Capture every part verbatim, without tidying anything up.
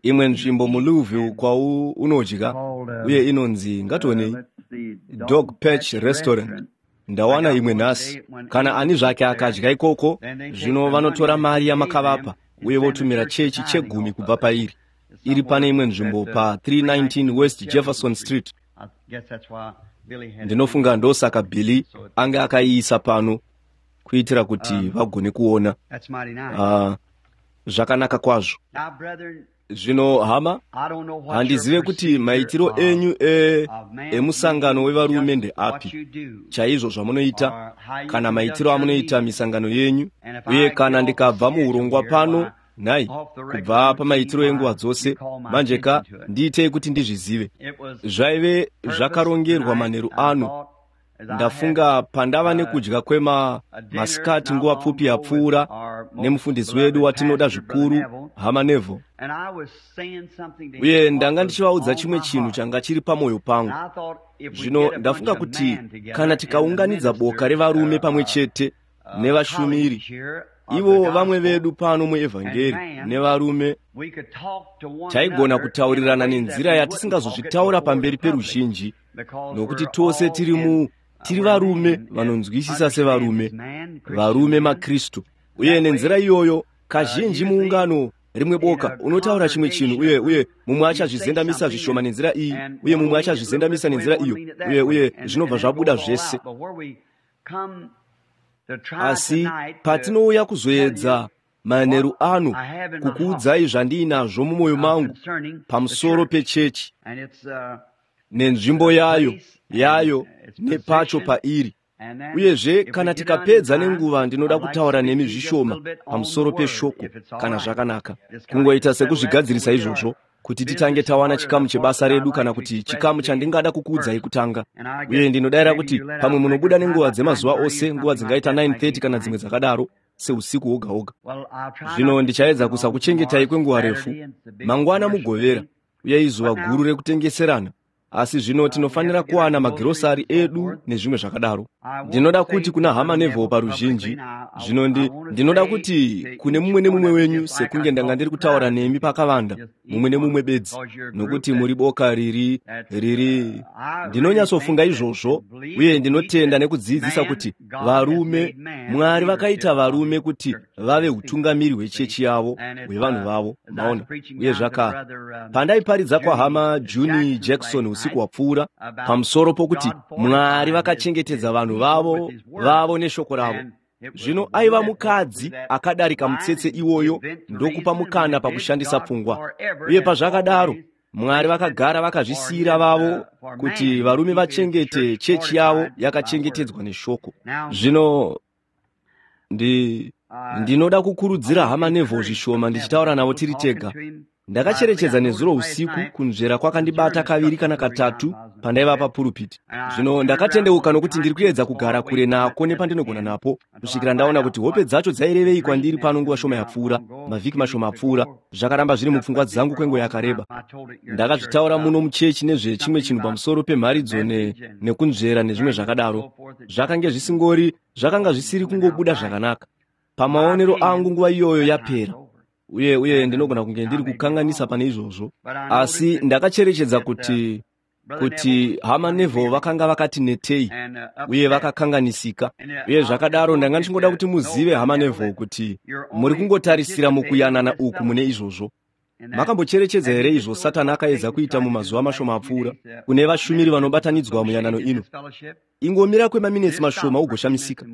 Imwe nzvimbo muLouisville kwaunodya uye inonzi, ngationei, Dog Patch Restaurant. Ndawana imwe nhasi. Kana ani zvake akadya ikoko, zvino vanotora mari yamakavapa uye votumira chechi chegumi kubva pairi. Iri pane imwe nzvimbo pa three nineteen West Jefferson Street. Ndinofunga ndosaka Billy ange akaiisa pano kuitira kuti vagone kuona. Uh, zvakanaka kwazvo. Zvino hama, handizive kuti maitiro enyu e, emusangano wevarume ndeapi, chaizvo zvamunoita, kana maitiro amunoita misangano yenyu, uye kana ndikabva muurongwa pano, nhai, kubva pamaitiro enguva dzose, manje ka ndiitei kuti ndizvizive. Zvaive zvakarongerwa manheru ano. Ndafunga pandava nekudya kwema masikati nguva pfupi yapfuura nemufundisi wedu watinoda zvikuru, hama Neville. Uye ndanga ndichivaudza chimwe chinhu changa chiri pamwoyo pangu. Zvino ndafunga kuti kana tikaunganidza boka revarume pamwe chete nevashumiri, ivo vamwe vedu pano muevhangeri nevarume, taigona kutaurirana nenzira yatisingazozvitaura pamberi peruzhinji, nokuti tose tiri mu tiri varume vanonzwisisa sevarume, varume maKristu. Uye nenzira iyoyo kazhinji muungano rimwe boka unotaura chimwe chinhu uye uye mumwe achazvizendamisa zvishoma nenzira iyi, uye mumwe achazvizendamisa nenzira iyo, uye uye zvinobva zvabuda zvese. Asi patinouya kuzoedza manheru ano kukuudzai zvandiinazvo mumwoyo mangu pamusoro pechechi nenzvimbo yayo yayo nepacho pairi. Uyezve kana tikapedza nenguva, ndinoda kutaura nemi zvishoma pamusoro peshoko, kana zvakanaka, kungoita sekuzvigadzirisa izvozvo kuti titange tawana chikamu chebasa redu, kana kuti chikamu chandingada kukuudzai kutanga. Uye ndinodayira kuti pamwe munobuda nenguva dzemazuva ose, nguva dzingaita nine thirty kana dzimwe dzakadaro, seusiku woga woga. Zvino ndichaedza kusakuchengetai kwenguva refu. Mangwana mugovera, uye izuva guru rekutengeserana. Asi zvino tinofanira kuwana magirosari edu nezvimwe zvakadaro. Ndinoda kuti kuna hama Neville paruzhinji, zvino ndi, ndinoda kuti kune mumwe nemumwe wenyu, sekunge ndanga ndiri kutaura nemi pakavanda, mumwe nemumwe bedzi, nokuti muri boka riri riri. Ndinonyatsofunga izvozvo, uye ndinotenda nekudzidzisa kuti varume, Mwari vakaita varume kuti vave utungamiri hwechechi yavo, hwevanhu vavo, maona. Uye zvaka pandaiparidza kwahama Juni Jackson usiku hwapfuura pamusoro pokuti Mwari vakachengetedza vanhu vavo vavo neshoko ravo. Zvino aiva mukadzi akadarika mutsetse iwoyo ndokupa mukana pakushandisa pfungwa. Uye pazvakadaro, Mwari vakagara vakazvisiyira vavo kuti varume vachengete chechi yavo yakachengetedzwa neshoko. Zvino ndi ndinoda kukurudzira hama Neville zvishoma ndichitaura navo tiri tega. Ndakacherechedza nezuro usiku kunzvera kwakandibata kaviri kana katatu pandaiva papurupiti. Zvino ndakatendeuka nokuti ndiri kuedza kugara kure nako nepandinogona napo, kusvikira ndaona kuti hope dzacho dzairevei kwandiri pano nguva shoma yapfuura, mavhiki mashoma apfuura. Zvakaramba zviri mupfungwa dzangu kwenguva yakareba. Ndakazvitaura muno muchechi nezvechimwe chinhu pamusoro pemharidzo ne, nekunzvera nezvimwe zvakadaro. Zvakange zvisingori, zvakanga zvisiri kungobuda zvakanaka. Pamaonero angu nguva iyoyo yapera. Uye uye ndinogona kunge ndiri kukanganisa pane izvozvo, asi ndakacherechedza kuti kuti hama Neville vakanga vakati netei uye vakakanganisika. Uye zvakadaro ndanga ndichingoda kuti muzive, hama Neville, kuti muri kungotarisira mukuyanana uku mune izvozvo. Makambocherechedza here izvo Satani akaedza kuita mumazuva mashoma apfuura kune vashumiri vanobatanidzwa muyanano ino? Ingomira kwemaminetsi mashoma ugoshamisika.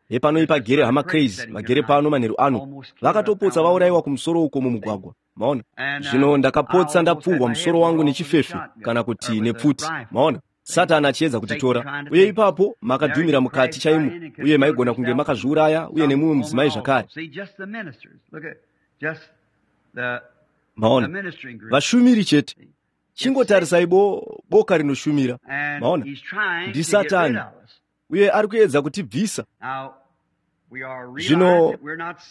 Hepano ipagere hama Crazy vagere pano manheru ano, vakatopotsa vaurayiwa kumusoro uko mumugwagwa. Maona? Zvino ndakapotsa ndapfurwa musoro wangu nechifefe kana kuti nepfuti. Maona? Satani achiedza kutitora. Uye ipapo makadhumira mukati chaimo, uye maigona kunge makazviuraya uye nemumwe mudzimai zvakare. Maona? Vashumiri chete. Chingotarisai bo, boka rinoshumira. Maona? NdiSatani. Uye ari kuedza kutibvisa. Zvino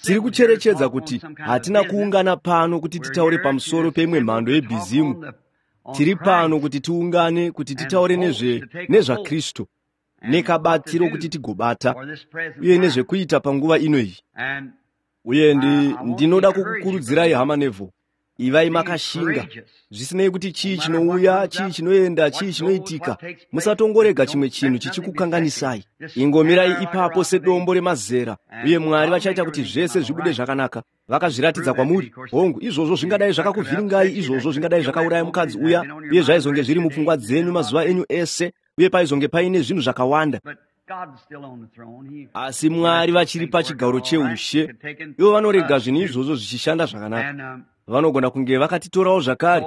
tiri kucherechedza kuti hatina kuungana pano kuti titaure pamusoro peimwe mhando yebhizimu. Tiri pano kuti tiungane kuti titaure nezve nezvaKristu nekabatiro kuti tigobata, uye nezvekuita panguva ino iyi. Uye ndi, ndinoda kukukurudzirai hama Neville, ivai makashinga. Zvisinei kuti chii chinouya, chii chinoenda, chii chinoitika, musatongorega chimwe chinhu chichikukanganisai. Ingomirai ipapo sedombo remazera, uye Mwari vachaita kuti zvese zvibude zvakanaka. Vakazviratidza kwamuri. Hongu, izvozvo zvingadai zvakakuvhiringai, izvozvo zvingadai zvakauraya mukadzi uya, uye zvaizonge zviri mupfungwa dzenyu mazuva enyu ese, uye paizonge paine zvinhu zvakawanda. Asi Mwari vachiri pachigaro cheushe. Ivo vanorega zvinhu izvozvo zvichishanda zvakanaka. Vanogona kunge vakatitorawo zvakare.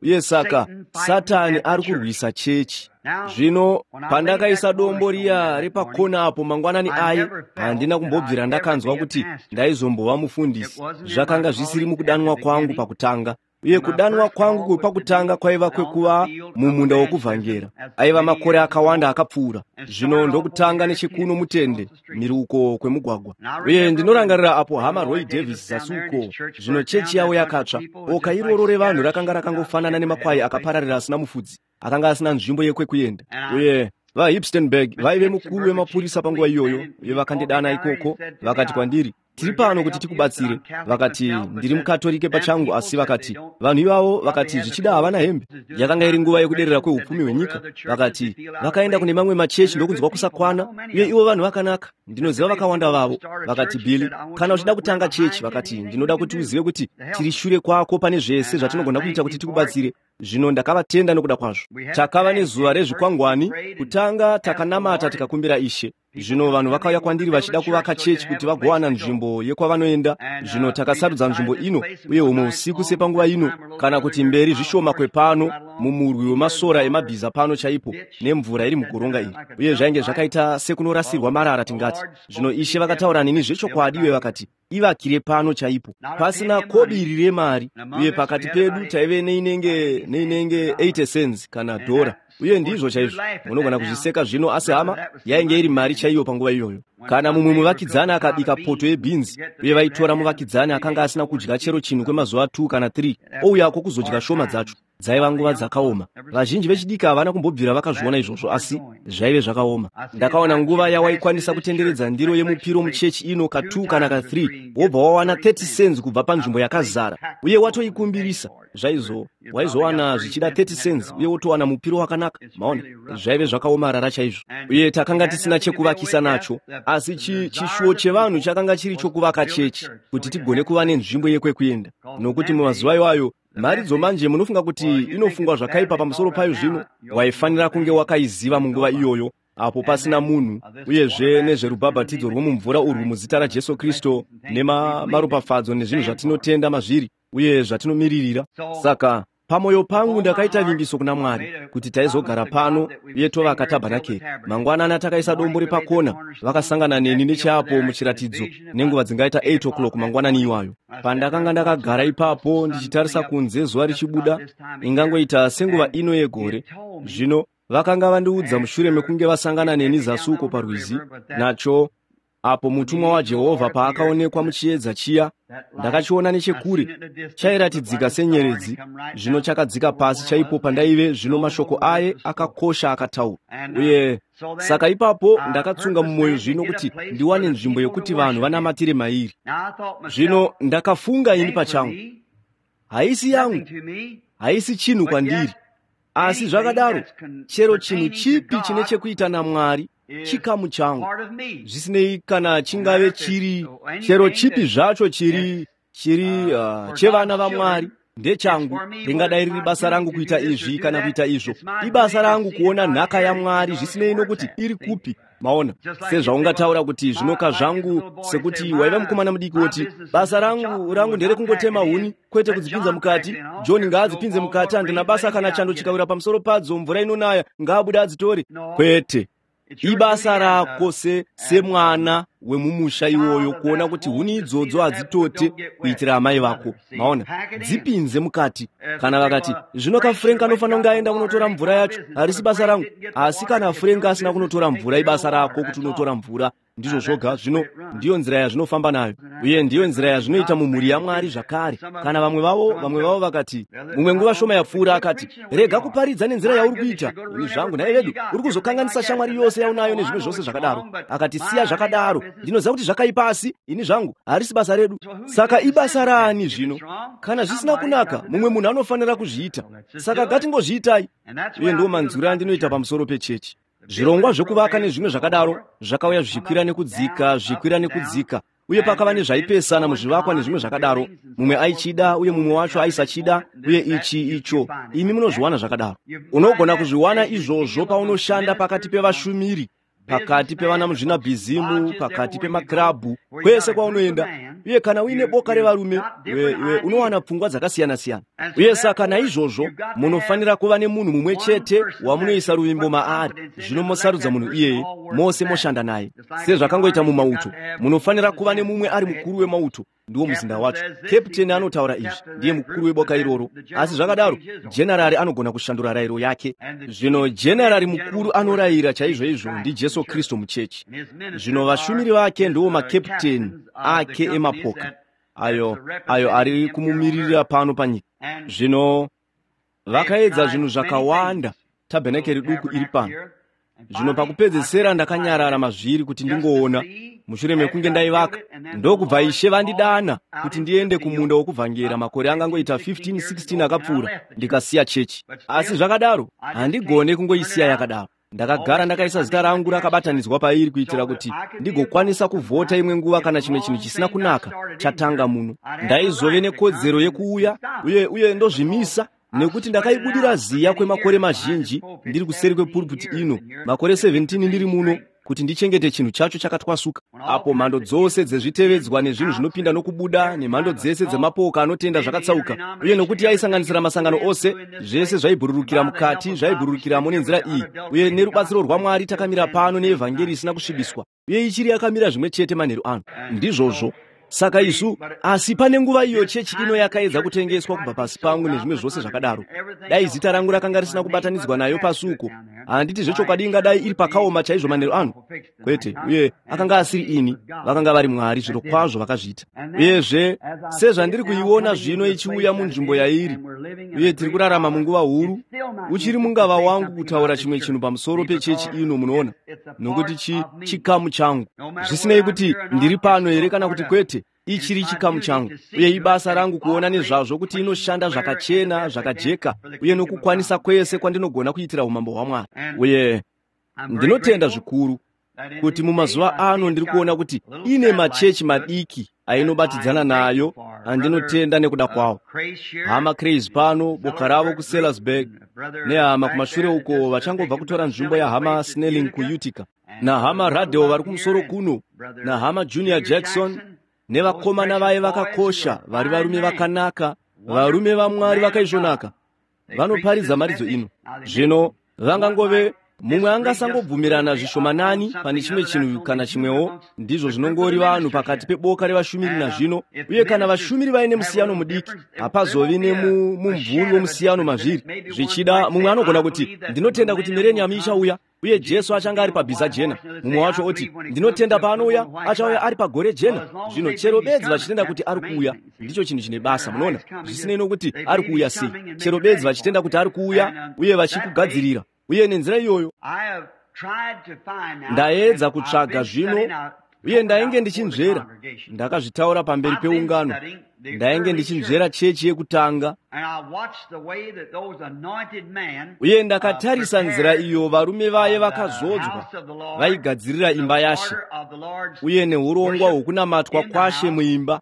Uye saka Satani ari kurwisa chechi. Zvino pandakaisa dombo riya repakona apo mangwanani aye, handina kumbobvira ndakanzwa kuti ndaizombova mufundisi. Zvakanga zvisiri mukudanwa kwangu pakutanga. Uye kudanwa kwangu kwepakutanga kwaiva kwekuva mumunda wokuvhangera. Aiva makore akawanda akapfuura. Zvino ndokutanga nechekuno mutende, mhiri kwemugwagwa. Uye ndinorangarira apo hama Roy Davis zasi uko, zvino chechi yavo yakatsva. Boka iroro revanhu rakanga rakangofanana nemakwai akapararira asina mufudzi, akanga asina nzvimbo yekwekuenda. Uye vaHipstenberg vaive mukuru wemapurisa panguva iyoyo, uye vakandidana ikoko, vakati kwandiri, tiri pano kuti tikubatsire. Vakati, ndiri mukatorike pachangu, asi vakati, vanhu ivavo vakati zvichida havana hembe. Yakanga iri nguva yekuderera kweupfumi hwenyika. Vakati, vakaenda kune mamwe machechi ndokunzwa kusakwana, uye ivo vanhu vakanaka. Ndinoziva vakawanda vavo. Vakati, Billy, kana uchida kutanga chechi, vakati, ndinoda kuti uzive kuti tiri shure kwako pane zvese zvatinogona kuita kuti tikubatsire. Zvino ndakavatenda nokuda kwazvo. Takava nezuva rezvikwangwani. Kutanga takanamata tikakumbira Ishe. Zvino vanhu vakauya kwandiri vachida kuvaka chechi kuti vagowana nzvimbo yekwavanoenda. Zvino takasarudza nzvimbo ino, uye humwe usiku sepanguva ino, kana kuti mberi zvishoma kwepano, mumurwi wemasora emabhiza pano chaipo, nemvura iri mugoronga iri. Uye zvainge zvakaita sekunorasirwa marara tingati. Zvino Ishe vakataura neni zvechokwadi, uye vakati, ivakire pano chaipo, pasina kobiri remari. Uye pakati pedu taive neinenge neinenge eighty cents kana dhora. Uye ndizvo chaizvo, munogona kuzviseka zvino, asi hama, yainge iri mari chaiyo panguva iyoyo. Kana mumwe muvakidzani akabika poto yebhinzi, uye vaitora muvakidzani akanga asina kudya chero chinhu kwemazuva two kana three, ouyako kuzodya shoma dzacho. Dzaiva nguva dzakaoma. Vazhinji vechidiki havana kumbobvira vakazviona izvozvo, asi zvaive zvakaoma. Ndakaona nguva yawaikwanisa kutenderedza ndiro yemupiro muchechi ino ka two kana ka three, wobva wawana thirty cents kubva panzvimbo yakazara, uye watoikumbirisa. Zvaizo waizowana zvichida thirty cents, uye wotowana mupiro wakanaka. Maona, zvaive zvakaomarara chaizvo. Uye takanga tisina chekuvakisa nacho, asi chishuwo chevanhu chakanga chiri chokuvaka chechi kuti tigone kuva nenzvimbo yekwekuenda. Nokuti mumazuva iwayo, mharidzo manje munofunga kuti inofungwa zvakaipa pamusoro payo zvino, waifanira kunge wakaiziva munguva iyoyo, apo pasina munhu, uyezve nezverubhabhatidzo rwomumvura urwu muzita raJesu Kristu, nemaropafadzo nezvinhu zvatinotenda mazviri, uye zvatinomiririra. Saka pamoyo pangu ndakaita vimbiso kuna Mwari kuti taizogara pano uye tovaka tabhanakeri. Mangwanani takaisa dombo repakona, vakasangana neni necheapo muchiratidzo nenguva dzingaita eight o'clock mangwanani iwayo. Pandakanga ndakagara ipapo ndichitarisa kunze zuva richibuda, ingangoita senguva ino yegore. Zvino vakanga vandiudza mushure mekunge vasangana neni zasi uko parwizi, nacho apo mutumwa waJehovha paakaonekwa muchiedza chiya, ndakachiona nechekure, chairatidzika senyeredzi, zvino chakadzika pasi chaipo pandaive. Zvino mashoko aye akakosha akataura. Uye saka ipapo ndakatsunga mumwoyo zvino kuti ndiwane nzvimbo yokuti vanhu vanamatire mairi. Zvino ndakafunga ini pachangu, haisi yangu, haisi chinhu kwandiri, asi zvakadaro chero chinhu chipi chine chekuita naMwari chikamu changu, zvisinei kana chingave chiri chero chipi zvacho chiri chiri uh, chevana vaMwari ndechangu. Ringadai riri basa rangu kuita izvi kana kuita izvo, ibasa rangu kuona nhaka yaMwari, zvisinei nokuti iri kupi. Maona, sezvaungataura kuti zvinoka zvangu, sekuti waiva mukomana mudiki woti basa rangu rangu nderekungotema huni, kwete kudzipinza mukati. John ngaadzipinze mukati, handina basa kana chando chikawira pamusoro padzo, mvura inonaya, ngaabude adzitore. Kwete, ibasa rako se semwana wemumusha iwoyo kuona kuti huni idzodzo hadzitote kuitira amai vako. Maona, dzipinze mukati. Kana vakati zvino ka Frank anofanira kunge aenda kunotora mvura yacho, harisi basa rangu. Asi kana Frank asina kunotora mvura, ibasa rako kuti unotora mvura. Ndizvo zvoga. Zvino ndiyo nzira yazvinofamba nayo, uye ndiyo nzira yazvinoita mumhuri yaMwari zvakare. Kana vamwe vavo vamwe vavo vakati, mumwe nguva shoma yapfuura akati, rega kuparidza nenzira yauri kuita. Ini zvangu, nhai vedu, uri kuzokanganisa shamwari yose yaunayo nezvimwe zvose zvakadaro. Akati, siya zvakadaro, ndinoziva kuti zvakaipa, asi ini zvangu harisi basa redu. Saka ibasa raani zvino? Kana zvisina kunaka, mumwe munhu anofanira kuzviita. Saka ngatingozviitai. Uye ndiwo manzwiro andinoita pamusoro pechechi. Zvirongwa zvekuvaka nezvimwe zvakadaro zvakauya zvichikwira nekudzika, zvichikwira nekudzika, uye pakava nezvaipesana muzvivakwa nezvimwe zvakadaro. Mumwe aichida uye mumwe wacho aisachida, uye ichi icho. Imi munozviwana zvakadaro. Unogona kuzviwana izvozvo paunoshanda pakati pevashumiri, pakati pevana muzvinabhizimu, pakati pemakirabhu, kwese kwaunoenda. Uye kana uine boka revarume, iwe unowana pfungwa dzakasiyana-siyana. Uye saka naizvozvo munofanira kuva nemunhu mumwe chete wamunoisa ruvimbo maari. Zvino mosarudza munhu iyeye, mose moshanda naye. Sezvakangoita mumauto, munofanira kuva nemumwe ari mukuru wemauto, ndiwo muzinda wacho. Keputeni anotaura izvi, ndiye mukuru weboka iroro. Asi zvakadaro, jenarari anogona kushandura rayiro yake. Zvino jenarari mukuru anorayira chaizvoizvo ndiJesu Kristu muchechi. Zvino vashumiri vake ndiwo makeputeni ake emapoka ayo ayo ari kumumiririra pano panyika. Zvino vakaedza zvinhu zvakawanda, tabhenakeri duku iri pano. Zvino pakupedzesera ndakanyarara mazviri kuti ndingoona, mushure mekunge ndaivaka. Ndokubva Ishe vandidana kuti ndiende kumunda wokuvhangera makore angangoita fifteen sixteen akapfuura, ndikasiya chechi. Asi zvakadaro, handigone kungoisiya yakadaro. Ndakagara ndakaisa zita rangu rakabatanidzwa pairi kuitira kuti ndigokwanisa kuvhota imwe nguva kana chimwe chinhu chisina kunaka chatanga muno. Ndaizove nekodzero yekuuya uye uye ndozvimisa, nekuti ndakaibudira ziya kwemakore mazhinji ndiri kuseri kwepulpiti ino, makore seventeen ndiri muno, kuti ndichengete chinhu chacho chakatwasuka. Apo mhando dzose dzezvitevedzwa nezvinhu zvinopinda nokubuda, nemhando dzese dzemapoka anotenda zvakatsauka, uye nokuti yaisanganisira masangano ose, zvese zvaibhururukira mukati, zvaibhururukiramo nenzira iyi. Uye nerubatsiro rwaMwari takamira pano neevhangeri isina kusvibiswa, uye ichiri yakamira zvimwe chete manheru ano. Ndizvozvo. Saka isu, asi pane nguva iyo chechi ino yakaedza kutengeswa kubva pasi pangu nezvimwe zvose zvakadaro. Dai zita rangu rakanga risina kubatanidzwa nayo pasi uko, handiti zvechokwadi ingadai iri pakaoma chaizvo manheru ano? Kwete, uye akanga asiri ini, vakanga vari Mwari zviro kwazvo vakazviita. Uyezve, sezvandiri kuiona zvino ichiuya munzvimbo yairi, uye tiri kurarama munguva huru, uchiri mungava wangu kutaura chimwe chinhu pamusoro pechechi ino, munoona, nokuti chi chikamu changu. Zvisinei kuti ndiri pano here kana kuti kwete, ichiri chikamu changu. Uye ibasa rangu kuona nezvazvo kuti inoshanda zvakachena, zvakajeka, uye nokukwanisa kwese kwandinogona kuitira umambo hwaMwari. Uye ndinotenda zvikuru kuti mumazuva ano ndiri kuona kuti ine machechi madiki ainobatidzana nayo andinotenda nekuda kwawo. Hama Craze pano, boka ravo kuSellersburg, nehama kumashure uko vachangobva kutora nzvimbo yahama Snelling kuUtica, nahama Radeo vari kumusoro kuno, nahama Junior Jackson, nevakomana vaye vakakosha vari varume vakanaka, varume vaMwari vakaisvonaka, vanoparidza maridzo ino. Zvino vangangove mumwe angasangobvumirana zvishomanani pane chimwe chinhu kana chimwewo, ndizvo zvinongori vanhu pakati peboka revashumiri nazvino. Uye kana vashumiri vaine musiyano mudiki, hapazovi nemumvuri womusiyano mazviri. Zvichida mumwe anogona kuti, ndinotenda kuti mileniyamu ichauya, uye Jesu achanga ari pabhiza jena. Mumwe wacho oti, ndinotenda paanouya, achauya ari pagore jena. Zvino chero bedzi vachitenda kuti ari kuuya, ndicho chinhu chine basa, munoona. Zvisinei nokuti ari kuuya sei, chero bedzi vachitenda kuti ari kuuya uye vachikugadzirira. Uye nenzira iyoyo ndaedza kutsvaga zvino, uye ndainge ndichinzvera, ndakazvitaura pamberi peungano, ndainge ndichinzvera chechi yekutanga, uye ndakatarisa nzira iyo varume vaye vakazodzwa vaigadzirira imba yaShe, uye neurongwa hwokunamatwa kwaShe muimba,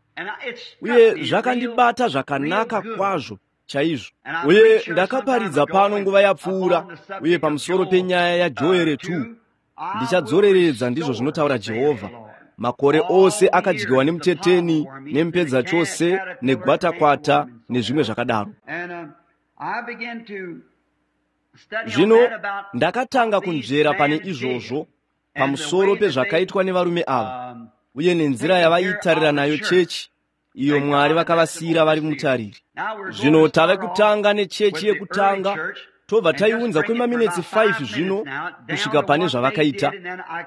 uye zvakandibata zvakanaka kwazvo chaizvo. Uye ndakaparidza pano nguva yapfuura, uye pamusoro penyaya yaJoere two, ndichadzoreredza, ndizvo zvinotaura Jehovha, makore ose akadyiwa nemuteteni, nemupedza chose, negwatakwata, nezvimwe zvakadaro. Zvino ndakatanga kunzvera pane izvozvo pamusoro pezvakaitwa nevarume ava, uye nenzira yavaitarira nayo chechi iyo Mwari vakavasiyira vari mutariri. Zvino tave kutanga nechechi yekutanga, Tobva taiunza kwemaminetsi five zvino kusvika pane zvavakaita,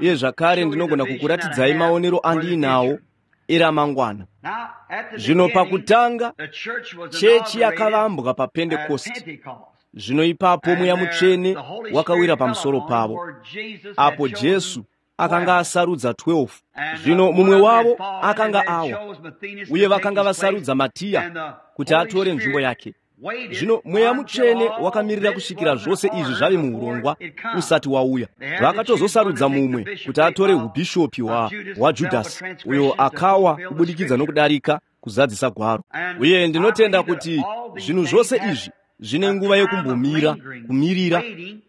uye zvakare ndinogona kukuratidzai maonero andiinawo eramangwana. Zvino pakutanga chechi yakavambwa paPentekosti. Zvino ipapo Mweya Mutsvene wakawira pamusoro pavo, apo Jesu akanga asarudza twelve. Zvino mumwe wavo akanga awa, uye vakanga vasarudza Matiya kuti atore nzvimbo yake. Zvino Mweya Mutsvene wakamirira kusvikira zvose izvi zvave muurongwa usati wauya. Vakatozosarudza mumwe kuti atore ubhishopi hwaJudhasi, uyo akawa kubudikidza nokudarika kuzadzisa gwaro. Uye ndinotenda kuti zvinhu zvose izvi zvine nguva yekumbomira, kumirira,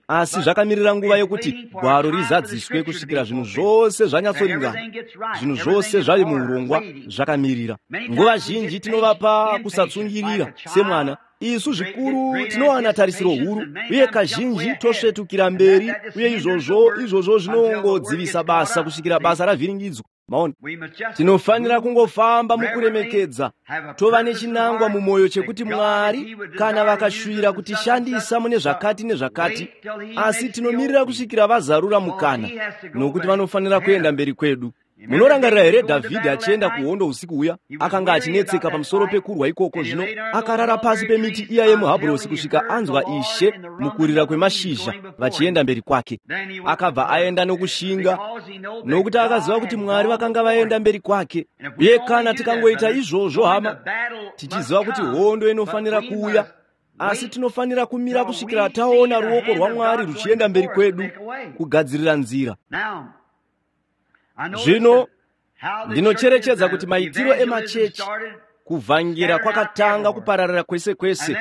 asi zvakamirira nguva yekuti gwaro rizadziswe kusvikira zvinhu zvose zvanyatsoringana, zvinhu zvose zvave muurongwa zvakamirira. Nguva zhinji tinovapa kusatsungirira semwana. Isu zvikuru tinowana tarisiro huru, uye kazhinji tosvetukira mberi, uye izvozvo izvozvo zvinongodzivisa basa kusvikira basa ravhiringidzwa. Maona, tinofanira kungofamba mukuremekedza, tova nechinangwa mumwoyo chekuti Mwari kana vakashuvira kutishandisa mune zvakati nezvakati, asi tinomirira kusvikira vazarura mukana, nokuti vanofanira kuenda mberi kwedu. Munorangarira here Dhavhidhi achienda kuhondo usiku huya? Akanga achinetseka pamusoro pekurwa ikoko. Zvino akarara pasi pemiti iya yemuhabhurosi kusvika anzwa Ishe mukurira kwemashizha vachienda mberi kwake. Akabva aenda nokushinga, nokuti akaziva kuti Mwari vakanga vaenda mberi kwake. Uye kana tikangoita izvozvo, hama, tichiziva kuti hondo inofanira kuuya, asi tinofanira kumira kusvikira taona ruoko rwaMwari ruchienda mberi kwedu kugadzirira nzira. Zvino ndinocherechedza kuti maitiro emachechi kuvhangira kwakatanga kupararira kwese kwese,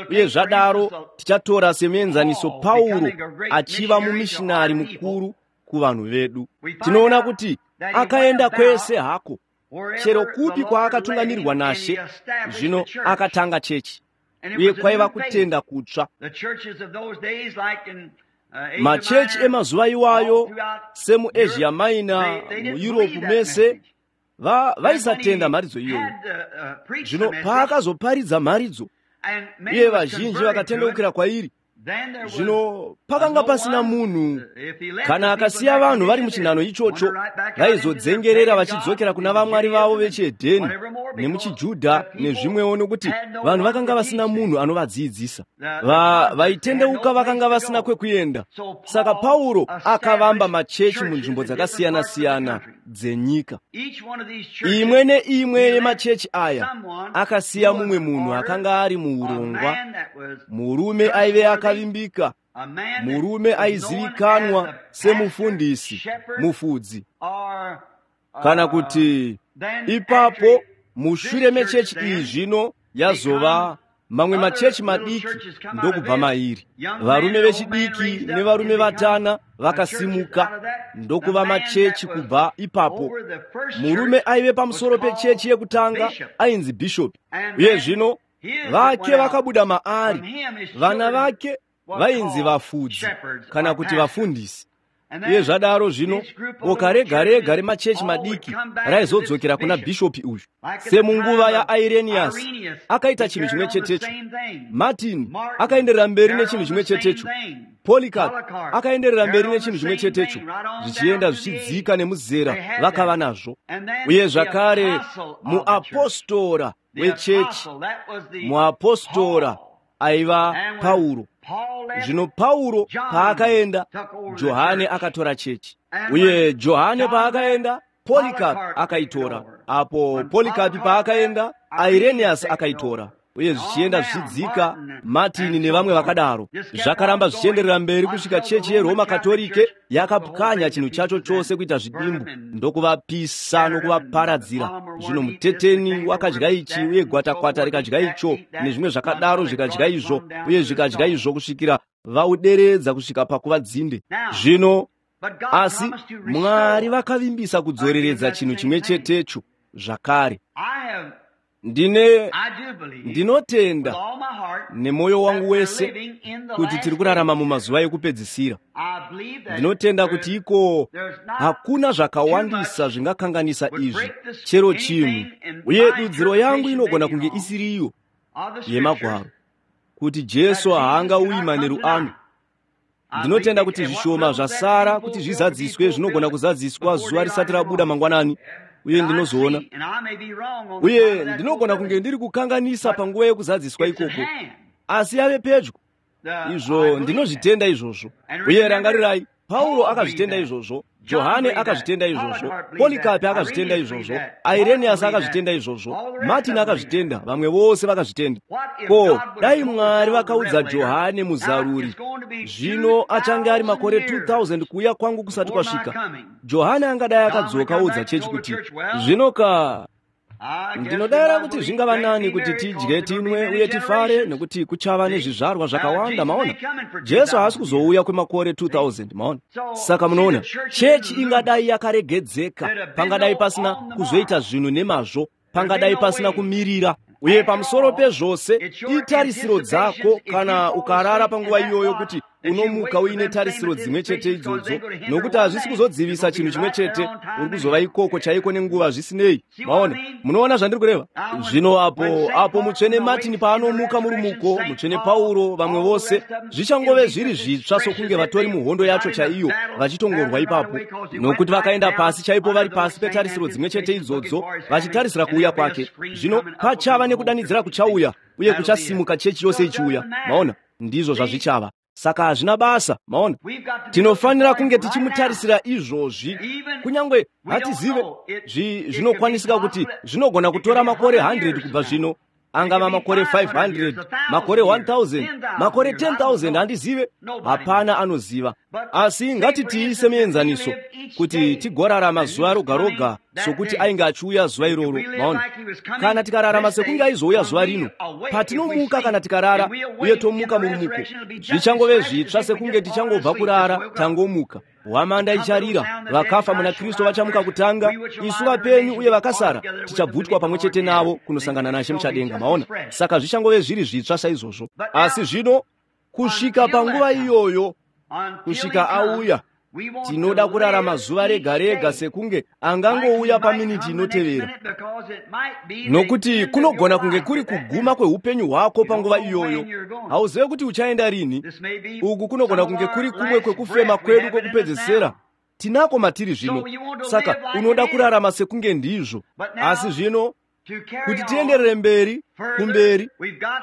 uye zvadaro tichatora semuenzaniso Pauro achiva mumishinari mukuru kuvanhu vedu. Tinoona kuti akaenda kwese hako, chero kupi kwaakatungamirirwa naShe. Zvino akatanga chechi, uye kwaiva kutenda kutsva. Machechi emazuva iwayo semuAsia Minor, muEurope mese, vaisatenda mharidzo iyoyo. Zvino paakazoparidza mharidzo, uye vazhinji vakatendeukira kwairi, zvino pakanga pasina munhu kana akasiya vanhu vari muchinhano ichocho, vaizodzengerera vachidzokera kuna vamwari vavo vechihedheni nemuchiJudha nezvimwewo, nokuti vanhu vakanga vasina munhu anovadzidzisa. Vaitendeuka vakanga vasina kwekuenda. Saka Pauro akavamba machechi munzvimbo dzakasiyana-siyana dzenyika. Imwe neimwe yemachechi aya akasiya mumwe munhu akanga ari muurongwa, murume aive akavimbika, murume aizivikanwa semufundisi, mufudzi, kana kuti ipapo mushure mechechi iyi zvino yazova mamwe machechi madiki ndokubva mairi. Varume vechidiki nevarume vatana vakasimuka ndokuva machechi kubva ipapo. Murume aive pamusoro pechechi yekutanga ainzi bhishopi, uye zvino vake vakabuda maari, vana vake vainzi vafudzi kana kuti vafundisi. Uye zvadaro zvino boka rega rega remachechi madiki raizodzokera kuna bhishopi uyu. Semunguva yaIrenius akaita chinhu chimwe chetecho, Martin akaenderera mberi nechinhu chimwe chetecho, Polycarp akaenderera mberi nechinhu chimwe chetecho, zvichienda zvichidzika nemuzera vakava nazvo. Uye zvakare muapostora wechechi, muapostora aiva Pauro. Zvino Pauro paakaenda, Johane akatora chechi. Uye Johane paakaenda, Polycarp akaitora. Apo Polycarp paakaenda, Irenaeus akaitora. Uye zvichienda zvichidzika, Martin nevamwe vakadaro. Zvakaramba zvichienderera mberi kusvika chechi yeRoma Katorike yakapwanya chinhu chacho chose kuita zvidimbu, ndokuvapisa nokuvaparadzira. Zvino muteteni wakadya ichi, uye gwatakwata rikadya icho, nezvimwe zvakadaro zvikadya izvo, uye zvikadya izvo kusvikira vauderedza kusvika pakuva dzinde. Zvino asi Mwari vakavimbisa kudzoreredza chinhu chimwe chetecho zvakare. Ndine ndinotenda nemwoyo wangu wese kuti tiri kurarama mumazuva ekupedzisira. Ndinotenda kuti iko hakuna zvakawandisa zvingakanganisa izvi, chero chinhu, uye dudziro yangu inogona kunge isiriyo yemagwaro. Kuti Jesu haangauyi manheru ano. Ndinotenda kuti zvishoma zvasara kuti zvizadziswe zvinogona kuzadziswa zuva risati rabuda mangwanani, uye ndinozoona. Uye ndinogona kunge ndiri kukanganisa panguva yekuzadziswa ikoko, asi yave pedyo. Izvo ndinozvitenda izvozvo. Uye rangarirai, Pauro akazvitenda izvozvo, Johane akazvitenda izvozvo, Polikapi akazvitenda izvozvo, Ireniyasi akazvitenda izvozvo, Martin akazvitenda, vamwe vose vakazvitenda. Ko, dai Mwari vakaudza Johane muzaruri, zvino achange ari makore two thousand kuuya kwangu kusati kwasvika. Johane angadai akadzoka oudza chechi kuti, zvino ka ndinodayira kuti zvingava nani kuti tidye, tinwe uye tifare, nekuti kuchava nezvizvarwa zvakawanda. Maona, Jesu haasi kuzouya kwemakore two thousand. Maona, saka munoona, chechi ingadai yakaregedzeka, pangadai pasina kuzoita zvinhu nemazvo, pangadai pasina kumirira. Uye pamusoro pezvose, itarisiro dzako kana ukarara panguva iyoyo kuti unomuka uine tarisiro dzimwe chete idzodzo, nokuti hazvisi kuzodzivisa chinhu chimwe chete, uri kuzova ikoko chaiko nenguva zvisinei. Maona, munoona zvandiri kureva? Zvino apo apo mutsvene Martin paanomuka murumuko, mutsvene Pauro, vamwe vose, zvichangove zviri zvitsva sokunge vatori muhondo yacho chaiyo vachitongorwa ipapo, nokuti vakaenda pasi chaipo vari pasi petarisiro dzimwe chete idzodzo vachitarisira kuuya kwake. Zvino pachava nekudanidzira kuchauya uye kuchasimuka chechi yose ichiuya. Maona, ndizvo zvazvichava. Saka hazvina basa. Maona, tinofanira kunge tichimutarisira izvozvi, kunyange hatizive zvinokwanisika kuti zvinogona kutora makore hundred kubva zvino, angava makore five hundred, makore one thousand, makore ten thousand, handizive, hapana anoziva. Asi ngatitiise muenzaniso kuti tigorarama zuva roga roga sokuti ainge achiuya zuva iroro. Maona, kana tikararama sekunge aizouya zuva rino, patinomuka kana tikarara uye tomuka murumuko, zvichangove zvitsva sekunge tichangobva kurara tangomuka. Hwamanda icharira, vakafa muna Kristu vachamuka kutanga, isu vapenyu uye vakasara tichabvutwa pamwe chete navo kunosangana naShe muchadenga. Maona, saka zvichangove zviri zvitsva saizvozvo. Asi zvino kusvika panguva iyoyo, kusvika auya, tinoda kurarama zuva rega rega sekunge angangouya paminiti inotevera, nokuti kunogona kunge kuri kuguma kweupenyu hwako panguva iyoyo. Hauzive kuti uchaenda rini. Uku kunogona kunge kuri kumwe kwekufema kwedu kwekupedzesera tinako matiri zvino. Saka unoda kurarama sekunge ndizvo. Asi zvino kuti tienderere mberi kumberi,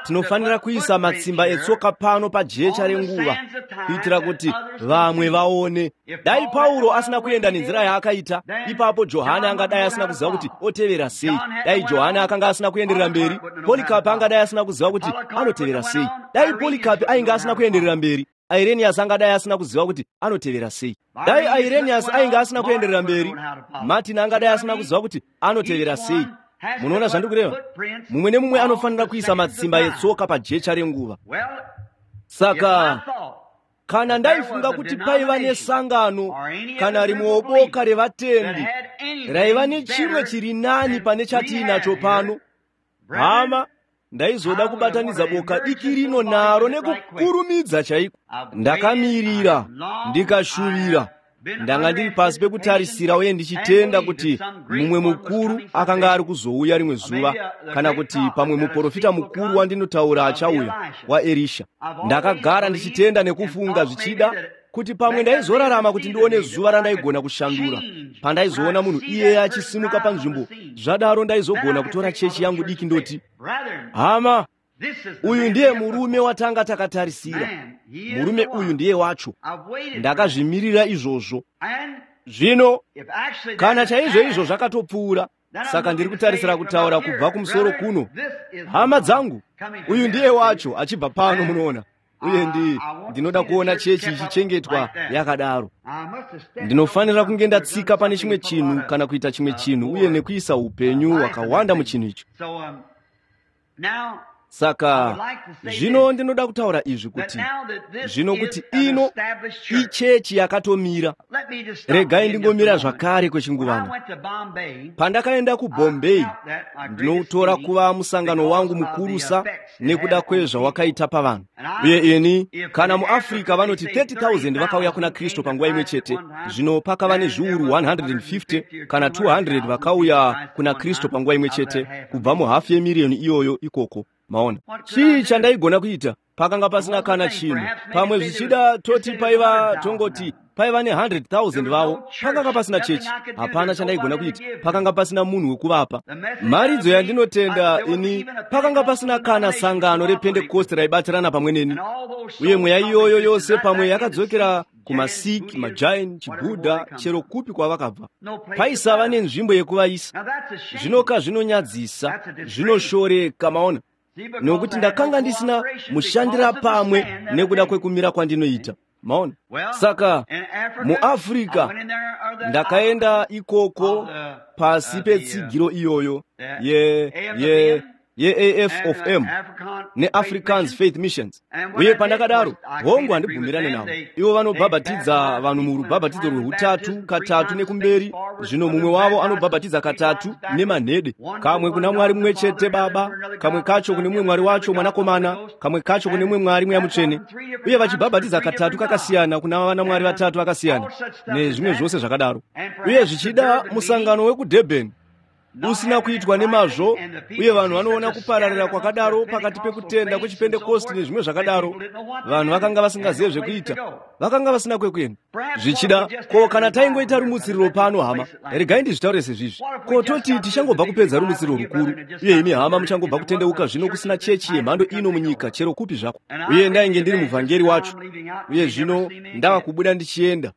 tinofanira kuisa matsimba etsoka pano pajecha renguva kuitira kuti vamwe vaone. Dai Pauro asina kuenda nenzira yaakaita, ipapo Johane angadai asina kuziva kuti otevera sei. Dai Johane akanga asina kuenderera mberi, Polikapi angadai asina kuziva kuti anotevera sei. Dai Polikapi ainge asina kuenderera mberi, Ireniyasi angadai asina kuziva kuti anotevera sei. Dai Ireniyasi ainge asina kuenderera mberi, Martin angadai asina kuziva kuti anotevera sei. Munoona zvandiri kureva? Mumwe nemumwe anofanira kuisa matsimba etsoka pajecha renguva. Saka kana ndaifunga kuti paiva nesangano kana rimwewo boka revatendi raiva nechimwe chiri nani pane chatiinacho pano, hama, ndaizoda kubatanidza boka diki rino naro nekukurumidza chaiko. Ndakamirira, ndikashuvira, ndanga ndiri pasi pekutarisira uye ndichitenda kuti mumwe mukuru akanga ari kuzouya rimwe zuva, kana kuti pamwe muprofita mukuru wandinotaura achauya waErisha. Ndakagara ndichitenda nekufunga zvichida kuti pamwe ndaizorarama kuti ndione zuva randaigona kushandura, pandaizoona munhu iyeye achisimuka panzvimbo. Zvadaro ndaizogona kutora chechi yangu diki ndoti, hama, uyu ndiye murume watanga takatarisira. Murume uyu ndiye wacho. Ndakazvimirira izvozvo. Zvino kana chaizvo izvo zvakatopfuura, saka ndiri kutarisira kutaura kubva kumusoro kuno, hama dzangu, uyu ndiye wacho achibva pano, munoona. Uye ndi ndinoda kuona chechi ichichengetwa yakadaro. Ndinofanira kunge ndatsika pane chimwe chinhu kana kuita chimwe chinhu uye nekuisa upenyu hwakawanda muchinhu icho. Saka zvino ndinoda kutaura izvi kuti zvino kuti ino ichechi yakatomira. Regai ndingomira zvakare kwechinguvana. Pandakaenda kuBombay, ndinoutora kuva musangano wangu mukurusa nekuda kwezvawakaita pavanhu. Uye ini, kana muAfrica vanoti thirty thousand vakauya kuna Kristu panguva imwe chete, zvino pakava nezviuru one hundred and fifty kana two hundred vakauya kuna Kristu panguva imwe chete kubva muhafu yemiriyoni iyoyo ikoko. Maona, chii chandaigona kuita? Pakanga pasina kana chinhu. Pamwe zvichida toti paiva tongoti paiva ne hundred thousand vavo. Pakanga pasina chechi, hapana chandaigona kuita. Pakanga pasina munhu wekuvapa mharidzo yandinotenda ini. Pakanga pasina kana sangano rePentekosti raibatirana pamwe neni, uye mweya iyoyo yose pamwe yakadzokera kumaSikh, maJain, chiBuddha, chero kupi kwavakabva. Paisava nenzvimbo yekuvaisa. Zvinoka zvinonyadzisa, zvinoshoreka, maona, nokuti ndakanga ndisina mushandira pamwe nekuda kwekumira kwandinoita, maona. Saka muAfrica ndakaenda ikoko pasi petsigiro iyoyo ye ye ye-A F of M neAfricans Faith Missions. Uye pandakadaro, hongu, handibvumirane navo. Ivo vanobhabhatidza vanhu murubhabhatidzo rweutatu katatu nekumberi. Zvino mumwe wavo anobhabhatidza katatu nemanhede, kamwe kuna Mwari mumwe chete Baba, kamwe kacho kune mumwe Mwari wacho Mwanakomana, kamwe kacho kune mumwe Mwari Mweya Mutsvene, uye vachibhabhatidza katatu kakasiyana kuna vana Mwari vatatu vakasiyana, nezvimwe zvose zvakadaro. Uye zvichida musangano wekuDurban usina kuitwa nemazvo, uye vanhu vanoona kupararira kwakadaro pakati pekutenda kwechipentekosti nezvimwe zvakadaro. Vanhu vakanga vasingazive zvekuita, vakanga vasina kwekuenda. Zvichida ko kana taingoita rumutsiriro pano, hama, regai ndizvitaure sezvizvi. Ko toti tichangobva kupedza rumutsiriro rukuru, uye imi hama muchangobva kutendeuka, zvino kusina chechi yemhando ino munyika chero kupi zvako, uye ndainge ndiri muvhangeri wacho, uye zvino ndava kubuda ndichienda,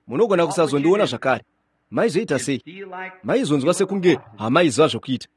munogona kusazondiona zvakare, maizoita sei? Maizonzwa sekunge hamaiziva zvokuita.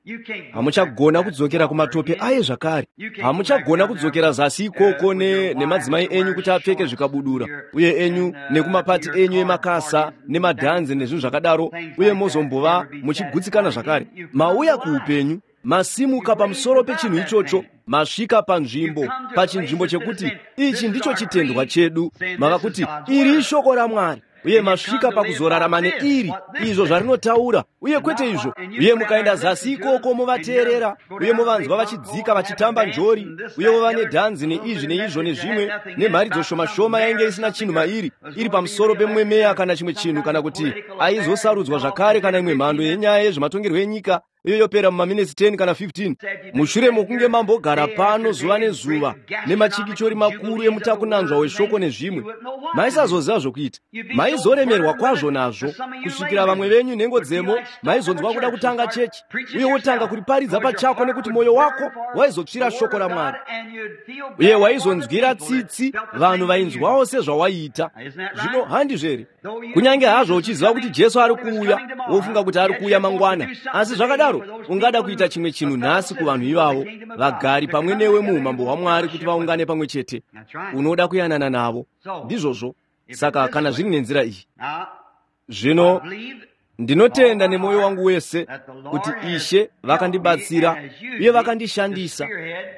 Hamuchagona kudzokera kumatope aye zvakare. Hamuchagona kudzokera zasi ikoko nemadzimai enyu kuti apfeke zvikabudura, uye enyu nekumapati enyu emakasa nemadhanzi nezvinhu zvakadaro, uye mozombova muchigutsikana zvakare. Mauya kuupenyu, masimuka pamusoro pechinhu ichocho, masvika panzvimbo, pachinzvimbo chekuti ichi ndicho chitendwa chedu. Mava kuti iri ishoko raMwari, uye masvika pakuzorarama neiri, izvo zvarinotaura uye kwete izvo. Uye mukaenda zasi ikoko movateerera, uye movanzwa vachidzika vachitamba njori, uye vova nedhanzi neizvi neizvo nezvimwe, nemharidzo shoma shoma yainge isina chinhu mairi, iri pamusoro pemumwe meya kana chimwe chinhu, kana kuti aizosarudzwa zvakare, kana imwe mhando yenyaya yezvematongerwo enyika, iyo yopera mumaminitsi ten kana fifteen, mushure mokunge mambogara pano zuva nezuva nemachikichori makuru emutakunanzva weshoko nezvimwe, maisazoziva zvokuita. Maizoremerwa kwazvo nazvo kusvikira vamwe venyu nhengo dzemo maizonzwa kuda kutanga chechi uye wotanga kuriparidza pachako, nekuti mwoyo wako waizotsvira shoko raMwari, uye waizonzwira tsitsi vanhu vainzwawo sezvawaiita. Zvino handizvo here? Kunyange hazvo uchiziva kuti Jesu ari kuuya, wofunga kuti ari kuuya mangwana, asi zvakadaro ungada kuita chimwe chinhu nhasi kuvanhu ivavo vagari pamwe newe muumambo hwaMwari, kuti vaungane pamwe chete. Unoda kuyanana navo. Ndizvozvo. Saka kana zviri nenzira iyi, zvino ndinotenda nemwoyo wangu wese kuti Ishe vakandibatsira uye vakandishandisa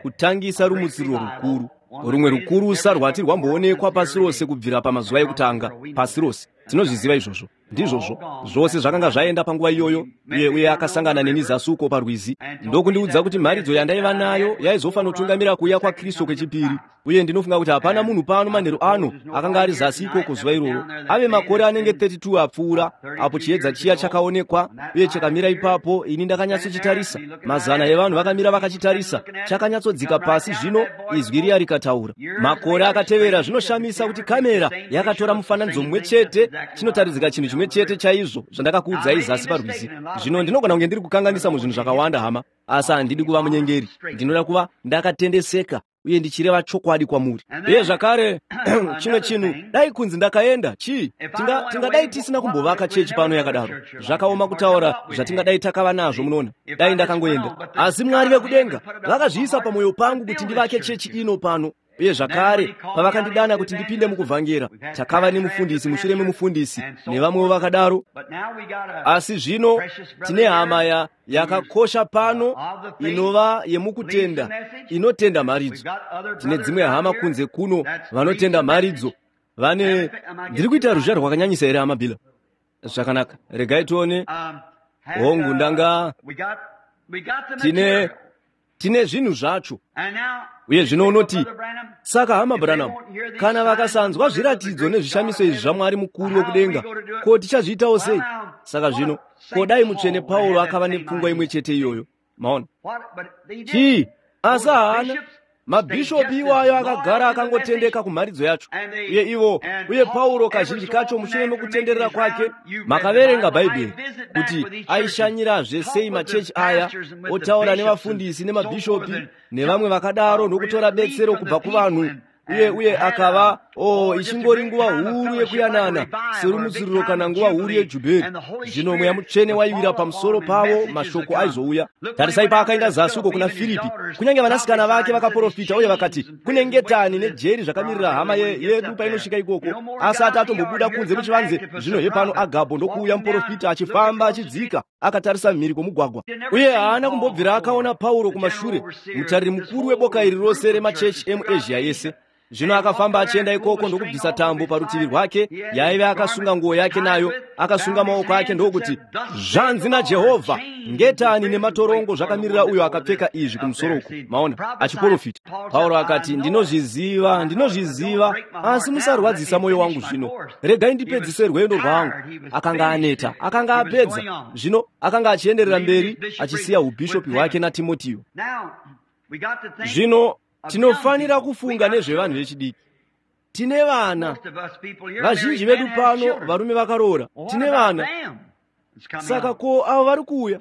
kutangisa rumutsiriro rukuru, rumwe rukurusa rwati rwamboonekwa pasi rose kubvira pamazuva ekutanga pasi rose. Tinozviziva izvozvo. Ndizvozvo, zvose zvakanga zvaenda panguva iyoyo. Uye uye akasangana neni zasi uko parwizi ndokundiudza kuti mharidzo yandaiva nayo yaizofanotungamira kuuya kwaKristu kwechipiri. Uye ndinofunga kuti hapana munhu pano manheru ano akanga ari zasi ikoko zuva iroro. Ave makore anenge makumi matatu apfuura apo chiedza chiya chakaonekwa uye chakamira ipapo. Ini ndakanyatsochitarisa, mazana evanhu vakamira vakachitarisa. Chakanyatsodzika pasi, zvino izwi riya rikataura. Makore akatevera, zvinoshamisa kuti kamera yakatora mufananidzo mumwe chete, chinotaridzika chinhu chimwe chete chaizvo zvandakakuudzai zasi parwizi. Zvino ndinogona kunge ndiri kukanganisa muzvinhu zvakawanda, hama, asi handidi kuva munyengeri. Ndinoda kuva ndakatendeseka uye ndichireva chokwadi kwamuri. Uye zvakare chimwe chinhu, dai kunzi ndakaenda, chii, tingadai tisina kumbovaka chechi pano yakadaro. Zvakaoma kutaura zvatingadai takava nazvo, munoona, dai ndakangoenda. Asi Mwari vekudenga vakazviisa pamwoyo pangu kuti ndivake chechi ino pano. Uye zvakare pavakandidana kuti ndipinde mukuvhangera, takava nemufundisi mushure memufundisi nevamwewo vakadaro. Asi zvino tine hama ya yakakosha pano inova yemukutenda, inotenda mharidzo. Tine dzimwe hama kunze kuno vanotenda mharidzo. Vane, ndiri kuita ruzha rwakanyanyisa here, hama Bila? Zvakanaka, regai tione. Hongu, ndanga tine tine zvinhu zvacho. Uye zvino unoti, "Saka hama Branham, kana vakasanzwa zviratidzo nezvishamiso izvi zvaMwari mukuru wekudenga, ko tichazviitawo sei?" Saka zvino ko dai Mutsvene Pauro akava nepfungwa imwe chete iyoyo? Maona, chii? Asi haana mabhishopi iwayo akagara akangotendeka kumharidzo yacho. Uye ivo uye Pauro kazhinji kacho mushure mekutenderera kwake, makaverenga Bhaibheri kuti aishanyirazve sei machechi aya, otaura nevafundisi nemabhishopi nevamwe vakadaro, nokutora betsero kubva kuvanhu. Uye uye akava o oh, ichingori nguva huru yekuyanana serumutsiriro kana nguva huru yejubheri. Zvino Mweya Mutsvene waiwira pamusoro pavo, mashoko aizouya. Tarisai paakaenda zasi uko kuna Firipi, kunyange vanasikana vake vakaprofita uye vakati kune ngetani nejeri zvakamirira hama yedu painosvika ikoko. Asati atombobuda kunze muchivanze, zvino hepano Agabho ndokuuya muprofita achifamba achidzika akatarisa mhiri kwomugwagwa. Uye haana kumbobvira akaona Pauro kumashure, mutariri mukuru weboka iri rose remachechi emuAsia yese. Zvino akafamba achienda ikoko ndokubvisa tambo parutivi rwake yaive akasunga nguo yake nayo, akasunga maoko ake ndokuti, zvanzi naJehovha, ngetani nematorongo zvakamirira uyo akapfeka izvi kumusoro uku. Maona, achiprofita. Pauro akati, ndinozviziva, ndinozviziva, asi musarwadzisa mwoyo wangu zvino. Regai ndipedzise rwendo rwangu. Akanga aneta, akanga apedza. Zvino akanga achienderera mberi achisiya ubhishopi hwake naTimotio. Zvino tinofanira kufunga nezvevanhu vechidiki. Tine vana vazhinji vedu pano, varume vakaroora, tine vana. Saka ko avo vari kuuya?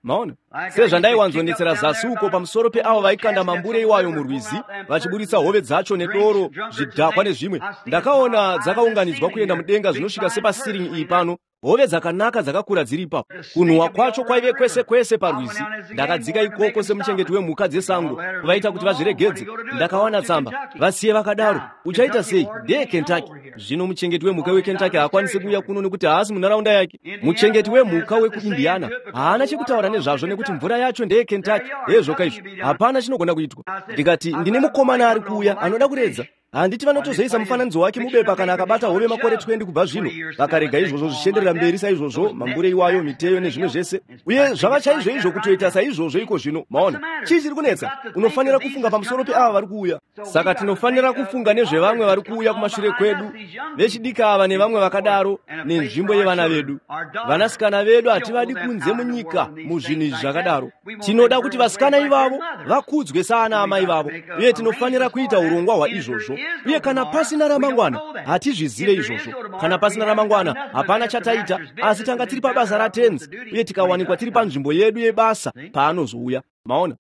Maona, sezvandaiwanzonetsera zasi uko pamusoro peavo vaikanda mambure iwayo murwizi vachiburitsa hove dzacho nedoro, zvidhakwa nezvimwe. Ndakaona dzakaunganidzwa kuenda mudenga zvinosvika sepasiringi iyi pano, hove dzakanaka dzakakura dziri ipapo. Kunhuhwa kwacho kwaive kwese kwese parwizi. Ndakadzika ikoko semuchengeti wemhuka dzesango kuvaita kuti vazviregedze. Ndakawana tsamba, vasiye vakadaro. Uchaita sei? Ndeye Kentucky. Zvino muchengeti wemhuka weKentucky haakwanisi kuuya kuno nekuti haasi munharaunda yake. Muchengeti wemhuka wekuIndiana haana chekutaura nezvazvo nekuti mvura yacho ndeye Kentucky. Hezvoka izvo, hapana chinogona kuitwa. Ndikati, ndine mukomana ari kuuya anoda kuredza. Handiti vanotozoisa mufananidzo wake mubepa kana akabata hove makore makumi maviri kubva zvino. Vakarega izvozvo zvichienderera mberi saizvozvo, mambure iwayo, miteyo nezvimwe zvese. Uye zvava chaizvo izvo kutoita saizvozvo iko zvino. Maona, chii chiri kunetsa? Unofanira kufunga pamusoro peava vari kuuya. Saka tinofanira kufunga nezvevamwe vari kuuya kumashure kwedu, vechidiki ava nevamwe vakadaro, nenzvimbo yevana vedu. Vanasikana vedu hativadi kunze munyika muzvinhu izvi zvakadaro. Tinoda kuti vasikana ivavo vakudzwe saana amai vavo, uye tinofanira kuita urongwa hwaizvozvo. Uye kana pasina ramangwana, hatizvizive izvozvo. Kana pasina ramangwana, hapana chataita, asi tanga tiri pabasa raTenzi, uye tikawanikwa tiri panzvimbo yedu yebasa paanozouya. Maona?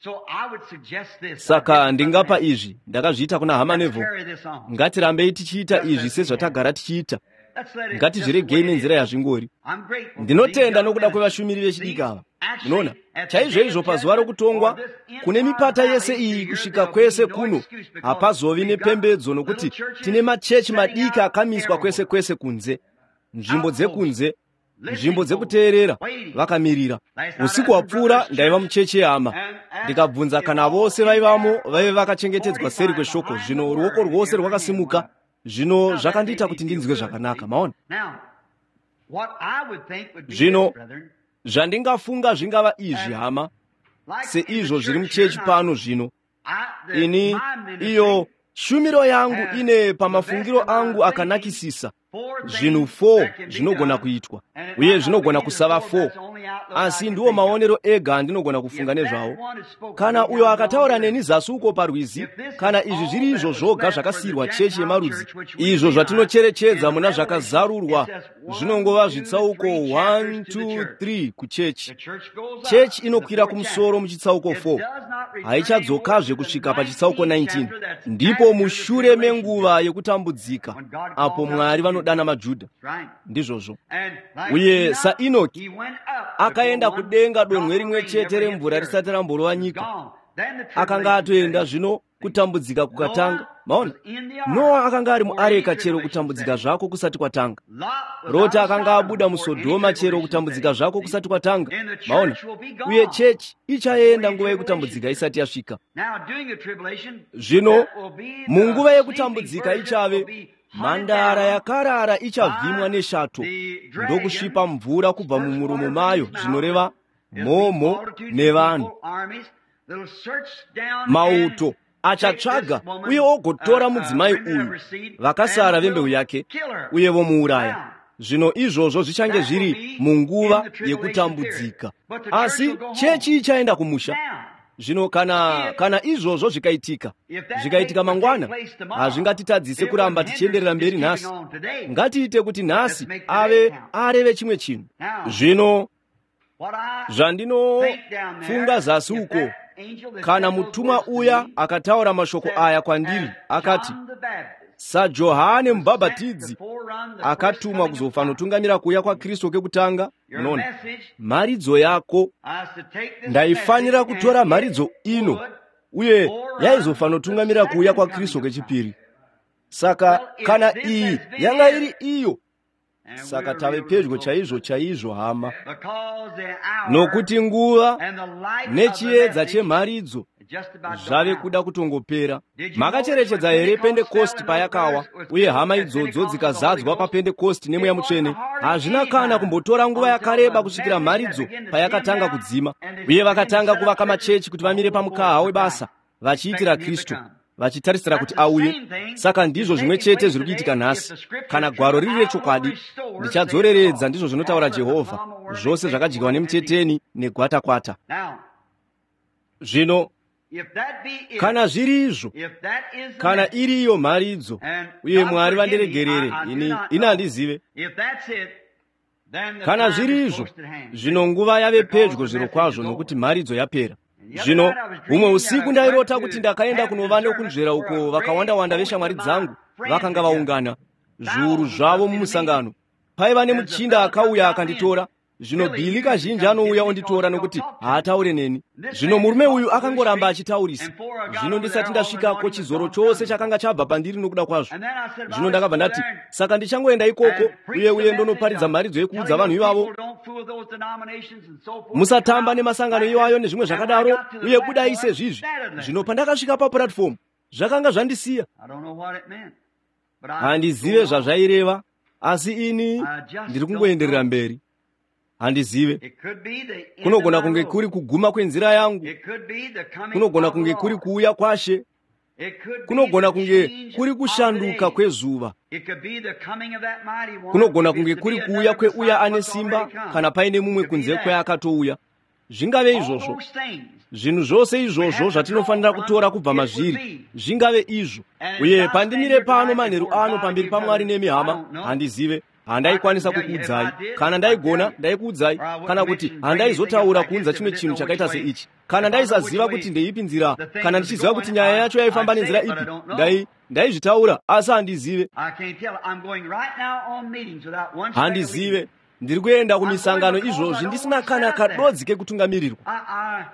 Saka ndingapa izvi, ndakazviita kuna hama Nevo. Ngatirambei tichiita izvi sezvatagara tichiita. Ngatizviregei nenzira yazvingori. Ndinotenda nokuda kwevashumiri vechidiki ava. Munoona, chaizvoizvo pazuva rokutongwa kune mipata yese iyi kusvika kwese kuno, hapazovi nepembedzo nokuti tine machechi madiki akamiswa kwese kwese kunze, nzvimbo dzekunze, nzvimbo dzekuteerera, vakamirira. Usiku hwapfuura ndaiva muchechi yehama, ndikabvunza kana vose vaivamo vaive vakachengetedzwa seri kweshoko. Zvino ruoko rwose rwakasimuka. Zvino zvakandiita kuti ndinzwe zvakanaka. Maona? Zvino zvandingafunga zvingava izvi, hama, seizvo zviri muchechi pano zvino. Ini iyo shumiro yangu ine pamafungiro angu akanakisisa zvinhu four zvinogona kuitwa, uye zvinogona kusava four, asi ndiwo maonero ega andinogona kufunga nezvawo. Kana uyo akataura neni zasi uko parwizi, kana izvi zviri izvo zvoga zvakasiyirwa chechi yemarudzi, izvo zvatinocherechedza muna zvakazarurwa, zvinongova zvitsauko one two three kuchechi. Chechi inokwira kumusoro muchitsauko four, haichadzokazve kusvika pachitsauko nineteen. Ndipo mushure menguva yekutambudzika apo Mwari vanodana maJudha. Ndizvozvo. Uye saEnoki akaenda kudenga donhwe rimwe chete remvura risati ramborova nyika, akanga atoenda zvino kutambudzika kukatanga. Maona, Noa akanga ari muareka chero kutambudzika zvako kusati kwatanga. Rota akanga abuda muSodhoma chero kutambudzika zvako kusati kwatanga. Maona, uye chechi ichaenda nguva yekutambudzika isati yasvika. Zvino munguva yekutambudzika ichave mhandara yakarara ichavhimwa neshato ndokusvipa mvura kubva mumuromo mayo, zvinoreva mhomho nevanhu. Mauto achatsvaga uye ogotora mudzimai uyu, vakasara vembeu yake, uye vomuuraya. Zvino izvozvo zvichange zviri munguva yekutambudzika, asi chechi ichaenda kumusha. Zvino kana kana izvozvo zvikaitika zvikaitika mangwana, hazvingatitadzise kuramba tichienderera mberi nhasi. Ngatiite kuti nhasi ave areve chimwe chinhu. Zvino zvandinofunga zasi uko, kana mutumwa uya akataura mashoko aya kwandiri, akati, saJohane Mubhabhatidzi akatumwa kuzofanotungamira kuuya kwaKristu kekutanga, munoona, mharidzo yako, ndaifanira kutora mharidzo ino, uye yaizofanotungamira kuuya kwaKristu kechipiri. Saka kana iyi yanga iri iyo, saka tave pedyo chaizvo chaizvo, hama, nokuti nguva nechiedza chemharidzo zvave kuda kutongopera. Makacherechedza here Pentekosti payakawa, uye hama idzodzo dzikazadzwa paPentekosti nemweya mutsvene? Hazvina kana kumbotora nguva yakareba kusvikira mharidzo payakatanga kudzima, uye vakatanga kuvaka machechi kuti vamire pamukaha webasa vachiitira Kristu, vachitarisira kuti auye. Saka ndizvo zvimwe chete zviri kuitika nhasi. Kana gwaro riri rechokwadi, ndichadzoreredza, ndizvo zvinotaura Jehovha, zvose zvakadyiwa nemuteteni negwatakwata. Zvino kana zviri izvo, kana iri iyo mharidzo, uye Mwari vandiregerere, ini ini handizive. Kana zviri izvo, zvino nguva yave pedyo zvirokwazvo, nokuti mharidzo yapera. Zvino humwe usiku ndairota kuti ndakaenda kunova nokunzvera uko vakawanda-wanda veshamwari dzangu vakanga vaungana, zviuru zvavo mumusangano. Paiva nemuchinda akauya akanditora. Zvino Bhili kazhinji anouya onditora nokuti haataure neni. Zvino murume uyu akangoramba achitaurisa. Zvino ndisati ndasvikako, chizoro chose chakanga chabva pandiri nokuda kwazvo. Zvino ndakabva ndati, saka ndichangoenda ikoko uye uye ndonoparidza mharidzo yekuudza vanhu ivavo, musatamba nemasangano iwayo nezvimwe zvakadaro, uye budai sezvizvi. Zvino pandakasvika papuratifomu, zvakanga zvandisiya. Handizive zvazvaireva, asi ini ndiri kungoenderera mberi. Handizive. Kunogona kunge kuri kuguma kwenzira yangu, kunogona kunge kuri kuuya kwaShe, kunogona kunge kuri kushanduka kwezuva, kunogona kunge kuri kuuya kweuya ane simba, kana paine mumwe kunze kweakatouya. Zvingave izvozvo. Zvinhu zvose izvozvo zvatinofanira kutora kubva mazviri, zvingave izvo. Uye pandimire pano manheru ano pamberi paMwari nemi hama, handizive. Handaikwanisa kukuudzai. Kana ndaigona, ndaikuudzai. Kana kuti handaizotaura kuunza chimwe chinhu chakaita seichi. Kana ndaisaziva kuti ndeipi nzira, kana ndichiziva kuti nyaya yacho yaifamba nenzira ipi, ndai ndaizvitaura, asi handizive. Handizive. Ndiri kuenda kumisangano izvozvi ndisina kana kadodzi kekutungamirirwa.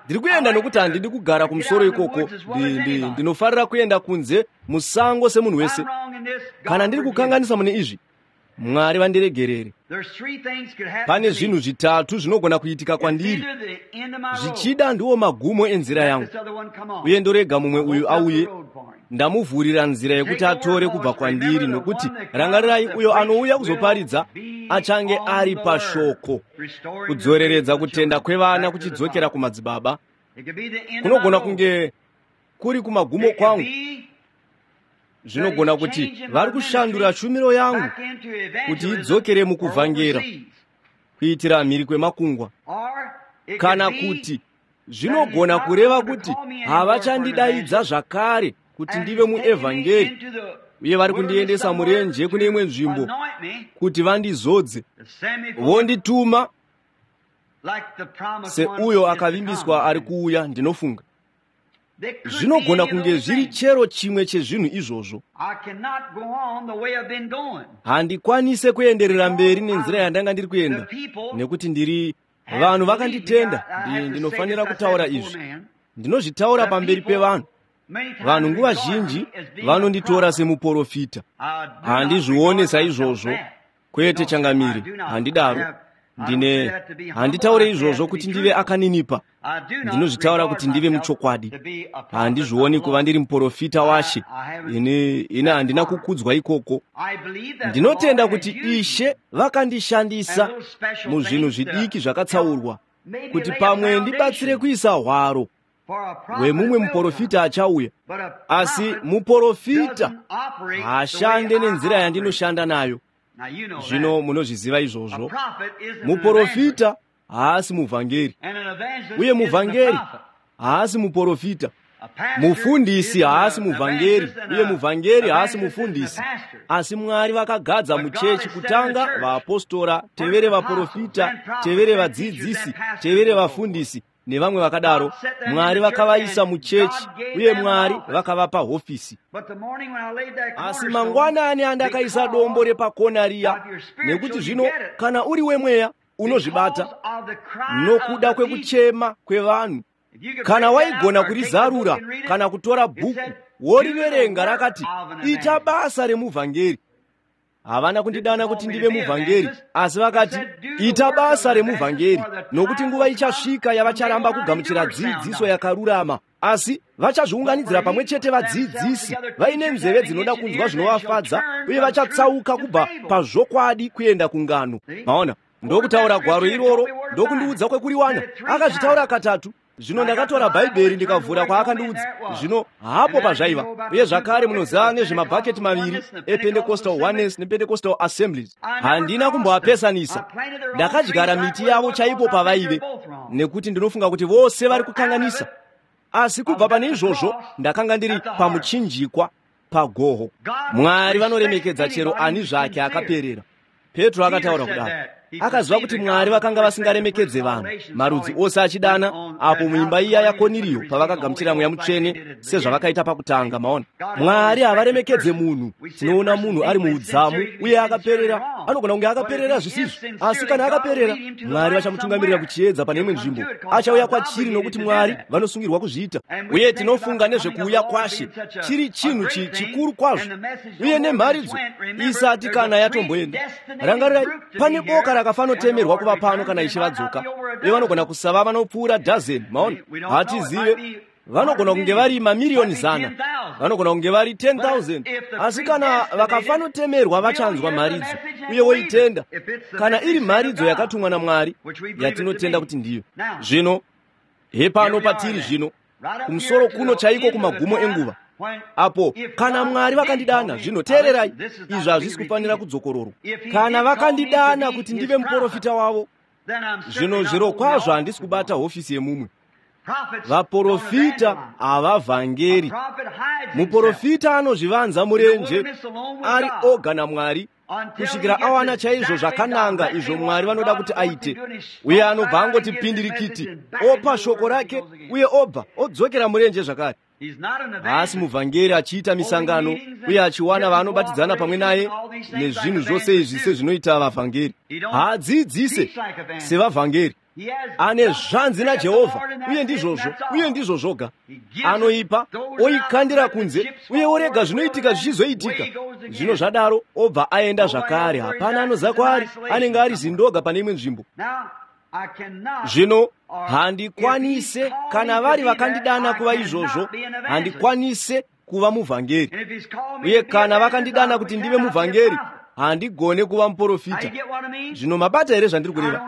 Ndiri kuenda nokuti handidi kugara kumusoro ikoko. Ndinofarira kuenda kunze musango semunhu wese. Kana ndiri kukanganisa mune izvi, Mwari vandiregerere. Pane zvinhu zvitatu zvinogona kuitika kwandiri. Zvichida ndiwo magumo enzira yangu, uye ndorega mumwe uyu auye. Ndamuvhurira nzira yekuti atore kubva kwandiri, nokuti rangarirai, uyo anouya kuzoparidza achange ari pashoko, kudzoreredza kutenda kwevana kuchidzokera kumadzibaba. Kunogona kunge kuri kumagumo kwangu. Zvinogona kuti vari kushandura shumiro yangu kuti idzokere mukuvhangera, kuitira mhiri kwemakungwa. Kana kuti zvinogona kureva kuti havachandidaidza zvakare kuti ndive muevhangeri, uye vari kundiendesa murenje kune imwe nzvimbo kuti vandizodze, vondituma seuyo akavimbiswa ari kuuya. Ndinofunga zvinogona kunge zviri chero chimwe chezvinhu izvozvo. Handikwanise kuenderera mberi nenzira yandanga ndiri kuenda, nekuti ndiri vanhu vakanditenda. Ndinofanira kutaura izvi. Ndinozvitaura pamberi pevanhu. Vanhu nguva zhinji vanonditora semuprofita. Handizvione saizvozvo. Kwete changamiri, handidaro. Ndine handitaure izvozvo kuti ndive akaninipa. Ndinozvitaura kuti ndive muchokwadi. Handizvioni kuva ndiri muprofita waShe. Ini ini handina kukudzwa ikoko. Ndinotenda kuti Ishe vakandishandisa muzvinhu zvidiki zvakatsaurwa, kuti pamwe ndibatsire kuisa hwaro hwemumwe muprofita achauya. Asi muprofita haashande nenzira yandinoshanda nayo. Zvino munozviziva izvozvo. Muprofita haasi muvhangeri, uye muvhangeri haasi muprofita, mufundisi haasi muvhangeri, uye muvhangeri haasi mufundisi. Asi Mwari vakagadza muchechi kutanga vaapostora, tevere vaprofita, tevere vadzidzisi, tevere vafundisi nevamwe vakadaro. Mwari vakavaisa muchechi uye Mwari vakavapa hofisi. Asi mangwanani andakaisa dombo repakona riya, nekuti zvino kana uri wemweya unozvibata nokuda kwekuchema kwevanhu. Kana waigona kurizarura kana kutora bhuku woriverenga, rakati ita basa remuvhangeri. Havana kundidana kuti ndive muvhangeri, asi vakati ita basa remuvhangeri, nokuti nguva ichasvika yavacharamba kugamuchira dzidziso yakarurama, asi vachazviunganidzira pamwe chete vadzidzisi vaine nzeve dzinoda kunzwa zvinovafadza, uye vachatsauka kubva pazvokwadi kuenda kungano. Maona, ndokutaura gwaro iroro, ndokundiudza kwekuriwana. Akazvitaura katatu. Zvino ndakatora Bhaibheri ndikavhura kwaakandiudza. Zvino hapo pazvaiva. Uye zvakare munoziva nezvemabhaketi maviri ePentecostal Oneness nePentecostal Assemblies. Handina kumboapesanisa. Ndakadyara miti yavo chaipo pavaive, nekuti ndinofunga kuti vose vari kukanganisa. Asi kubva pane izvozvo ndakanga ndiri pamuchinjikwa pagoho. Mwari vanoremekedza chero ani zvake akaperera. Petro akataura kudaro. Akaziva kuti Mwari vakanga vasingaremekedze vanhu, marudzi ose achidana, apo muimba iya yaKoniriyo pavakagamuchira Mweya Mutsvene sezvavakaita pakutanga. Maona, Mwari havaremekedze munhu. Tinoona munhu ari muudzamu uye akaperera, anogona kunge akaperera zvisizvo, asi kana akaperera, Mwari vachamutungamirira kuchiedza pane imwe nzvimbo. Achauya kwachiri nokuti Mwari vanosungirwa kuzviita. Uye tinofunga nezvekuuya kwaShe chiri chinhu chikuru kwazvo, uye nemharidzo isati kana yatomboenda. Rangarirai, pane boka rakafanotemerwa kuva pano kana Ishe vadzoka, uye vanogona kusava vanopfuura dhazeni. Maona, hatizive. Vanogona kunge vari mamiriyoni zana, vanogona kunge vari ten thousand, asi kana vakafanotemerwa vachanzwa mharidzo uye voitenda, kana iri mharidzo yakatumwa naMwari yatinotenda kuti ndiyo. Zvino hepano patiri zvino, kumusoro kuno chaiko kumagumo enguva, apo kana Mwari vakandidana. Zvino teererai, izvi hazvisi kufanira kudzokororwa. Kana vakandidana kuti ndive muprofita wavo, zvino zvirokwazvo handisi kubata hofisi yemumwe. Vaprofita havavhangeri. Muprofita anozvivanza murenje ari oga naMwari kusvikira awana chaizvo zvakananga izvo Mwari vanoda kuti aite, uye anobva angoti pindirikiti, opa shoko rake, uye obva odzokera murenje zvakare. Haasi muvhangeri achiita misangano uye achiwana vaanobatidzana pamwe naye nezvinhu zvose izvi sezvinoita vavhangeri. Haadzidzise sevavhangeri. Ane zvanzi naJehovha, uye ndizvozvo, uye ndizvo zvoga. Anoipa, oikandira kunze, uye orega zvinoitika zvichizoitika. Zvino zvadaro obva aenda zvakare. Hapana anoziva kwaari, anenge ari zindoga pane imwe nzvimbo. Zvino handikwanise, kana vari vakandidana kuva izvozvo, handikwanise kuva muvhangeri. Uye kana vakandidana kuti ndive muvhangeri, handigone kuva muprofita. Zvino mabata here zvandiri kureva?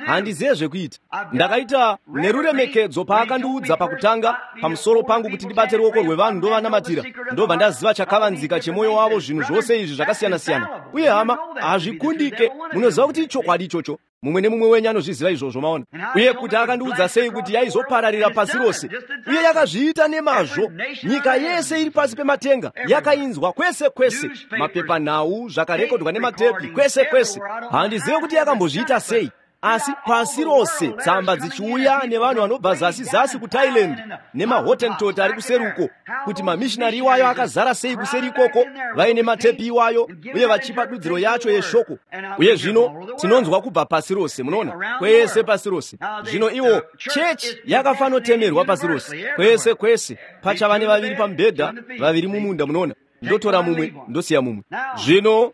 Handizive zvekuita. Ndakaita neruremekedzo paakandiudza pakutanga pamusoro pangu kuti ndibate ruoko rwevanhu ndovanamatira, ndobva ndaziva chakavanzika chemwoyo wavo, zvinhu zvose izvi zvakasiyana-siyana. Uye hama, hazvikundike. Munoziva kuti ichokwadi ichocho. Mumwe nemumwe wenyu anozviziva izvozvo, maona. Uye kuti akandiudza sei kuti yaizopararira pasi rose, uye yakazviita nemazvo. Nyika yese iri pasi pematenga yakainzwa kwese kwese, mapepanhau, zvakarekodwa nematepi, kwese kwese. Handizive kuti yakambozviita sei, asi pasi rose tsamba dzichiuya nevanhu vanobva zasi zasi kuThailand nemaHottentot ari kuseruko, kuti mamishinari iwayo akazara sei kuseri ikoko vaine matepi iwayo uye vachipa dudziro yacho yeshoko. Uye zvino tinonzwa kubva pasi rose, munoona, kwese pasi rose. Zvino iwo chechi yakafanotemerwa pasi rose, kwese kwese. Pachava nevaviri pamubhedha, vaviri mumunda, munoona. Ndotora mumwe, ndosiya mumwe. Zvino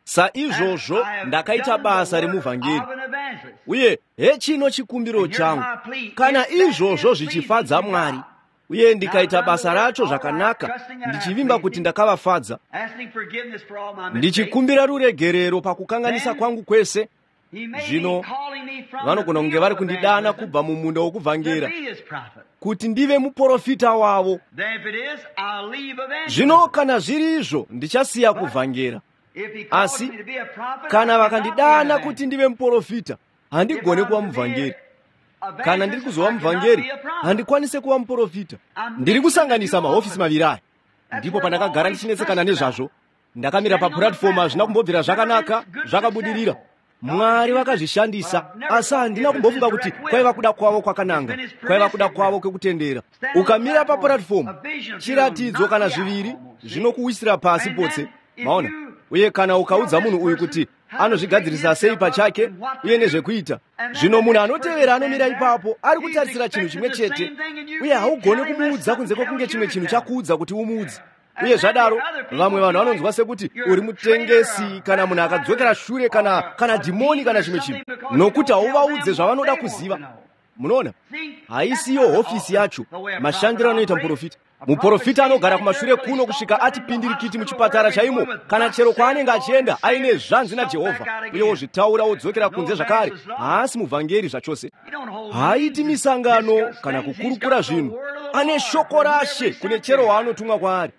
saizvozvo ndakaita basa remuvhangeri, uye hechino chikumbiro changu, kana izvozvo zvichifadza Mwari, uye ndikaita basa racho zvakanaka, ndichivimba kuti ndakavafadza, ndichikumbira ruregerero pakukanganisa kwangu kwese. Zvino vanogona kunge vari kundidana kubva mumunda wokuvhangera kuti ndive muprofita wavo. Zvino kana zviri izvo, ndichasiya kuvhangera. Asi kana vakandidana kuti ndive muprofita, handigone kuva muvhangeri. Kana ndiri kuzova muvhangeri, handikwanise kuva muprofita. Ndiri kusanganisa mahofisi maviri aya. Ndipo pandakagara ndichinetsekana nezvazvo. Ndakamira papuratifomu, hazvina kumbobvira zvakanaka, zvakabudirira. Mwari vakazvishandisa, asi handina kumbofunga kuti kwaiva kuda kwavo kwakananga, kwaiva kuda kwavo kwekutendera. Ukamira papuratifomu, chiratidzo kana zviviri zvinokuwisira pasi potse, maona. Uye kana ukaudza munhu uyu kuti anozvigadzirisa sei pachake uye nezvekuita, zvino munhu anotevera anomira ipapo ari kutarisira chinhu chimwe chete, uye haugoni kumuudza kunze kwekunge chimwe chinhu chakuudza kuti umuudze. Uye zvadaro vamwe vanhu vanonzwa sekuti uri mutengesi kana munhu akadzokera shure kana kana dhimoni kana chimwe chinhu, nokuti hauvaudze zvavanoda kuziva. Munoona, haisiyo hofisi yacho mashandiro anoita muprofita. Muprofita anogara kumashure kuno kusvika ati pindirikiti muchipatara chaimo kana chero kwaanenge achienda aine zvanzi naJehovha, uye wozvitaura wodzokera kunze zvakare. Haasi muvhangeri zvachose, haaiti misangano kana kukurukura zvinhu. Ane shoko raShe kune chero waanotumwa kwaari.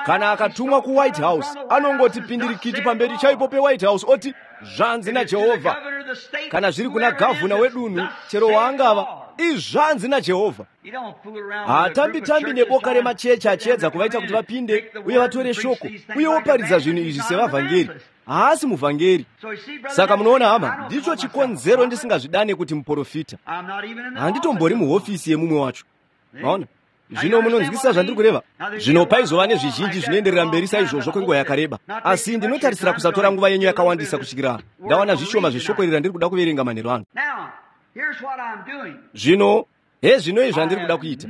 Kana akatumwa kuWhite House, anongoti pindirikiti pamberi chaipo peWhite House oti zvanzi naJehovha. Kana zviri kuna gavhuna wedunhu, chero waangava, izvanzi naJehovha. Haatambi-tambi neboka remachechi achiedza kuvaita kuti vapinde uye vatore shoko uye woparidza zvinhu izvi sevavhangeri. Haasi muvhangeri. Saka munoona hama, ndicho chikonzero ndisingazvidane kuti muprofita. Handitombori muhofisi yemumwe wacho. Maona? Zvino munonzwisisa zvandiri kureva. Zvino paizova nezvizhinji zvinoenderera mberi saizvozvo kwenguva yakareba, asi ndinotarisira kusatora nguva yenyu yakawandisa kusvikira ndawana zvishoma zveshoko iri randiri kuda kuverenga manheru ano. Zvino hezvino izvi zvandiri kuda kuita.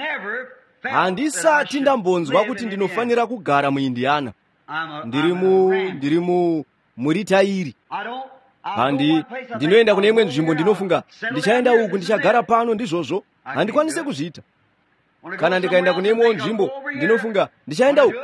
Handisati ndambonzwa kuti ndinofanira kugara muIndiana. Ndiri mu ndiri mu muritairi. Handi ndinoenda kune imwe nzvimbo, ndinofunga ndichaenda uku, ndichagara pano, ndizvozvo. Handikwanise kuzviita. Kana ndikaenda kune imwewo nzvimbo, ndinofunga ndichaenda uku.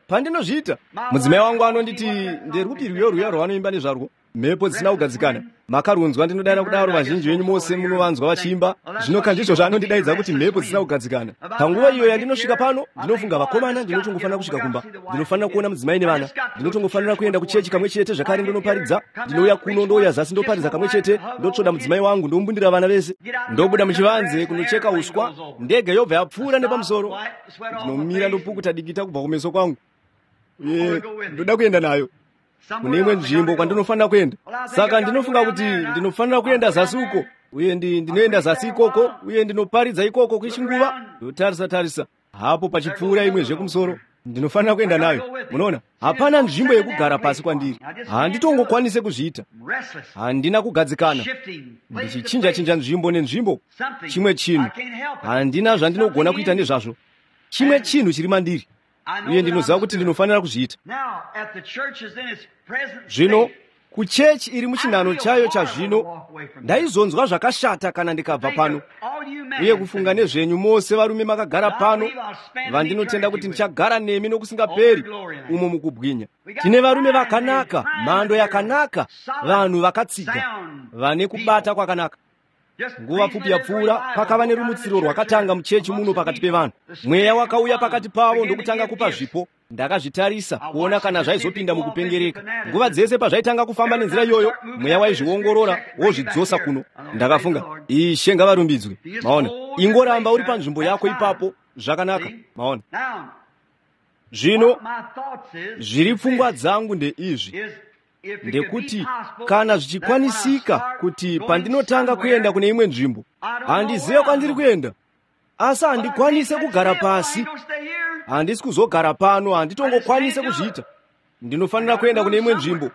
Pandinozviita, mudzimai wangu anonditi nderupi rwiyo rwiya rwavanoimba nezvarwo, mhepo dzisina kugadzikana. Makarunzwa, ndinodayira kudaro. Vazhinji venyu mose munovanzwa vachiimba. Zvino kandizvo zvaanondidaidza kuti mhepo dzisina kugadzikana. Panguva iyo yandinosvika pano, ndinofunga vakomana, ndinotongofanira kusvika kumba, ndinofanira kuona mudzimai nevana, ndinotongofanira kuenda kuchechi kamwe chete zvakare ndinoparidza. Ndinouya kuno, ndouya zasi, ndoparidza kamwe chete, ndotsvoda mudzimai wangu, ndombundira vana vese, ndobuda muchivanze kunocheka uswa, ndege yobva yapfuura nepamusoro. Ndinomira ndopukuta dikita kubva kumeso kwangu, uye ndoda kuenda nayo kune imwe nzvimbo kwandinofanira kuenda. Saka ndinofunga kuti ndinofanira kuenda zasi uko, uye ndinoenda zasi ikoko, uye ndinoparidza ikoko kwechinguva. Ndotarisa tarisa hapo pachipfuura imwe zvekumusoro, ndinofanira kuenda nayo. Munoona, hapana nzvimbo yekugara pasi kwandiri. Handitongokwanise kuzviita. Handina kugadzikana, ndichichinja-chinja nzvimbo nenzvimbo. Chimwe chinhu, handina zvandinogona kuita nezvazvo. Chimwe chinhu chiri mandiri, uye ndinoziva kuti ndinofanira kuzviita. Zvino kuchechi iri muchinhano chayo chazvino, ndaizonzwa zvakashata kana ndikabva pano. Uye kufunga nezvenyu mose varume makagara pano, vandinotenda kuti ndichagara nemi nokusingaperi umo mukubwinya. Tine varume vakanaka, mhando yakanaka, vanhu vakatsiga, vane kubata kwakanaka. Nguva pfupi yapfuura pakava nerumutsiro rwakatanga muchechi muno pakati pevanhu. Mweya wakauya pakati pavo ndokutanga kupa zvipo. Ndakazvitarisa kuona kana zvaizopinda mukupengereka. Nguva dzese pazvaitanga kufamba nenzira iyoyo, mweya waizviongorora wozvidzosa kuno. Ndakafunga, Ishe ngavarumbidzwe. Maona, ingoramba uri panzvimbo yako ipapo, zvakanaka. Maona, zvino zviri pfungwa dzangu ndeizvi, ndekuti kana zvichikwanisika kuti pandinotanga kuenda kune imwe nzvimbo, handizive kwandiri kuenda, asi handikwanise kugara pasi. Handisi kuzogara pano, handitongokwanise kuzviita. Ndinofanira kuenda kune imwe nzvimbo,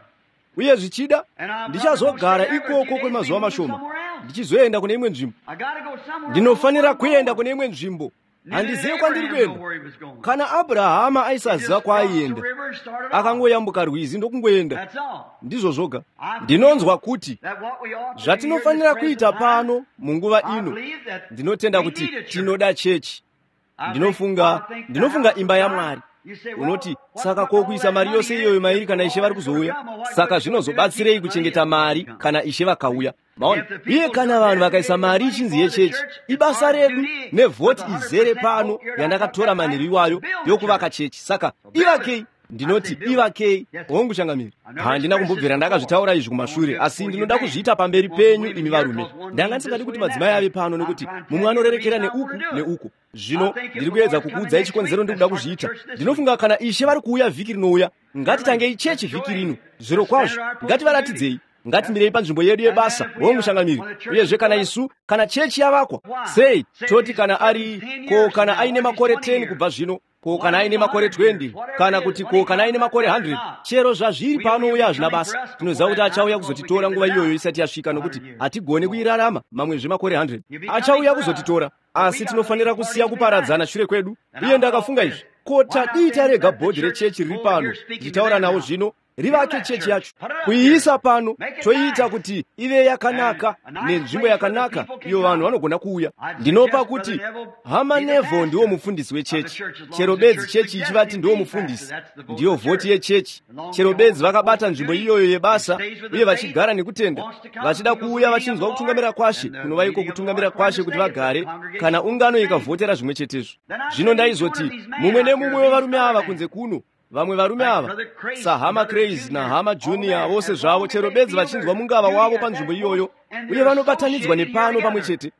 uye zvichida ndichazogara ikoko kwemazuva mashoma, ndichizoenda kune imwe nzvimbo. Ndinofanira kuenda kune imwe nzvimbo. Handizive kwandiri kuenda. Kana Abrahama aisaziva kwaaienda, akangoyambuka rwizi ndokungoenda. Ndizvo zvoga. Ndinonzwa kuti zvatinofanira kuita pano munguva ino, ndinotenda kuti tinoda chechi. Ndinofunga ndinofunga imba yaMwari. Unoti, saka ko kuisa mari yose iyoyo mairi kana Ishe vari kuzouya? Saka zvinozobatsirei kuchengeta mari kana Ishe vakauya? Maona, uye kana vanhu vakaisa mari ichinzi yechechi, ibasa redu nevhoti izere pano yandakatora manheru iwayo yokuvaka chechi. Saka ivakei, Ndinoti ivakei. Hongu changamire. Handina kumbobvira ndakazvitaura izvi kumashure, asi ndinoda kuzviita pamberi penyu imi varume. Ndanga ndisingadi kuti madzimai ave pano, nekuti mumwe anorerekera neuku neuku. Zvino ndiri kuedza kukuudzai chikonzero ndikuda kuzviita. Ndinofunga kana Ishe vari kuuya vhiki rinouya, ngatitangei chechi vhiki rino. Zvirokwazvo, ngativaratidzei. Ngatimirei panzvimbo yedu yebasa. Hongu changamire. Uyezve kana isu, kana chechi yavakwa, sei toti kana ari ko kana aine makore ten kubva zvino, ko kana aine makore twenty, kana kuti ko kana aine makore hundred, chero zvazviri paanouya hazvina basa. Tinoziva kuti achauya kuzotitora nguva iyoyo isati yasvika, nokuti hatigone kuirarama mamwezve makore hundred. Achauya kuzotitora, asi tinofanira kusiya kuparadzana shure kwedu. Uye ndakafunga izvi, ko tadii tarega bhodhi rechechi riri pano ndichitaura navo zvino, rivake chechi yacho, kuiisa pano, toiita kuti ive yakanaka nenzvimbo yakanaka iyo vanhu vanogona kuuya. Ndinopa kuti Hama Neville ndiwo mufundisi wechechi. Chero bedzi chechi ichivati ndiwo mufundisi, ndiyo vhoti yechechi. Chero bedzi vakabata nzvimbo iyoyo yebasa uye vachigara nekutenda, vachida kuuya vachinzwa kutungamira kwaShe, kunova iko kutungamira kwaShe kuti vagare, kana ungano ikavhotera zvimwe chetezvo. Zvino ndaizoti mumwe nemumwe wevarume ava kunze kuno, vamwe varume ava saHama Crazy naHama Junior, vose zvavo chero bedzi vachinzwa mungava wavo panzvimbo iyoyo, uye vanobatanidzwa nepano pamwe chete.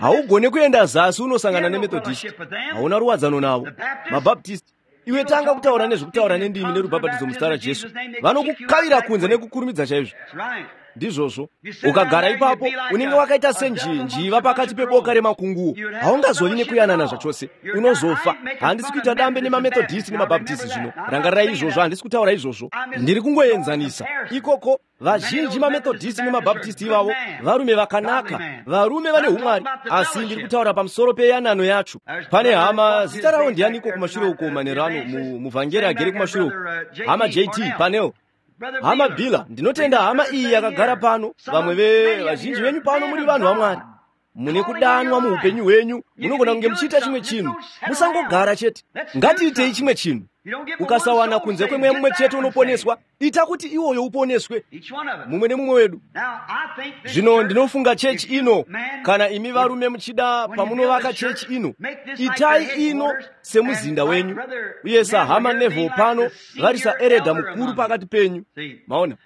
Haugone kuenda zasi unosangana neMethodist, hauna ruwadzano navo. MaBaptist, iwe tanga kutaura nezvekutaura nendimi nerubhabhatidzo muzita raJesu, vanokukavira kunze nekukurumidza chaizvo. Ndizvozvo. Ukagara ipapo unenge wakaita senjinjiva pakati peboka remakunguo. Haungazovi nekuyanana zvachose, unozofa. Handisi kuita dambe nemaMethodist nemaBaptist zvino, rangarirai izvozvo. Handisi kutaura izvozvo, ndiri kungoenzanisa ikoko. Vazhinji maMethodist nemaBaptist ivavo varume vakanaka, varume vane umwari, asi ndiri kutaura pamusoro peyanano yacho. Pane hama, zita ravo ndianiko kumashure uko manerano, muvhangeri agere kumashure uko, Hama J T paneo, Hama Bila. Ndinotenda hama iyi yakagara pano. Vamwe vazhinji venyu pano muri vanhu vaMwari, mune kudanwa muupenyu hwenyu, munogona kunge muchiita chimwe chinhu. Musangogara chete, ngatiitei chimwe chinhu. Ukasawana kunze kwemweya mumwe chete unoponeswa, ita kuti iwoyo uponeswe, mumwe nemumwe wedu. Zvino ndinofunga chechi ino, kana imi varume muchida, pamunovaka chechi ino, itai ino semuzinda wenyu, uye saHama Neville pano vari saeredha mukuru pakati penyu. Maona?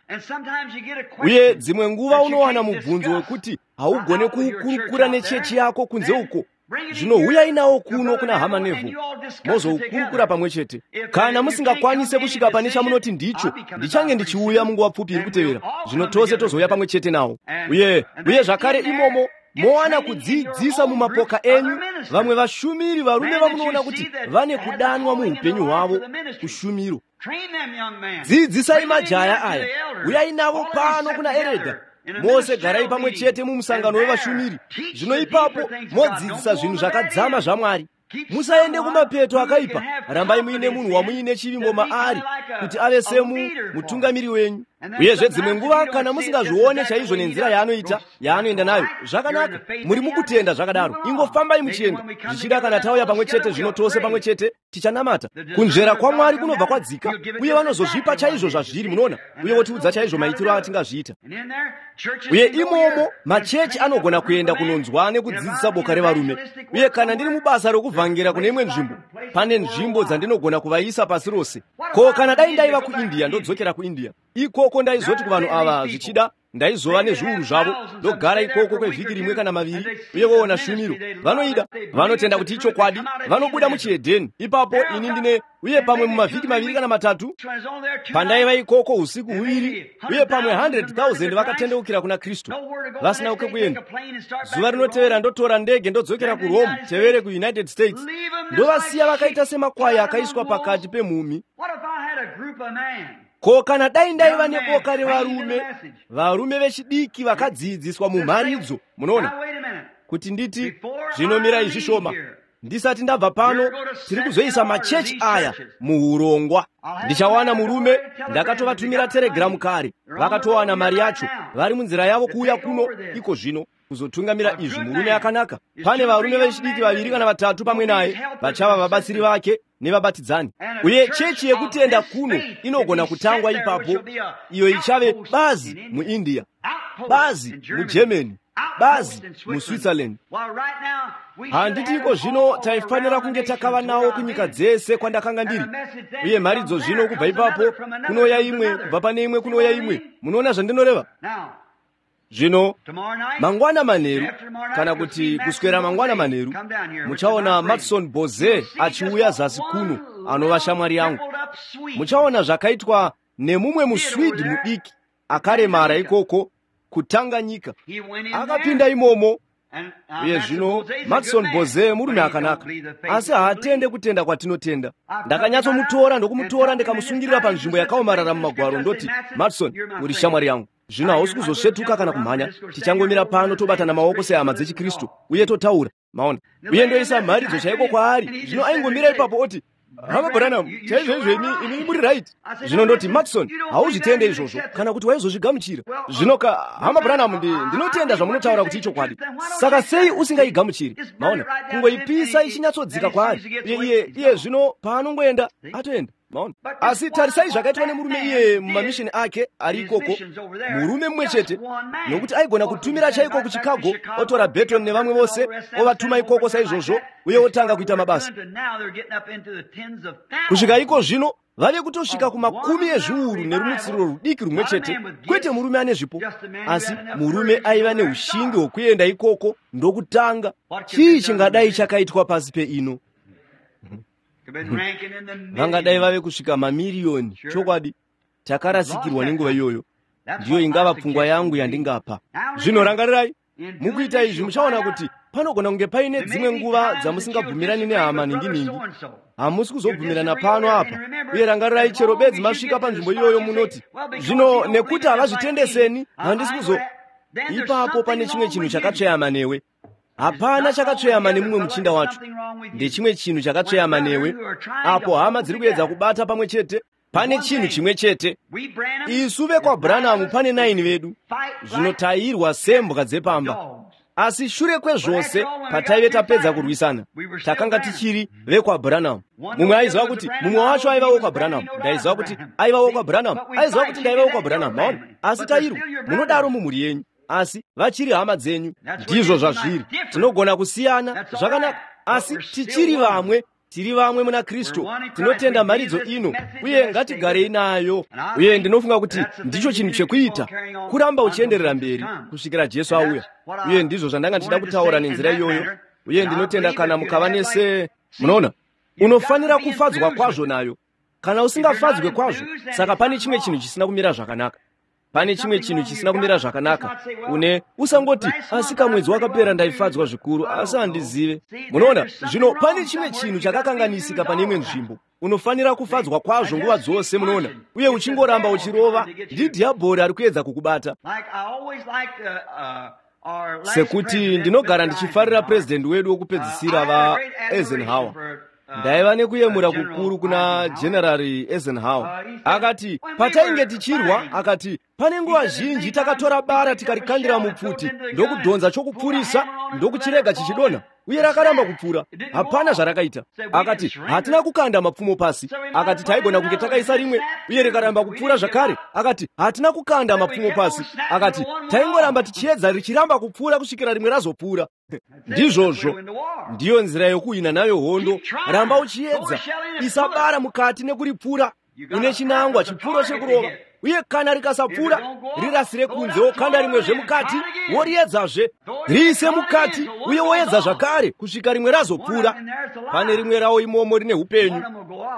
Uye dzimwe nguva unowana mubvunzo wekuti haugone kuukurukura nechechi yako kunze uko. Zvino huyai nawo kuno kuna Hama Neville, mozoukurukura pamwe chete. Kana musingakwanise kusvika pane chamunoti ndicho, ndichange ndichiuya munguva pfupi iri kutevera. Zvino tose tozouya pamwe chete nawo. Uye uye zvakare imomo mowana kudzidzisa mumapoka enyu vamwe vashumiri varume vamunoona kuti vane kudanwa muupenyu hwavo kushumiro. Dzidzisai majaya aya, uyai navo pano kuna eredha. Mose garai pamwe chete mumusangano wevashumiri. Zvino ipapo modzidzisa zvinhu zvakadzama zvaMwari. Musaende kumapeto akaipa, rambai muine munhu wamuine chivimbo maari kuti ave semu mutungamiri wenyu. Uyezve dzimwe nguva kana musingazvione chaizvo nenzira yaanoita, yaanoenda nayo, zvakanaka, muri mukutenda zvakadaro, ingofambai muchienda. Zvichida kana tauya pamwe chete zvino tose pamwe chete tichanamata. Kunzvera kwaMwari kunobva kwadzika, uye vanozozvipa chaizvo zvazviri, munoona, uye votiudza chaizvo maitiro atingazviita. Uye imomo machechi anogona kuenda kunonzwa nekudzidzisa boka revarume. Uye kana ndiri mubasa rokuvhangera kune imwe nzvimbo, pane nzvimbo dzandinogona kuvaisa pasi rose. Ko kana dai ndaiva kuIndia, ndodzokera kuIndia, ikoko ndaizoti kuvanhu ava, zvichida ndaizova nezviuru zvavo, ndogara ikoko kwevhiki rimwe kana maviri, uye voona shumiro. Vanoida, vanotenda kuti ichokwadi, vanobuda muchihedheni. Ipapo ini ndine, uye pamwe mumavhiki maviri kana matatu, pandaiva ikoko usiku huviri, uye pamwe hundred thousand vakatendeukira kuna Kristu vasina kwekuenda. Zuva rinotevera ndotora ndege ndodzokera kuRome, tevere kuUnited States, ndovasiya vakaita semakwai akaiswa pakati pemhumhi. Ko kana dai ndaiva neboka revarume, varume vechidiki vakadzidziswa mumharidzo, munoona, kuti nditi zvinomirai zvishoma, ndisati ndabva pano, tiri kuzoisa machechi aya muurongwa. Ndichawana murume, ndakatovatumira telegiramu kare, vakatowana mari yacho, vari munzira yavo kuuya kuno iko zvino kuzotungamira izvi. Murume akanaka. Pane varume vechidiki vaviri kana vatatu pamwe naye, vachava vabatsiri vake nevabatidzani. Uye chechi yekutenda kuno inogona kutangwa ipapo, iyo ichave bazi muIndia, bazi muGermany, Bazi muSwitzerland. Handiti iko zvino taifanira kunge takava nawo kunyika dzese kwandakanga ndiri. Uye mharidzo zvino kubva ipapo kunouya imwe, kubva pane imwe kunouya imwe. Munoona zvandinoreva? Zvino mangwana manheru, kana kuti kuswera mangwana manheru, muchaona Matson Boze achiuya zasi kuno, anova shamwari yangu. Muchaona zvakaitwa nemumwe muSwidi mudiki akaremara ikoko kuTanganyika. Akapinda imomo. Uye zvino Matson Boze murume akanaka, asi haatende kutenda kwatinotenda. Ndakanyatsomutora ndokumutora ndikamusungirira panzvimbo yakaomarara mumagwaro, ndoti, Matson, uri shamwari yangu. Zvino hausi kuzosvetuka kana kumhanya. Tichangomira pano tobatana maoko sehama dzechikristu uye totaura. Maona? Uye ndoisa mharidzo chaiko kwaari. Zvino aingomira ipapo oti, Hama Branham, chaizvoizvo imi imi muri right. Zvino ndoti, Matson, hauzvitende izvozvo, kana kuti waizozvigamuchira. Zvino ka, Hama Branham, ndi, ndinotenda zvamunotaura kuti ichokwadi. Saka sei usingaigamuchiri? Maona, kungoipisa ichinyatsodzika kwaari. Iye iye iye zvino paanongoenda, atoenda. Maona? Asi tarisai zvakaitwa nemurume iyeye mumamishini ake ari ikoko, murume mumwe chete, nokuti aigona kutumira chaiko kuChicago, otora Beton nevamwe vose, ovatuma ikoko saizvozvo, uye otanga kuita mabasa. Kusvika iko zvino vave kutosvika kumakumi ezviuru nerumutsiriro rudiki rumwe chete, kwete murume ane zvipo, asi murume aiva neushingi hwokuenda ikoko ndokutanga. Chii chingadai chakaitwa pasi peino? Vangadai vave kusvika mamiriyoni. Chokwadi, takarasikirwa nenguva iyoyo. Ndiyo ingava pfungwa yangu yandingapa. Zvino rangarirai, mukuita izvi muchaona kuti panogona kunge paine dzimwe nguva dzamusingabvumirani nehama ningi-ningi. Hamusi kuzobvumirana pano apa. Uye rangarirai, chero bedzi masvika panzvimbo iyoyo munoti, zvino nekuti havazvitendeseni, handisi kuzo... Ipapo pane chimwe chinhu chakatsveyama newe. Hapana chakatsveyama nemumwe muchinda wacho. Ndechimwe chinhu chakatsveyama newe. Apo hama dziri kuedza kubata pamwe chete, pane chinhu chimwe chete. Isu vekwaBranham pane nine vedu. Zvino tairwa sembwa dzepamba. Asi shure kwezvose, pataive tapedza kurwisana, takanga tichiri vekwaBranham. Mumwe aiziva kuti mumwe wacho aiva wekwaBranham. Ndaiziva kuti aiva wekwaBranham. Aiziva kuti ndaiva wekwaBranham. Maona? Asi tairwa. Munodaro mumhuri yenyu. Asi vachiri hama dzenyu. Ndizvo zvazviri. Tinogona kusiyana zvakanaka, asi tichiri vamwe. Tiri vamwe muna Kristu. Tinotenda mharidzo ino, uye ngatigarei nayo. Uye ndinofunga kuti ndicho chinhu chekuita, kuramba uchienderera mberi kusvikira Jesu auya. Uye ndizvo zvandanga ndichida kutaura nenzira iyoyo. Uye ndinotenda kana mukava nese, munoona, unofanira kufadzwa kwazvo nayo. Kana usingafadzwe kwazvo, saka pane chimwe chinhu chisina kumira zvakanaka. Pane chimwe chinhu chisina kumira zvakanaka. Une usangoti, asi kamwedzi wakapera ndaifadzwa zvikuru, asi handizive. Munoona, zvino pane chimwe chinhu chakakanganisika pane imwe nzvimbo. Unofanira kufadzwa kwazvo nguva dzose, munoona, uye uchingoramba uchirova. Ndidhiabhori ari kuedza kukubata. Sekuti ndinogara ndichifarira purezidendi wedu wokupedzisira vaEisenhower. Ndaiva nekuyemura kukuru kuna General Eisenhower. Akati, patainge tichirwa, akati, pane nguva zhinji takatora bara tikarikandira mupfuti, ndokudhonza chokupfurisa, ndokuchirega chichidonha, uye rakaramba kupfura. Hapana zvarakaita. Akati, hatina kukanda mapfumo pasi. Akati, taigona kunge takaisa rimwe, uye rikaramba kupfura zvakare. Akati, hatina kukanda mapfumo pasi. Akati, taingoramba tichiedza richiramba kupfura kusvikira rimwe razopfura. Ndizvozvo. Ndiyo nzira yokuhwina nayo hondo. Ramba uchiedza. Isa bara mukati nekuripfura. Une chinangwa, chipfuro chekurova. Uye kana rikasapfura, rirasire kunze, wokanda rimwezve mukati, woriedzazve. Riise mukati, uye woedza zvakare kusvika rimwe razopfura. Pane rimwe rawo imomo rine upenyu,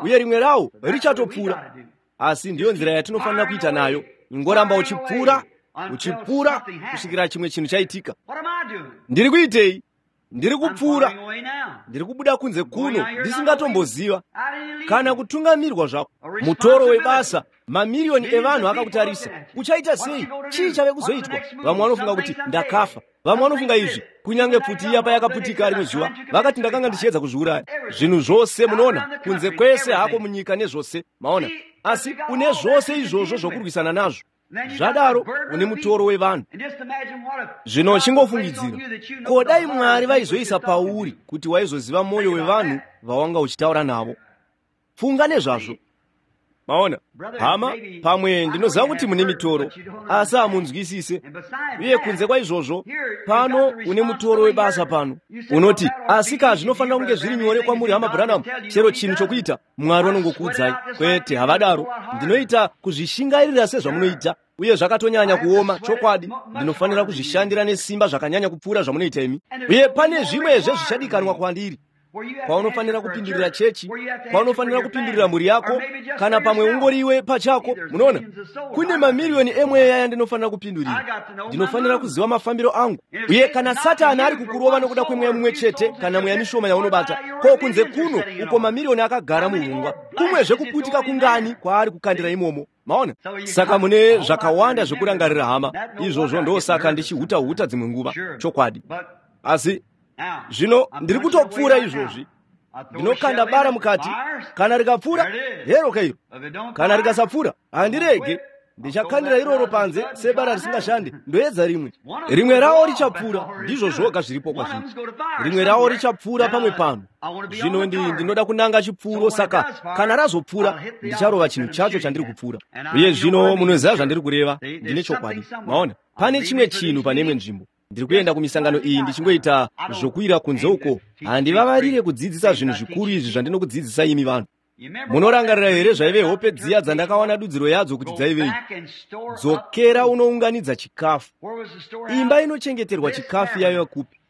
uye rimwe rawo richatopfura. Asi ndiyo nzira yatinofanira kuita nayo. Ingoramba uchipfura, uchipfura kusvikira chimwe chinhu chaitika. Ndiri kuitei? Ndiri kupfura. Ndiri kubuda kunze kuno ndisingatomboziva kana kutungamirwa zvako. Mutoro webasa, mamiriyoni evanhu akakutarisa. Uchaita sei? Chii chave kuzoitwa? Vamwe vanofunga kuti ndakafa. Vamwe vanofunga izvi. Kunyange pfuti iya payakaputika rimwe zuva, vakati ndakanga ndichiedza kuzviuraya. Zvinhu zvose, munoona, kunze kwese hako munyika nezvose, maona. Asi une zvose izvozvo zvokurwisana nazvo. Zvadaro une mutoro wevanhu. Zvino chingofungidzira, ko dai Mwari vaizoisa pauri kuti waizoziva mwoyo wevanhu vawanga uchitaura navo. Funga nezvazvo. Maona hama, pamwe ndinoziva kuti mune mitoro, asi hamunzwisise. Uye kunze kwaizvozvo, pano une mutoro webasa pano. Unoti, asika zvinofanira kunge zviri nyore kwamuri hama Branham, chero chinhu chokuita Mwari vanongokuudzai. Kwete, havadaro. Ndinoita kuzvishingairira sezvamunoita, uye zvakatonyanya kuoma. Chokwadi, ndinofanira kuzvishandira nesimba zvakanyanya kupfuura zvamunoita imi. Uye pane zvimwezve zvichadikanwa kwandiri, kwaunofanira kupindurira chechi, kwaunofanira kupindurira mhuri yako, kana pamwe ungoriwe pachako. Munoona, kune mamiriyoni emweya yandinofanira kupindurira. Ndinofanira kuziva mafambiro angu. Uye kana Satani ari kukurova nokuda kwemweya mumwe chete kana mweya mishoma yaunobata, ko kunze kuno uko mamiriyoni akagara muhungwa, kumwezve kuputika kungani kwaari kukandira imomo. Maona? Saka mune zvakawanda zvekurangarira hama. Izvozvo ndosaka ndichihuta-huta dzimwe nguva. Chokwadi. Asi zvino ndiri kutopfuura izvozvi. Ndinokanda bara mukati, kana rikapfuura hero keiro, kana rikasapfuura handirege. Ndichakandira iroro panze sebara risingashandi, ndoedza rimwe. Rimwe rawo richapfuura, ndizvo zvoga zviripo kwazviri. Rimwe rawo richapfuura pamwe pano. Zvino ndinoda kunanga chipfuuro, saka kana razopfuura ndicharova chinhu chacho chandiri kupfuura. Uye zvino munoziva zvandiri kureva, ndine chokwadi. Maona, pane chimwe chinhu pane imwe nzvimbo. Ndiri kuenda kumisangano iyi ndichingoita zvokuira kunze uko. Handivavarire kudzidzisa zvinhu zvikuru izvi zvandinokudzidzisa imi vanhu. Munorangarira here zvaive hope dziya dzandakawana dudziro yadzo kuti dzaivei? Dzokera unounganidza chikafu. Imba inochengeterwa chikafu yaiva kupi?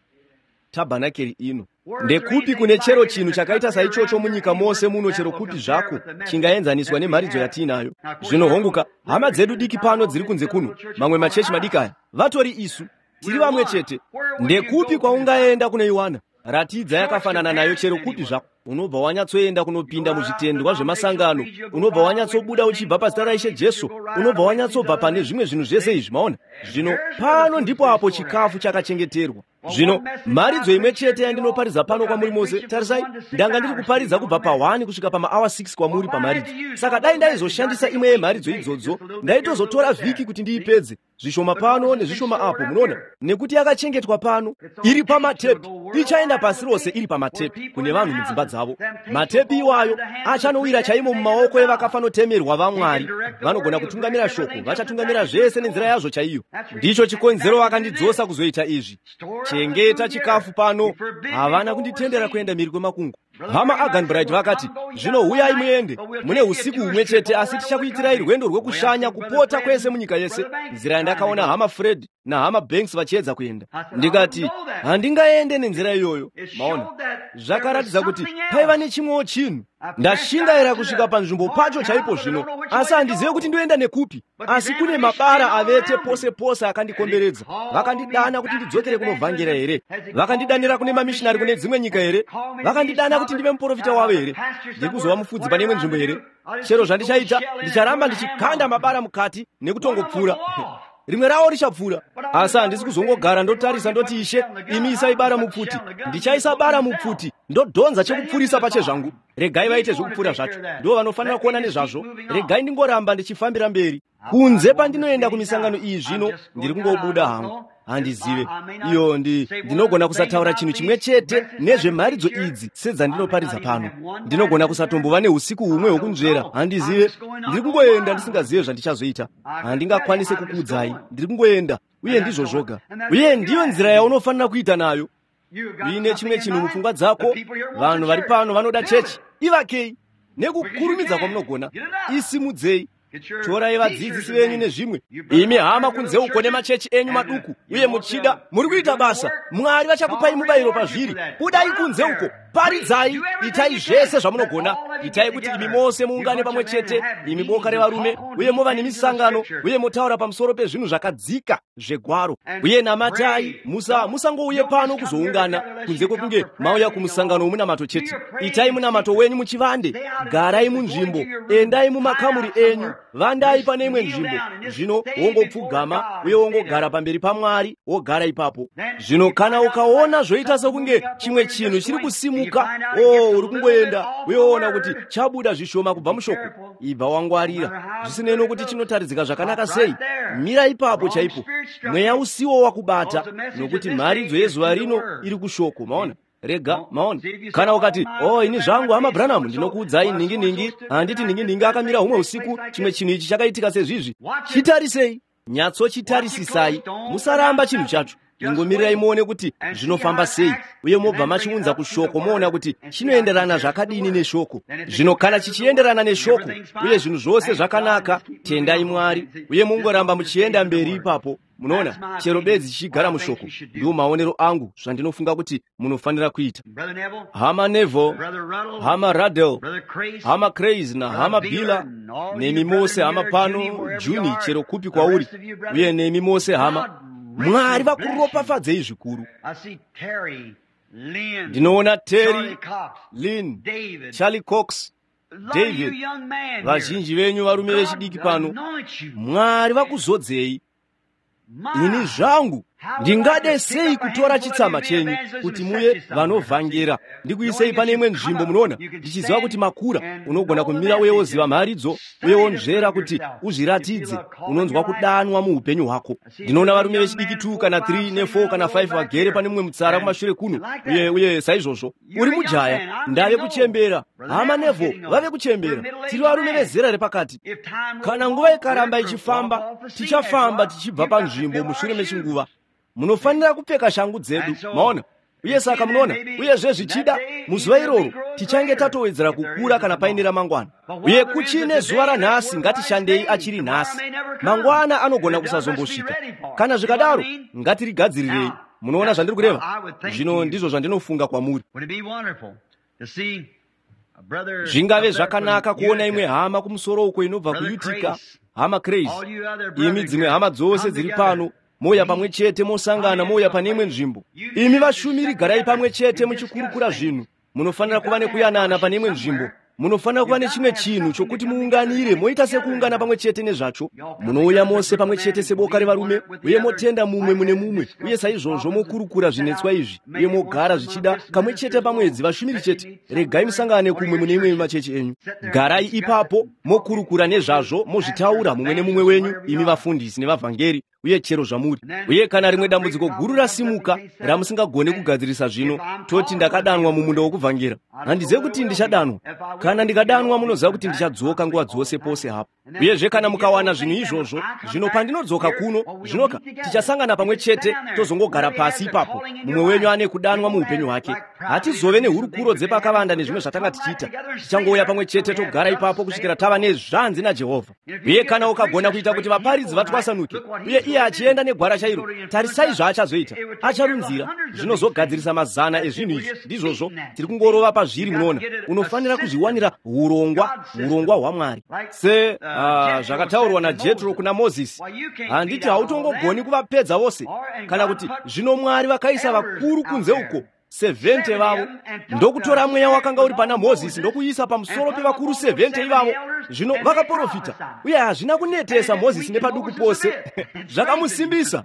Tabhanakeri ino. Ndekupi kune chero chinhu chakaita saichocho munyika mose muno, chero kupi zvako chingaenzaniswa nemharidzo yatiinayo? Zvino honguka, hama dzedu diki pano dziri kunze kuno, mamwe machechi madiki aya, vatori isu tiri vamwe chete. Ndekupi kwaungaenda kunoiwana? Ratidza yakafanana nayo chero kupi zvako. Unobva wanyatsoenda kunopinda muzvitendwa zvemasangano, unobva wanyatsobuda uchibva pazita raIshe Jesu, unobva wanyatsobva pane zvimwe zvinhu zvese izvi. Maona? Zvino pano ndipo apo chikafu chakachengeterwa. Zvino mharidzo imwe chete yandinoparidza pano kwamuri mose, tarisai, ndanga ndiri kuparidza kubva pahwani kusvika pamaawa six kwamuri pamharidzo. Saka dai ndaizoshandisa imwe yemharidzo idzodzo, ndaitozotora vhiki kuti ndiipedze, zvishoma pano nezvishoma apo. Munoona, nekuti yakachengetwa pano, iri pamatepi, ichaenda pasi rose iri pamatepi kune vanhu mudzimba dzavo. Matepi iwayo achanowira chaimo mumaoko evakafanotemerwa vaMwari. Vanogona kutungamira shoko, vachatungamira zvese nenzira yazvo chaiyo. Ndicho chikonzero vakandidzosa kuzoita izvi. Chengeta chikafu pano. Havana kunditendera kuenda mhiri kwemakungwa. Hama Aganbright vakati, zvino huyai muende, mune usiku humwe chete, asi tichakuitirai rwendo rwekushanya kupota kwese munyika yese. Nzira yandakaona hama Fred nahama Banks vachiedza kuenda, ndikati handingaende nenzira iyoyo. Maona, zvakaratidza kuti paiva nechimwewo chinhu. Ndashingaira kusvika panzvimbo pacho chaipo zvino, asi handizive kuti ndoenda nekupi. Asi kune mabara avete pose pose akandikomberedza. Vakandidana kuti ndidzokere kunovhangera here? Vakandidanira kune mamishinari kune dzimwe nyika here? Vakandidana kuti ndive muprofita wavo here? Ndiri kuzova mufudzi pane imwe nzvimbo here? Chero zvandichaita, ndicharamba ndichikanda mabara mukati nekutongopfuura. Rimwe rawo richapfuura, asi handisi kuzongogara ndotarisa ndoti, Ishe, imi isai bara mupfuti. Ndichaisa bara mupfuti, ndodhonza chekupfurisa pachezvangu. Regai vaite zvekupfura zvacho, ndo vanofanira kuona nezvazvo. Regai ndingoramba ndichifambira mberi. Kunze pandinoenda kumisangano iyi zvino, ndiri kungobuda hangu. Handizive iyo ndi ndinogona kusataura chinhu chimwe chete nezvemharidzo idzi sedzandinoparidza pano. Ndinogona kusatombova neusiku humwe hwokunzvera. Handizive, ndiri kungoenda ndisingazive zvandichazoita. Handingakwanise kukuudzai, ndiri kungoenda, uye ndizvo zvoga. Uye ndiyo nzira yaunofanira kuita nayo. Uine chimwe chinhu mupfungwa dzako, vanhu vari pano vanoda chechi, ivakei nekukurumidza kwamunogona, isimudzei. Torai vadzidzisi venyu nezvimwe. Imi hama kunze uko nemachechi enyu maduku, uye muchida muri kuita basa, Mwari vachakupai mubayiro pazviri. Budai kunze uko, paridzai, itai zvese zvamunogona. Itai kuti imi mose muungane pamwe chete, imi boka revarume, uye mova nemisangano, uye motaura pamusoro pezvinhu zvakadzika zvegwaro. Uye namatai, musa musangouye pano kuzoungana, kunze kwekunge mauya kumusangano womunamato chete. Itai munamato wenyu muchivande, garai munzvimbo, endai mumakamuri enyu, vandai pane imwe nzvimbo. Zvino wongopfugama uye wongogara pamberi paMwari, wogara ipapo. Zvino kana ukaona zvoita sokunge chimwe chinhu chiri kusimuka, o uri kungoenda uye woona kuti chabuda zvishoma kubva mushoko, ibva wangwarira. Zvisinei nokuti chinotaridzika zvakanaka sei, mira ipapo chaipo. Mweya usiwo wakubata, nokuti mharidzo yezuva rino iri kushoko. Maona, Rega, maona. Kana ukati, "Oh, ini zvangu hama Branham, ndinokuudzai ningi ningi, handiti ningi ningi akamira humwe usiku, chimwe chinhu ichi chakaitika sezvizvi." Chitarisei, nyatsochitarisisai, musaramba chinhu chacho. Ingomirirai muone kuti zvinofamba sei, uye mobva machiunza kushoko, moona kuti chinoenderana zvakadini neshoko. Zvino kana chichienderana neshoko uye zvinhu zvose zvakanaka, tendai Mwari, uye mungoramba muchienda mberi ipapo. Munoona, chero bedzi chichigara mushoko. Ndiwo maonero angu zvandinofunga kuti munofanira kuita. Hama Neville, hama Ruddell, hama Craze nahama Bila, nemi mose hama pano, Juni, chero kupi kwauri, uye nemi mose hama, Mwari vakuropafadzei zvikuru. Ndinoona Terry, Lynn, Charlie Cox, David, vazhinji venyu varume vechidiki pano. Mwari vakuzodzei. Ini zvangu ndingade sei kutora chitsama chenyu kuti muye vanovhangera, ndikuisei pane imwe nzvimbo. Munoona, ndichiziva kuti makura, unogona kumira uye woziva mharidzo uye wonzvera kuti uzviratidze. Unonzwa kudanwa muupenyu hwako. Ndinoona varume vechidiki two kana three ne four kana five vagere pane mumwe mutsara kumashure kuno, uye uye saizvozvo. Uri mujaya, ndave kuchembera. Hama Neville vave kuchembera. Tiri varume vezera repakati. Kana nguva ikaramba ichifamba, tichafamba tichibva panzvimbo mushure mechinguva. Munofanira kupfeka shangu dzedu, maona. Uye saka munoona, uyezve zvichida muzuva iroro tichange tatowedzera kukura kana paine ramangwana. Uye kuchine zuva ranhasi, ngatishandei achiri nhasi. Mangwana anogona kusazombosvika. Kana zvikadaro, ngatirigadzirirei. Munoona zvandiri kureva? Zvino ndizvo zvandinofunga kwamuri. Zvingave zvakanaka kuona imwe hama kumusoro uko inobva kuUtica, hama Craze, imi dzimwe hama dzose dziri pano, mouya pamwe chete, mosangana, mouya pane imwe nzvimbo. Imi vashumiri garai pamwe chete muchikurukura zvinhu. Munofanira kuva nekuyanana pane imwe nzvimbo. Munofanira kuva nechimwe chinhu chokuti muunganire, moita sekuungana pamwe chete nezvacho. Munouya mose pamwe chete seboka revarume, uye motenda mumwe mune mumwe, uye saizvozvo mokurukura zvinetswa izvi, uye mogara zvichida kamwe chete pamwedzi, vashumiri chete. Regai musangane kumwe mune imwe machechi enyu. Garai ipapo mokurukura nezvazvo, mozvitaura mumwe nemumwe wenyu, imi vafundisi nevavhangeri, uye chero zvamuri. Uye kana rimwe dambudziko guru rasimuka ramusingagoni kugadzirisa zvino, toti ndakadanwa mumunda wokuvhangera. Handizivi kuti ndichadanwa. Kana ndikadanwa, munoziva kuti ndichadzoka nguva dzose pose hapo. Uyezve kana mukawana zvinhu izvozvo, zvino pandinodzoka kuno, zvinoka tichasangana pamwe chete, tozongogara pasi ipapo. Mumwe wenyu ane kudanwa muupenyu hwake. Hatizove nehurukuro dzepakavanda nezvimwe zvatanga tichiita. Tichangouya pamwe chete togara ipapo kusvikira tava nezvanzi naJehovha. Uye kana ukagona kuita kuti vaparidzi vatwasanuke, uye iye achienda negwara chairo, tarisai zvaachazoita. Acharunzira, zvinozogadzirisa mazana ezvinhu izvi. Ndizvozvo, tiri kungorova pazviri. Munoona, unofanira kuzviwanira urongwa, urongwa hwaMwari. Se uh, zvakataurwa naJetro kuna Mozisi, handiti hautongogoni kuvapedza vose, kana kuti zvino Mwari vakaisa vakuru kunze uko seventy vavo, ndokutora mweya wakanga uri pana Mozisi ndokuisa pamusoro pevakuru seventy ivavo. Zvino vakaprofita, uye hazvina kunetesa Mozisi nepaduku pose. Zvakamusimbisa.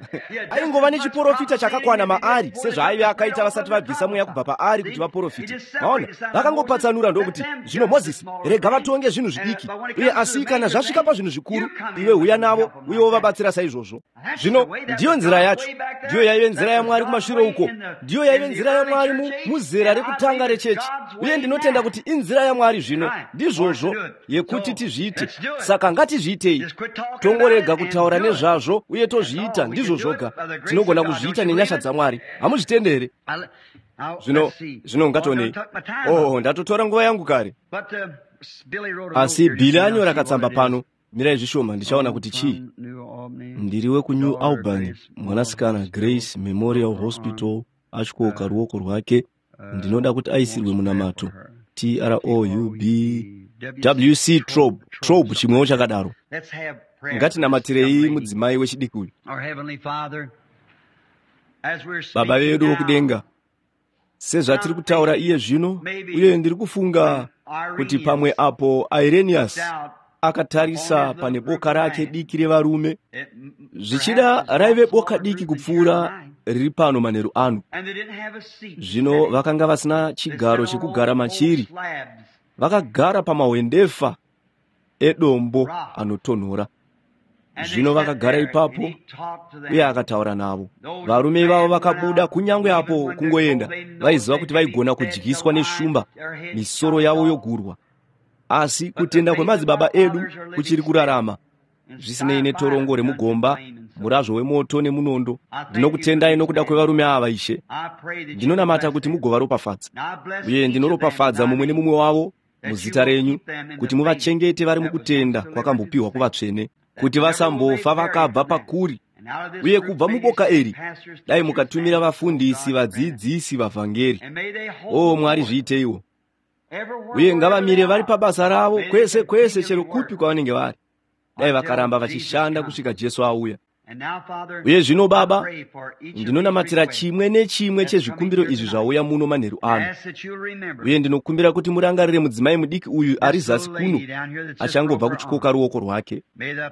Aingova nechiprofita chakakwana maari sezvaaive akaita vasati vabvisa mweya kubva paari kuti vaprofite. Maona, vakangopatsanura ndokuti, zvino Mozisi, rega vatonge zvinhu zvidiki, uye asi kana zvasvika pazvinhu zvikuru, iwe huya navo uye wovabatsira saizvozvo. Zvino ndiyo nzira yacho. Ndiyo yaive nzira yaMwari kumashure uko. Ndiyo yaive nzira yaMwari muzera rekutanga rechechi, uye ndinotenda kuti inzira yaMwari zvino. Ndizvozvo yekuti tizviite. Saka ngatizviitei, tongorega kutaura nezvazvo uye tozviita. Ndizvo zvoga tinogona kuzviita nenyasha dzaMwari. Hamuzvitende here? Zvino zvino ngationei. Oh, ndatotora nguva yangu kare, asi Bhili anyora katsamba pano. Mirai zvishoma, ndichaona kuti chii. Ndiri wekuNew Albany, mwanasikana Grace Memorial Hospital atyoka ruoko rwake. Ndinoda kuti aisirwe munamato. T R O U B W C Trob Trob, chimwewo chakadaro. Ngatinamatirei mudzimai wechidiki uyu. Baba vedu vokudenga, sezvatiri kutaura iye zvino, uye ndiri kufunga kuti pamwe apo Irenaeus akatarisa pane boka rake diki revarume, zvichida raive boka diki kupfuura riri pano manheru ano. Zvino vakanga vasina chigaro chekugara machiri, vakagara pamahwendefa edombo anotonhora. Zvino vakagara ipapo uye akataura navo. Varume ivavo vakabuda, kunyange apo kungoenda vaiziva kuti vaigona kudyiswa neshumba, misoro yavo yogurwa. Asi kutenda kwemadzibaba edu kuchiri kurarama, zvisinei netorongo remugomba, murazvo wemoto nemunondo. Ndinokutendai nokuda kwevarume ava, Ishe. Ndinonamata kuti mugovaropafadza, uye ndinoropafadza mumwe nemumwe wavo muzita renyu, kuti muvachengete vari mukutenda kwakambopiwa kuvatsvene, kuti vasambofa vakabva pakuri. Uye kubva muboka iri dai mukatumira vafundisi, vadzidzisi, vavhangeri. O Mwari, zviiteiwo. Uye ngavamire vari pabasa ravo kwese kwese, chero kupi kwavanenge vari. Dai vakaramba vachishanda kusvika Jesu auya. Uye zvino Baba, ndinonamatira chimwe nechimwe chezvikumbiro izvi zvauya muno manheru ano. Uye ndinokumbira kuti murangarire mudzimai mudiki uyu ari zasi kuno, achangobva kuchikoka ruoko rwake.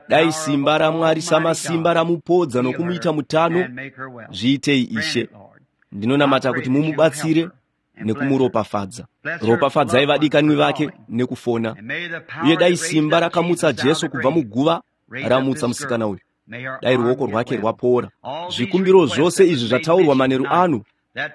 Dai simba raMwari samasimba ramupodza nokumuita mutano. Zviitei, Ishe. Ndinonamata kuti mumubatsire nekumuropafadza. Ropafadzai vadikanwi vake nekufona. Uye dai simba rakamutsa Jesu kubva muguva ramutsa musikana uyu. Dai ruoko rwake rwapora. Zvikumbiro zvose izvi zvataurwa manheru ano,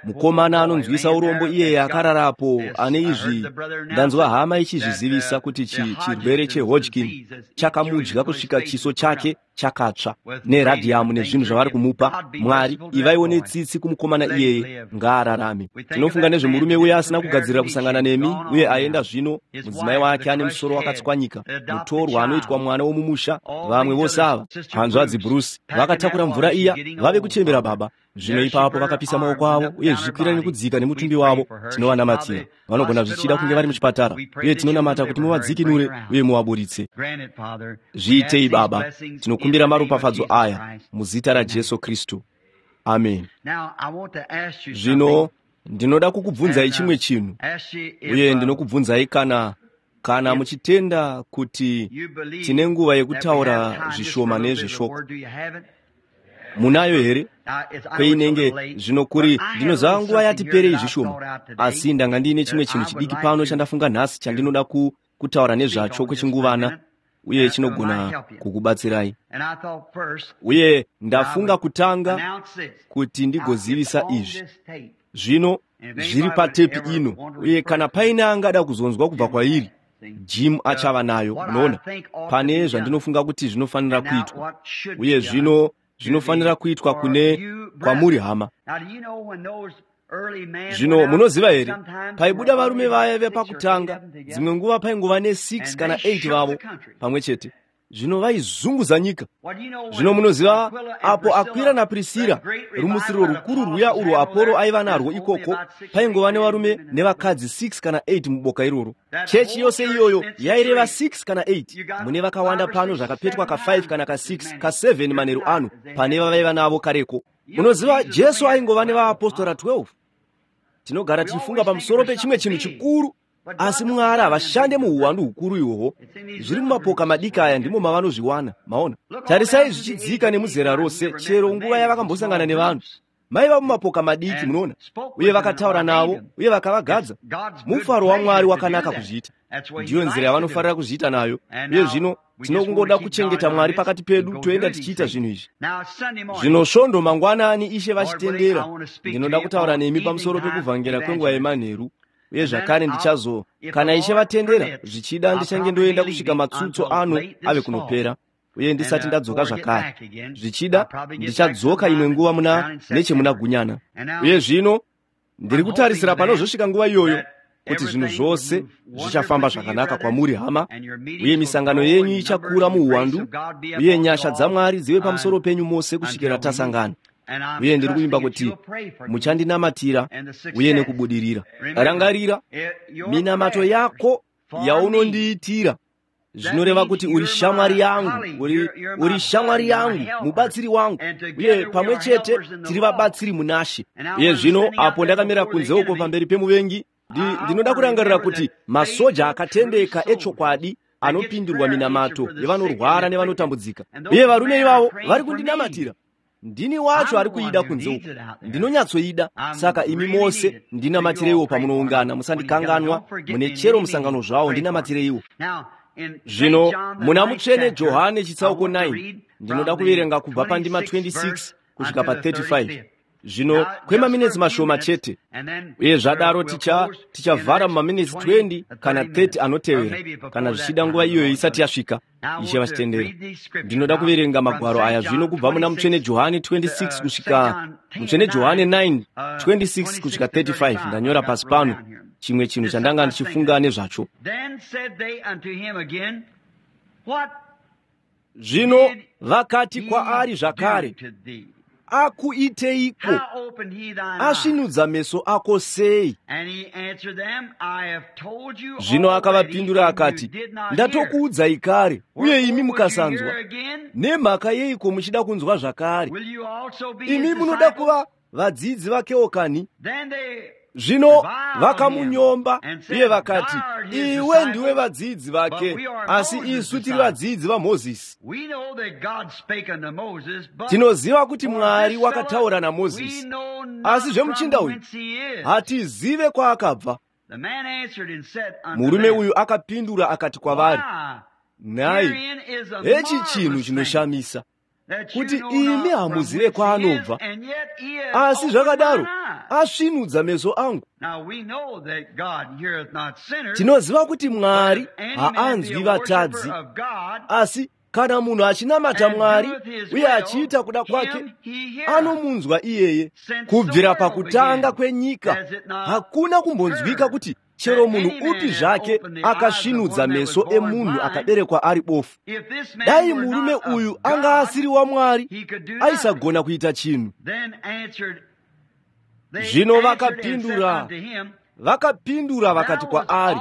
mukomana anonzwisa urombo iyeye akararapo ane izvi. Ndanzwa hama ichizvizivisa kuti chirwere cheHodgkin chakamudya kusvika chiso chake chakatsva, neradhiyamu nezvinhu zvavari kumupa. Mwari, ivaiwo netsitsi kumukomana iyeye, ngaararame. Tinofunga nezvemurume uye asina kugadzirira kusangana nemi, uye aenda zvino. Mudzimai wake ane musoro wakatswanyika, mutorwa anoitwa mwana womumusha. Vamwe vose ava, hanzvadzi Bruce, vakatakura mvura iya, vave kuchembera, Baba. Zvino ipapo vakapisa maoko avo uye zvichikwira nekudzika nemutumbi wavo. Tinovanamatira. Vanogona zvichida kunge vari muchipatara, uye tinonamata kuti muvadzikinure uye muvaburitse. Zviitei, Baba. Tinokumbira maropafadzo aya muzita raJesu Kristu. Amen. Zvino ndinoda kukubvunzai chimwe chinhu, uye ndinokubvunzai kana kana muchitenda kuti tine nguva yekutaura zvishoma nezveshoko. Munayo here? Kweinenge zvino kuri, ndinoziva nguva yati perei zvishoma, asi ndanga ndiine chimwe chinhu chidiki pano chandafunga nhasi chandinoda ku, kutaura nezvacho kwechinguvana, uye chinogona kukubatsirai. Uye ndafunga kutanga kuti ndigozivisa izvi. Zvino zviri patepi ino, uye kana paine angada kuzonzwa kubva kwairi, Jim achava nayo. Munoona, pane zvandinofunga kuti zvinofanira kuitwa, uye zvino zvinofanira kuitwa kune kwamuri hama. Zvino munoziva here, paibuda varume vaya vepakutanga, dzimwe nguva paingova nesix kana eight vavo pamwe chete. Zvino vaizunguza nyika. Zvino munoziva, apo Akwira naPrisira, rumutsiriro rukuru rwuya urwo Aporo aiva narwo ikoko, paingova nevarume nevakadzi six kana eight muboka iroro. Chechi yose iyoyo yaireva six kana eight. Mune vakawanda pano zvakapetwa kafive kana kasix kaseven manheru ano pane vavaiva navo kareko. Munoziva, Jesu aingova nevaapostora twelve. Tinogara tichifunga pamusoro pechimwe chinhu chikuru, asi Mwari havashande muhuwandu hukuru ihwohwo. Zviri mumapoka madiki aya ndimo mavanozviwana. Maona, tarisai zvichidzika nemuzera rose, chero nguva yavakambosangana nevanhu maiva mumapoka madiki, munoona, uye vakataura navo uye vakavagadza. Mufaro waMwari wakanaka kuzviita. Ndiyo nzira yavanofarira kuzviita nayo. Uye zvino tinokungoda kuchengeta Mwari pakati pedu, toenda tichiita zvinhu izvi. Zvino svondo mangwanani, Ishe vachitendera, ndinoda kutaura nemi pamusoro pekuvhangera kwenguva yemanheru. Uye zvakare ndichazo, kana Ishe vatendera, zvichida ndichange ndoenda kusvika matsutso ano ave kunopera, uye ndisati ndadzoka zvakare. Zvichida ndichadzoka imwe nguva muna nechemuna Gunyana. Uye zvino ndiri kutarisira panozosvika nguva iyoyo kuti zvinhu zvose zvichafamba zvakanaka kwamuri hama, uye misangano yenyu ichakura muhuwandu, uye nyasha dzaMwari dzive pamusoro penyu mose kusvikira tasangana. Uye ndiri kuvimba kuti muchandinamatira uye nekubudirira. Rangarira, minamato yako yaunondiitira zvinoreva kuti uri shamwari yangu, uri, uri shamwari yangu, mubatsiri wangu, uye pamwe chete tiri vabatsiri munaShe. Uye zvino apo ndakamira kunze uko pamberi pemuvengi, ndinoda kurangarira kuti masoja akatendeka echokwadi anopindurwa minamato yevanorwara nevanotambudzika, uye varume ivavo vari kundinamatira. Ndini wacho ari kuida kunze uko, ndinonyatsoida. Saka imi mose ndinamatireiwo pamunoungana, musandikanganwa mune chero musangano zvawo, ndinamatireiwo. Zvino muna Mutsvene Johane chitsauko nine, ndinoda kuverenga kubva pandima twenty-six kusvika pa thirty-five. Zvino kwemaminitsi mashoma chete, uye zvadaro ticha tichavhara mumaminitsi twenty kana thirty anotevera, kana zvichida nguva iyoyo isati yasvika, Ishe vachitendera. Ndinoda kuverenga magwaro aya zvino kubva muna Mutsvene Johane twenty-six kusvika Mutsvene Johane nine twenty-six kusvika thirty-five. Ndanyora pasi pano chimwe chinhu chandanga ndichifunga nezvacho. Zvino vakati kwaari zvakare, akuiteiko? Asvinudza meso ako sei? Zvino akavapindura akati, ndatokuudzai kare, uye imi mukasanzwa. Nemhaka yeiko muchida kunzwa zvakare? Imi munoda kuva vadzidzi vakewo kani? Zvino vakamunyomba uye vakati, iwe ndiwe vadzidzi vake, asi isu tiri vadzidzi vaMozisi. Tinoziva kuti Mwari wakataura naMozisi, asi zvemuchinda uyu hatizive kwaakabva. Murume uyu akapindura akati kwavari, nhai, hechi chinhu chinoshamisa, kuti imi hamuzive kwaanobva, asi zvakadaro asvinudza meso angu. Tinoziva kuti Mwari haanzwi vatadzi, asi kana munhu achinamata Mwari uye achiita kuda kwake, anomunzwa iyeye. Kubvira pakutanga kwenyika hakuna kumbonzwika kuti chero munhu upi zvake akasvinudza meso emunhu akaberekwa ari bofu. Dai murume uyu anga asiri waMwari, aisagona kuita chinhu. Zvino vakapindura vakapindura vakati kwaari,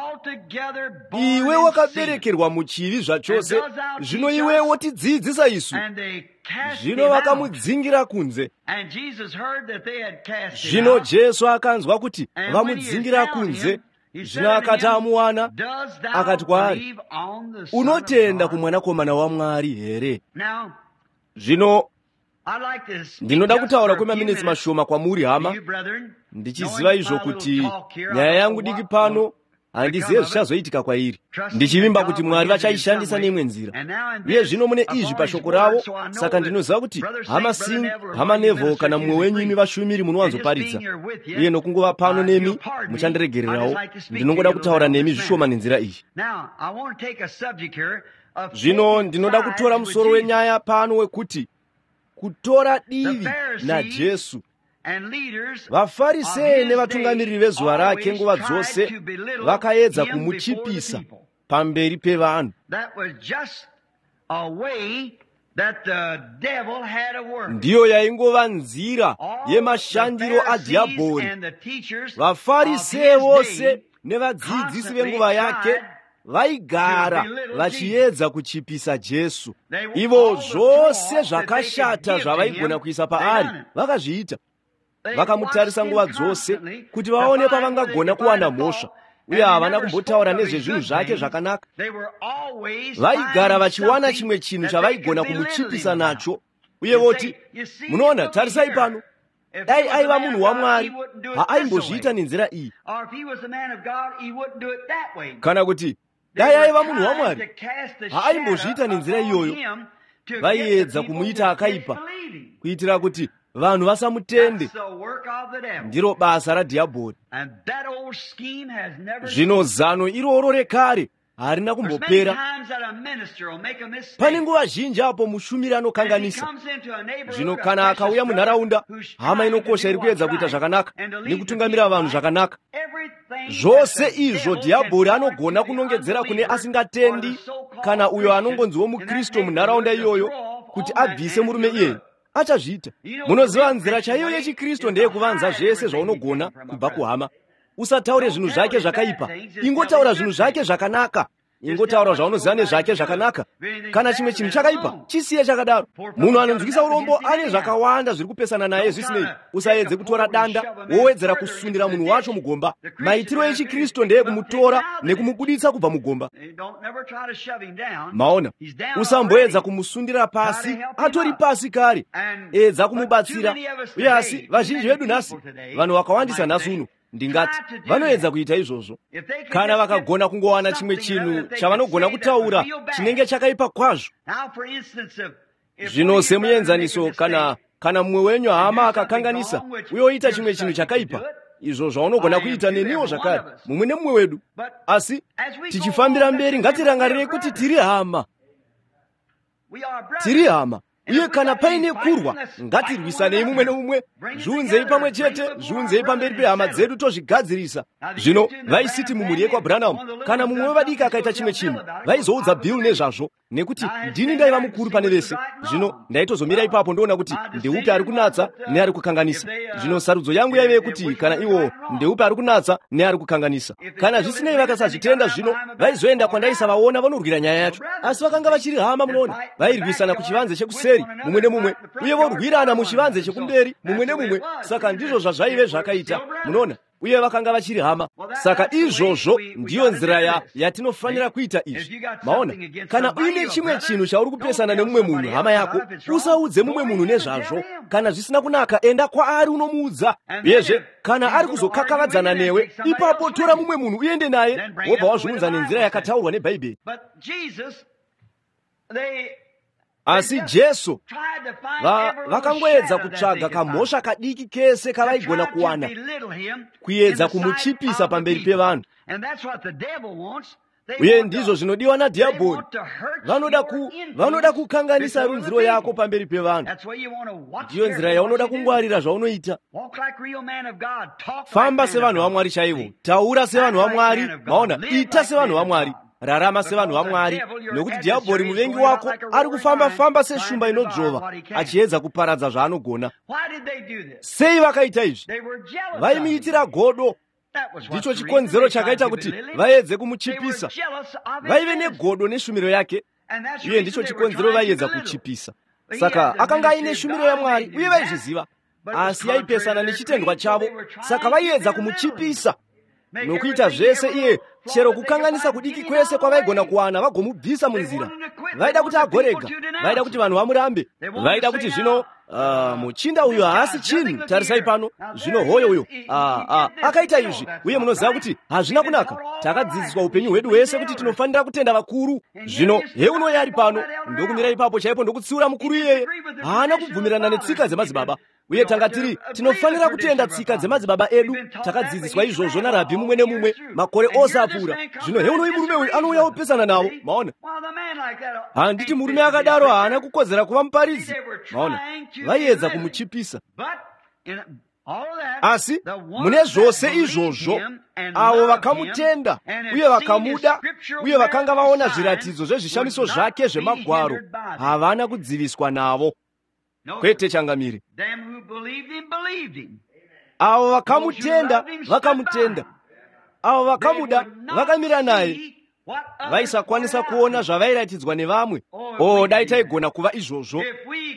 iwe wakaberekerwa muchivi zvachose, zvino iwe wotidzidzisa isu. Zvino vakamudzingira kunze. Zvino Jesu akanzwa kuti vamudzingira kunze. Zvino akati amuwana, akati kwaari, unotenda kumwanakomana waMwari here? Zvino ndinoda kutaura kwemaminitsi mashoma kwamuri, hama, ndichiziva izvo kuti nyaya yangu diki pano handizive zvichazoitika kwairi, ndichivimba kuti Mwari vachaishandisa neimwe nzira. Uye zvino mune izvi pashoko ravo, saka ndinoziva kuti hama Singh, hama Neville kana mumwe wenyu imi vashumiri munowanzoparidza, uye nokungova pano nemi muchandiregererawo. Ndinongoda kutaura nemi zvishoma nenzira iyi. Zvino ndinoda kutora musoro wenyaya pano wekuti kutora divi naJesu. VaFarisei nevatungamiriri vezuva rake nguva dzose vakaedza kumuchipisa pamberi pevanhu. Ndiyo yaingova nzira yemashandiro adhiabhori. VaFarisei vose nevadzidzisi venguva yake vaigara vachiedza kuchipisa Jesu. Ivo zvose zvakashata zvavaigona kuisa paari vakazviita. Vakamutarisa nguva dzose kuti vaone pavangagona kuwana mhosva, uye havana kumbotaura nezvezvinhu zvake zvakanaka. Vaigara vachiwana chimwe chinhu chavaigona kumuchipisa nacho, uye voti, munoona, tarisai pano, dai aiva munhu waMwari haaimbozviita nenzira iyi, kana kuti dai aiva munhu waMwari haaimbozviita nenzira iyoyo. Vaiedza kumuita akaipa kuitira kuti vanhu vasamutende. Ndiro basa radhiabhori. Zvino zano iroro rekare harina kumbopera. Pane nguva zhinji apo mushumiri anokanganisa. Zvino kana akauya munharaunda, hama inokosha iri kuedza kuita zvakanaka nekutungamira vanhu zvakanaka, zvose izvo dhiabhori anogona kunongedzera kune asingatendi kana uyo anongonziwo muKristu munharaunda iyoyo kuti abvise murume iyeye, achazviita. Munoziva nzira chaiyo yechiKristu ndeyekuvanza zvese zvaunogona kubva kuhama. Usataure zvinhu zvake zvakaipa, ingotaura zvinhu zvake zvakanaka. Ingotaura zvaunoziva nezvake zvakanaka. Kana chimwe chinhu chakaipa, chisiye chakadaro. Munhu anonzwisa urombo ane zvakawanda zviri kupesana naye zvisinei. Usaedze kutora danda wowedzera kusundira munhu wacho mugomba. Maitiro echiKristu ndeyekumutora nekumubuditsa kubva mugomba. Maona, usamboedza kumusundira pasi, atori pasi kare. Edza kumubatsira. Uye asi vazhinji vedu nhasi, vanhu vakawandisa nhasi uno, Ndingati vanoedza kuita izvozvo. Kana vakagona kungowana chimwe chinhu chavanogona kutaura chinenge chakaipa kwazvo. Zvino semuenzaniso, kana kana mumwe wenyu hama akakanganisa uye oita chimwe chinhu chakaipa, izvo zvaunogona kuita neniwo zvakare, mumwe nemumwe wedu. Asi tichifambira mberi, ngatirangarirei kuti tiri hama, tiri hama. Uye kana paine kurwa, ngatirwisanei mumwe nomumwe, zviunzei pamwe chete, zviunzei pamberi pehama dzedu tozvigadzirisa. Zvino vaisiti mumhuri yekwaBranham, kana mumwe wevadiki akaita chimwe chinhu, vaizoudza Bill nezvazvo, nekuti ndini ndaiva mukuru pane vese. Zvino ndaitozomira ipapo ndoona kuti ndeupi ari kunatsa neari kukanganisa. Zvino sarudzo yangu yaive yekuti kana iwo ndeupi ari kunatsa neari kukanganisa. Kana zvisinei vakasazvitenda, zvino vaizoenda kwandaisavaona vanorwira nyaya yacho. Asi vakanga vachiri hama, munoona, vairwisana kuchivanze chekuseri mumwe nemumwe, uye vorwirana muchivanze chekumberi mumwe nemumwe. Saka ndizvo zvazvaive zvakaita, munoona, uye vakanga vachiri hama. Saka izvozvo ndiyo nzira ya yatinofanira kuita izvi. Maona, kana uine chimwe chinhu chauri kupesana nemumwe munhu, hama yako, usaudze mumwe munhu nezvazvo. Kana zvisina kunaka, enda kwaari unomuudza. Uyezve kana ari kuzokakavadzana newe, ipapo tora mumwe munhu uende naye, wobva wazviunza nenzira yakataurwa neBhaibheri. Asi Jesu vakangoedza kutsvaga kamhosva kadiki kese kavaigona kuwana, kuedza kumuchipisa pamberi pevanhu. Uye ndizvo zvinodiwa nadhiabhori. Vanoda ku, vanoda kukanganisa runziro yako pamberi pevanhu. Ndiyo nzira yaunoda kungwarira zvaunoita. Famba sevanhu vaMwari chaivo, taura sevanhu vaMwari, maona, ita sevanhu vaMwari, rarama sevanhu vaMwari, nokuti dhiabhori muvengi wako ari kufamba-famba seshumba inodzvova, achiedza kuparadza zvaanogona. Sei vakaita izvi? Vaimuitira godo. Ndicho chikonzero chakaita kuti vaedze kumuchipisa. Vaive negodo neshumiro yake, uye ndicho chikonzero vaiedza kuchipisa. Saka akanga aine shumiro yaMwari, uye vaizviziva, asi yaipesana nechitendwa chavo. Saka vaiedza kumuchipisa nokuita zvese iye, chero kukanganisa kudiki kwese kwavaigona kuwana, vagomubvisa munzira. Vaida kuti agorega, vaida kuti vanhu vamurambe, vaida kuti zvino uh, muchinda uyu haasi chinhu. Tarisai pano zvino, hoyo uyo uh, uh, akaita izvi, uye munoziva kuti hazvina kunaka. Takadzidziswa upenyu hwedu hwese kuti tinofanira kutenda vakuru. Zvino heunoi ari pano, ndokumira ipapo chaipo ndokutsiura mukuru iyeye. Haana kubvumirana netsika dzemadzibaba. Uye tanga tiri tinofanira kutenda tsika dzemadzibaba edu. Takadzidziswa izvozvo narabhi mumwe nemumwe makore ose apfuura. Zvino heunoi murume uyu anouya opesana navo. Maona, handiti murume akadaro haana kukodzera kuva muparidzi. Maona, vaiedza kumuchipisa. Asi mune zvose izvozvo, avo vakamutenda uye vakamuda uye vakanga vaona zviratidzo zvezvishamiso zvake zvemagwaro havana kudziviswa navo. Kwete changamire. Avo vakamutenda vakamutenda, avo vakamuda vakamira naye. Vaisakwanisa kuona zvavairatidzwa nevamwe. O, dai taigona kuva izvozvo!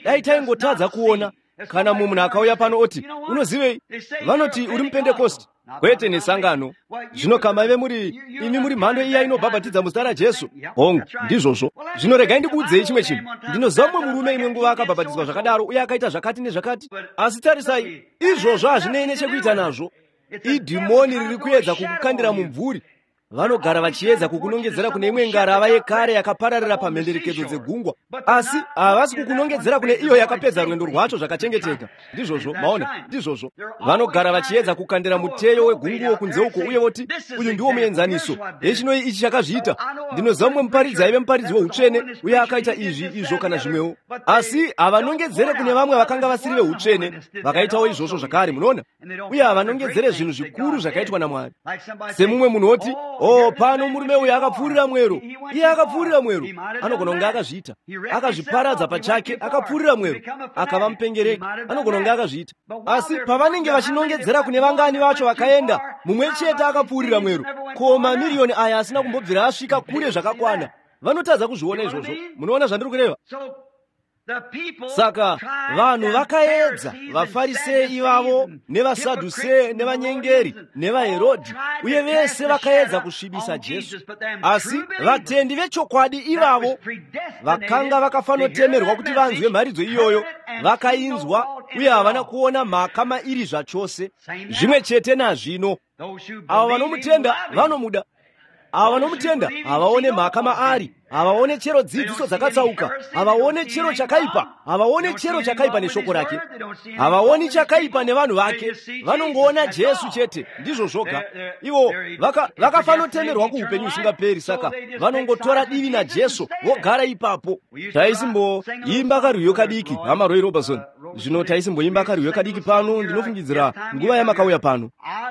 Dai taingotadza kuona. Kana mumwe munhu akauya pano oti, unozivei, vanoti uri mupentekosti. Kwete nesangano. Zvino kamaive muri imi muri mhando iya inobhabhatidza muzita raJesu. Hongu, ndizvozvo. Zvino regai ndikuudzei chimwe chinhu. Ndinoziva mumwe murume imwe nguva akabhabhatidzwa zvakadaro uye akaita zvakati nezvakati. Asi tarisai, izvozvo hazvinei nechekuita nazvo. Idhimoni riri kuedza kukukandira mumvuri. Vanogara vachiedza kukunongedzera kune imwe ngarava yekare yakapararira pamhenderekedzo dzegungwa, asi havasi kukunongedzera kune iyo yakapedza rwendo rwacho zvakachengeteka. Ndizvozvo, maona, ndizvozvo. Vanogara vachiedza kukandira muteyo wegunguo kunze uko, uye voti, uyu ndiwo muenzaniso, hechinoi ichi chakazviita. Ndinoziva mumwe muparidzi aive muparidzi weutsvene uye akaita izvi, izvo kana zvimwewo. Asi havanongedzere kune vamwe vakanga vasiri veutsvene vakaitawo izvozvo zvakare, munoona. Uye havanongedzere zvinhu zvikuru zvakaitwa naMwari. Semumwe munhu oti, oh, pano murume uyu akapfuurira mwero. Iye akapfuurira mwero. Anogona kunge akazviita. Akazviparadza pachake, akapfuurira mwero. Akava mupengereki. Anogona kunge akazviita. Asi pavanenge vachinongedzera kune vangani vacho vakaenda, mumwe chete akapfuurira mwero. Ko mamiriyoni aya asina kumbobvira asvika kure zvakakwana. Vanotadza kuzviona izvozvo. Munoona zvandiri kureva? Saka vanhu vakaedza, vaFarisei ivavo nevaSadhusee nevanyengeri nevaHerodhi, uye vese vakaedza kusvibisa Jesu. Asi vatendi vechokwadi ivavo vakanga vakafanotemerwa kuti vanzwe mharidzo iyoyo, vakainzwa uye havana kuona mhaka mairi zvachose. Zvimwe chete nazvino, avo vanomutenda vanomuda, avo vanomutenda havaone mhaka maari, havaone chero dzidziso dzakatsauka, havaone chero chakaipa, havaone chero chakaipa neshoko rake, havaoni chakaipa nevanhu vake, vanongoona Jesu chete, ndizvo zvoga. Ivo vakafanotemerwa kuupenyu husingaperi, saka vanongotora divi naJesu vogara ipapo. Taisimboimba karwiyo kadiki, hama Roy Robertson. Zvino taisimboimba karwiyo kadiki pano, ndinofungidzira nguva yamakauya pano.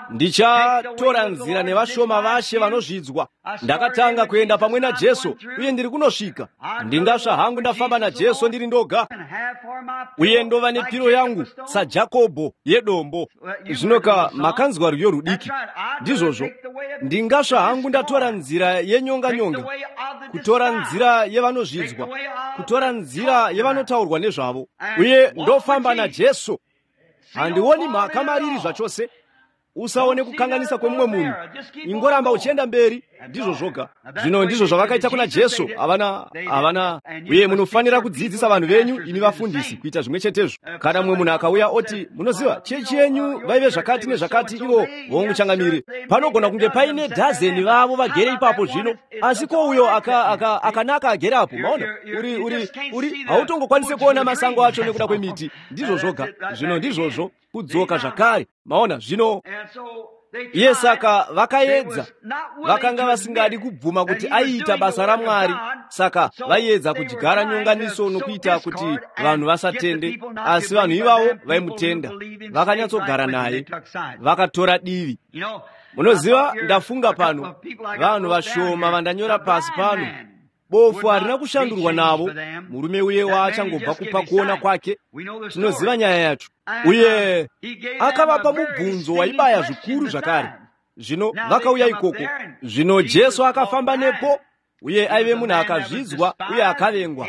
Ndichatora nzira nevashoma vashe vanozvidzwa. Ndakatanga kuenda pamwe naJesu uye ndiri kunosvika. Ndingasva hangu ndafamba naJesu ndiri ndoga, uye ndova nepiro yangu saJakobho yedombo. Zvinoka makanzwa rwiyo rudiki, ndizvozvo. Ndingasva hangu ndatora nzira yenyonga-nyonga, kutora nzira yevanozvidzwa, kutora nzira yevanotaurwa nezvavo, uye ndofamba naJesu. Handioni mhaka mariri zvachose. Usaone kukanganisa kwemumwe munhu, ingoramba uchienda mberi, ndizvo zvoga. Zvino ndizvo zvavakaita kuna Jesu. Havana havana. Uye munofanira kudzidzisa vanhu venyu, imi vafundisi, kuita zvimwe chetezvo. Kana mumwe munhu akauya oti, munoziva, chechi yenyu vaive zvakati nezvakati, ivo vonguchangamire, panogona kunge paine dhazeni vavo vagere ipapo zvino, asi ko uyo akanaka aka, aka agere apo, maona, uri uri uri hautongokwanisi kuona masango acho nekuda kwemiti. Ndizvo zvoga. Zvino ndizvozvo kudzoka zvakare, maona. Zvino iye saka vakaedza, vakanga vasingadi kubvuma kuti aiita basa raMwari, saka vaiedza kudyara nyonganiso nokuita kuti vanhu vasatende. Asi vanhu ivavo vaimutenda, vakanyatsogara naye, vakatora divi. Munoziva, ndafunga pano vanhu vashoma vandanyora pasi pano. Bofu harina kushandurwa navo, murume uye waachangobva kupa kuona kwake. Tinoziva nyaya yacho. Uye akavapa mubvunzo waibaya zvikuru zvakare. Zvino vakauya ikoko. Zvino Jesu akafamba nepo, uye aive munhu akazvidzwa uye akavengwa.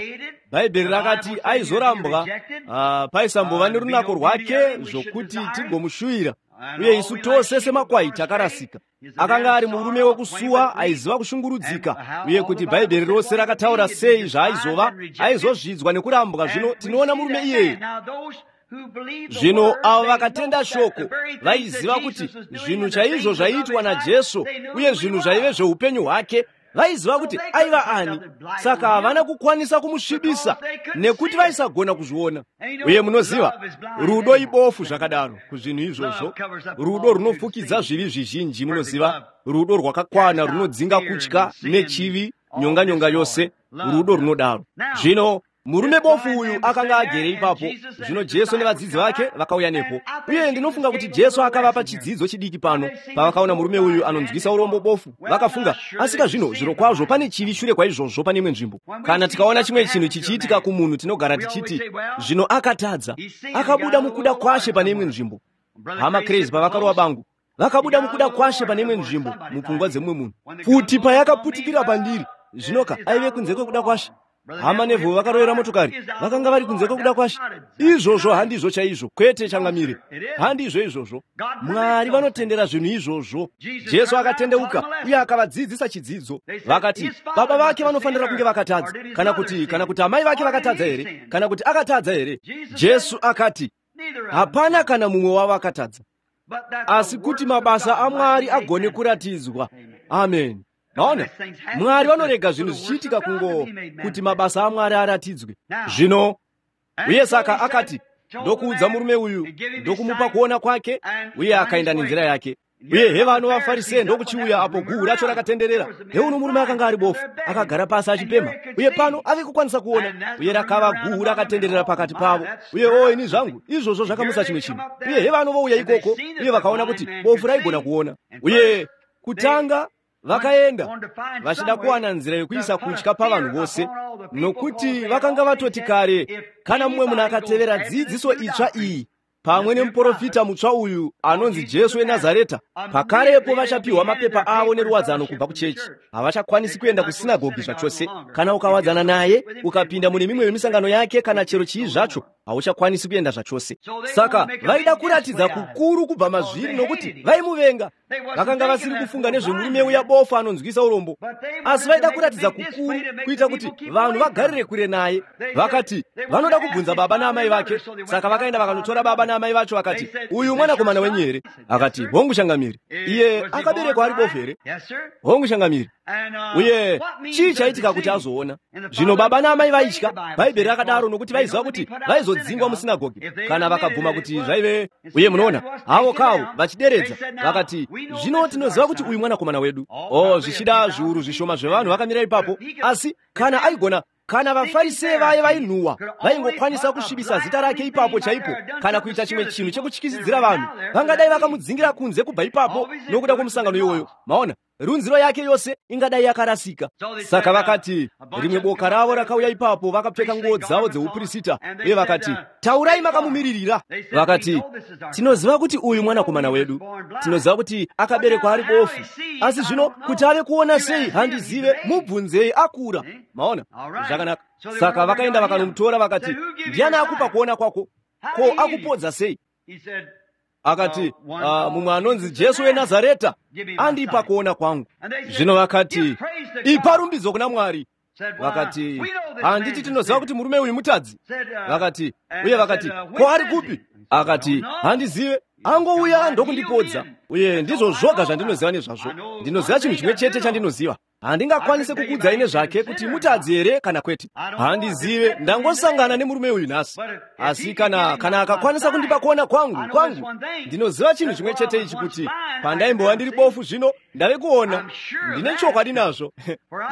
Bhaibheri rakati aizorambwa, uh, paisambova nerunako rwake zvokuti tigomushuvira, uye isu tose semakwai takarasika. Akanga ari murume wekusuwa, aiziva kushungurudzika, uye kuti Bhaibheri rose rakataura sei zvaaizova, aizozvidzwa nekurambwa. Zvino tinoona murume iyeye. Zvino avo vakatenda shoko vaiziva kuti zvinhu chaizvo zvaiitwa naJesu uye zvinhu zvaive zveupenyu hwake, vaiziva kuti aiva ani. Saka havana kukwanisa kumusvibisa nekuti vaisagona kuzviona. Uye munoziva, rudo ibofu zvakadaro kuzvinhu izvozvo. Rudo runofukidza zvivi zvizhinji. Munoziva, rudo rwakakwana runodzinga kutya nechivi, nyonga-nyonga yose. Rudo runodaro. Zvino murume bofu uyu akanga agere ipapo. Zvino Jesu nevadzidzi vake vakauya nepo, uye ndinofunga kuti Jesu akavapa chidzidzo chidiki pano. Pavakaona murume uyu anonzwisa urombo bofu, vakafunga, asika zvino zvirokwazvo pane chivi shure kwaizvozvo pane imwe nzvimbo. Kana tikaona chimwe chinhu chichiitika kumunhu, tinogara tichiti zvino akatadza, akabuda mukuda kwashe pane imwe nzvimbo. Hama Crazy pavakarova bangu, vakabuda mukuda kwashe pane imwe nzvimbo mupfungwa dzemumwe munhu. Pfuti payakaputikira pandiri, zvinoka aive kunze kwekuda kwashe. Hama Nevho vakarovera motokari, vakanga vari kunze kwekuda kwashe. Izvozvo handizvo chaizvo, kwete changamire, handizvo izvozvo. Mwari vanotendera zvinhu izvozvo. Jesu akatendeuka uye akavadzidzisa chidzidzo. Vakati baba vake vanofanira kunge vakatadza, kana kuti kana kuti amai vake vakatadza here, kana kuti akatadza here? Jesu akati hapana kana mumwe wavo akatadza, asi kuti mabasa aMwari agone kuratidzwa. Amen. Maona, Mwari vanorega zvinhu zvichiitika kungo kuti mabasa aMwari aratidzwe. Zvino uye saka akati, ndokuudza murume uyu, ndokumupa kuona kwake, uye akaenda nenzira yake. Uye hevano vaFarisee ndokuchiuya apo guhu racho rakatenderera. Heuno murume akanga ari bofu, akagara pasi achipemha, uye pano ave kukwanisa kuona, uye rakava guhu rakatenderera pakati pavo. Uye o ini zvangu, izvozvo zvakamutsa chimwe chinhu. Uye hevano vouya ikoko, uye vakaona kuti bofu raigona kuona. Uye kutanga vakaenda vachida kuwana nzira yokuisa kutya pavanhu vose, nokuti vakanga vatoti kare, kana mumwe munhu akatevera dzidziso itsva iyi, pamwe nemuprofita mutsva uyu anonzi Jesu weNazareta, pakarepo vachapiwa mapepa avo neruwadzano kubva kuchechi. Havachakwanisi kuenda kusinagogi zvachose. Kana ukawadzana naye, ukapinda mune mimwe yemisangano yake kana chero chii zvacho, hauchakwanisi kuenda zvachose. Saka vaida kuratidza kukuru kubva mazviri nokuti vaimuvenga. Vakanga vasiri kufunga nezvemurume uya bofu anonzwisa urombo, asi vaida kuratidza kukuru kuita kuti vanhu vagarire kure naye. Vakati vanoda kubvunza baba naamai vake. Saka vakaenda vakanotora baba naamai vacho, vakati, uyu mwanakomana wenyu here? Akati, hongu changamiri. Iye akaberekwa ari bofu here? Hongu changamiri. Uye chii chaitika kuti azoona? Zvino baba naamai vaitya, Bhaibheri rakadaro, nokuti vaiziva kuti vaizodzingwa musinagogi kana vakabvuma kuti zvaive. Uye munoona havo kavo vachideredza, vakati, zvino tinoziva kuti uyu mwanakomana wedu. O, zvichida zviuru zvishoma zvevanhu vakamira ipapo, asi kana aigona, kana vaFarisee vaye vainhuhwa vaingokwanisa kusvibisa zita rake ipapo chaipo, kana kuita chimwe chinhu chekutyisidzira vanhu, vangadai vakamudzingira kunze kubva ipapo nokuda kwomusangano iwoyo. Maona, runziro yake yose ingadai yakarasika. Saka vakati, rimwe boka ravo rakauya ipapo vakapfeka nguo dzavo dzeupurisita, uye vakati, taurai makamumiririra. Vakati, tinoziva kuti uyu mwanakomana wedu, tinoziva kuti akaberekwa ari bofu, asi zvino kuti ave kuona sei handizive, mubvunzei, akura. Maona, zvakanaka. Saka vakaenda vakanomutora, vakati, ndiani akupa kuona kwako? Ko akupodza sei? Akati, uh, mumwe anonzi Jesu weNazareta andipa kuona kwangu. Zvino vakati, ipa rumbidzo kuna Mwari. Vakati, handiti tinoziva kuti murume uyu mutadzi? Vakati, uye vakati, ko ari kupi? Akati, handizive, angouya ndokundipodza. Uye ndizvo zvoga zvandinoziva nezvazvo. Ndinoziva chinhu chimwe chete chandinoziva. Handingakwanise kukuudzai nezvake kuti mutadzi here kana kwete. Handizive, ndangosangana nemurume uyu nhasi. Asi kana kana akakwanisa kundipa kuona kwangu kwangu, ndinoziva chinhu chimwe chete ichi, kuti pandaimbova ndiri bofu zvino ndave kuona. Ndine chokwadi nazvo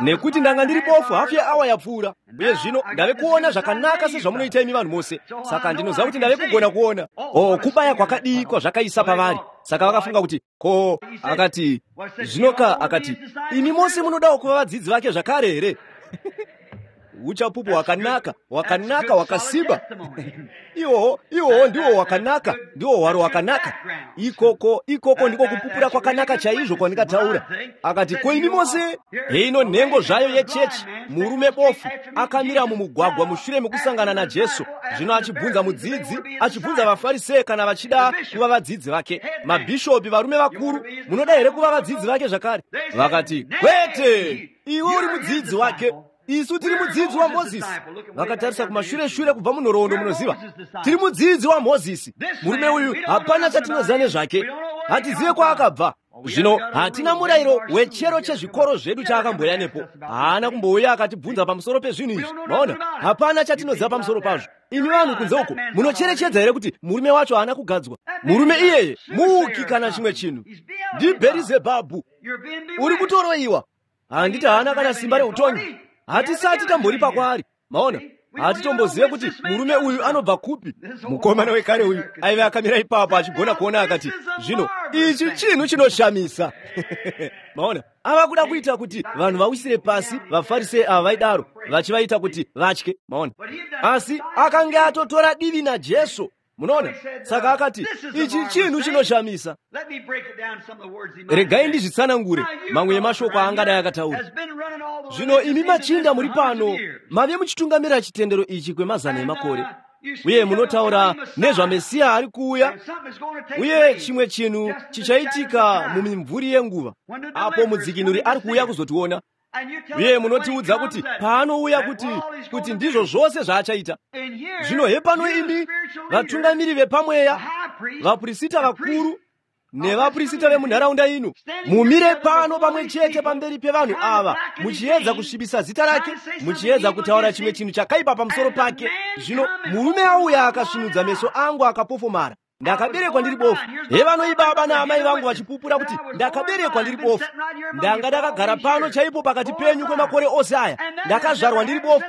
nekuti ndanga ndiri bofu hafu yeawa yapfuura, uye zvino ndave kuona zvakanaka sezvamunoita imi vanhu mose. Saka ndinoziva kuti ndave kugona kuona. O, kubaya kwakadii kwazvakaisa pavari. Saka vakafunga kuti, ko, akati, zvinoka, akati, imi mose munodawo kuva vadzidzi vake zvakare here? Uchapupu hwakanaka, hwakanaka, hwakasimba. Iwoho, iwoho ndiwo hwakanaka, ndiwo hwaro hwakanaka. Ikoko, ikoko ndiko kupupura kwakanaka chaizvo kwandingataura. Akati, ko imi mose? Heino nhengo zvayo yechechi, murume bofu, akamira mumugwagwa mushure mekusangana naJesu. Zvino achibvunza mudzidzi, achibvunza vaFarisee kana vachida kuva vadzidzi vake. Mabhishopi, varume vakuru, munoda here kuva vadzidzi vake zvakare? Vakati, kwete, iwe uri mudzidzi wake. Isu tiri mudzidzi waMozisi. Vakatarisa kumashure shure kubva munhoroondo, munoziva. Tiri mudzidzi waMozisi. Murume uyu hapana chatinoziva nezvake. Hatizive kwaakabva. Zvino hatina murayiro wechero chezvikoro zvedu chaakamboya nepo. Haana kumbouya akatibvunza pamusoro pezvinhu izvi. Maona, hapana chatinoziva pamusoro pazvo. Imi vanhu kunze uko, munocherechedza here kuti murume wacho haana kugadzwa? Murume iyeye muuki kana chimwe chinhu. NdiBherizebhabhu. Uri kutoroiwa. Handiti haana kana simba reutongi. Hatisati tamboripa kwaari. Maona, hatitombozive kuti murume uyu anobva kupi. Mukomana wekare uyu aive akamira ipapo achigona kuona, akati, zvino ichi chinhu chinoshamisa. Maona, ava kuda kuita kuti vanhu vawisire pasi vaFarisei ava vaidaro, vachivaita kuti vatye. Maona, asi akanga atotora divi naJesu. Munoona, saka akati, ichi chinhu chinoshamisa. Regai ndizvitsanangure mamwe emashoko aangadai akataura. Zvino imi machinda muri pano, mave muchitungamira chitendero ichi kwemazana emakore, uye munotaura nezvaMesiya ari kuuya, uye chimwe chinhu chichaitika mumimvuri yenguva apo mudzikinuri ari kuuya kuzotiona. Uye munotiudza kuti paanouya kuti kuti ndizvo zvose zvaachaita. Zvino hepano imi vatungamiri vepamweya, vapurisita vakuru nevapurisita vemunharaunda ino, mumire pano pamwe chete pamberi pevanhu ava, muchiedza kusvibisa zita rake, muchiedza kutaura chimwe chinhu chakaipa pamusoro pake. Zvino murume auya akasvinudza meso angu akapofomara. Ndakaberekwa ndiri bofu. Hevano ibaba naamai vangu vachipupura kuti ndakaberekwa ndiri bofu. Ndanga ndakagara pano chaipo pakati penyu kwemakore ose aya. Ndakazvarwa ndiri bofu.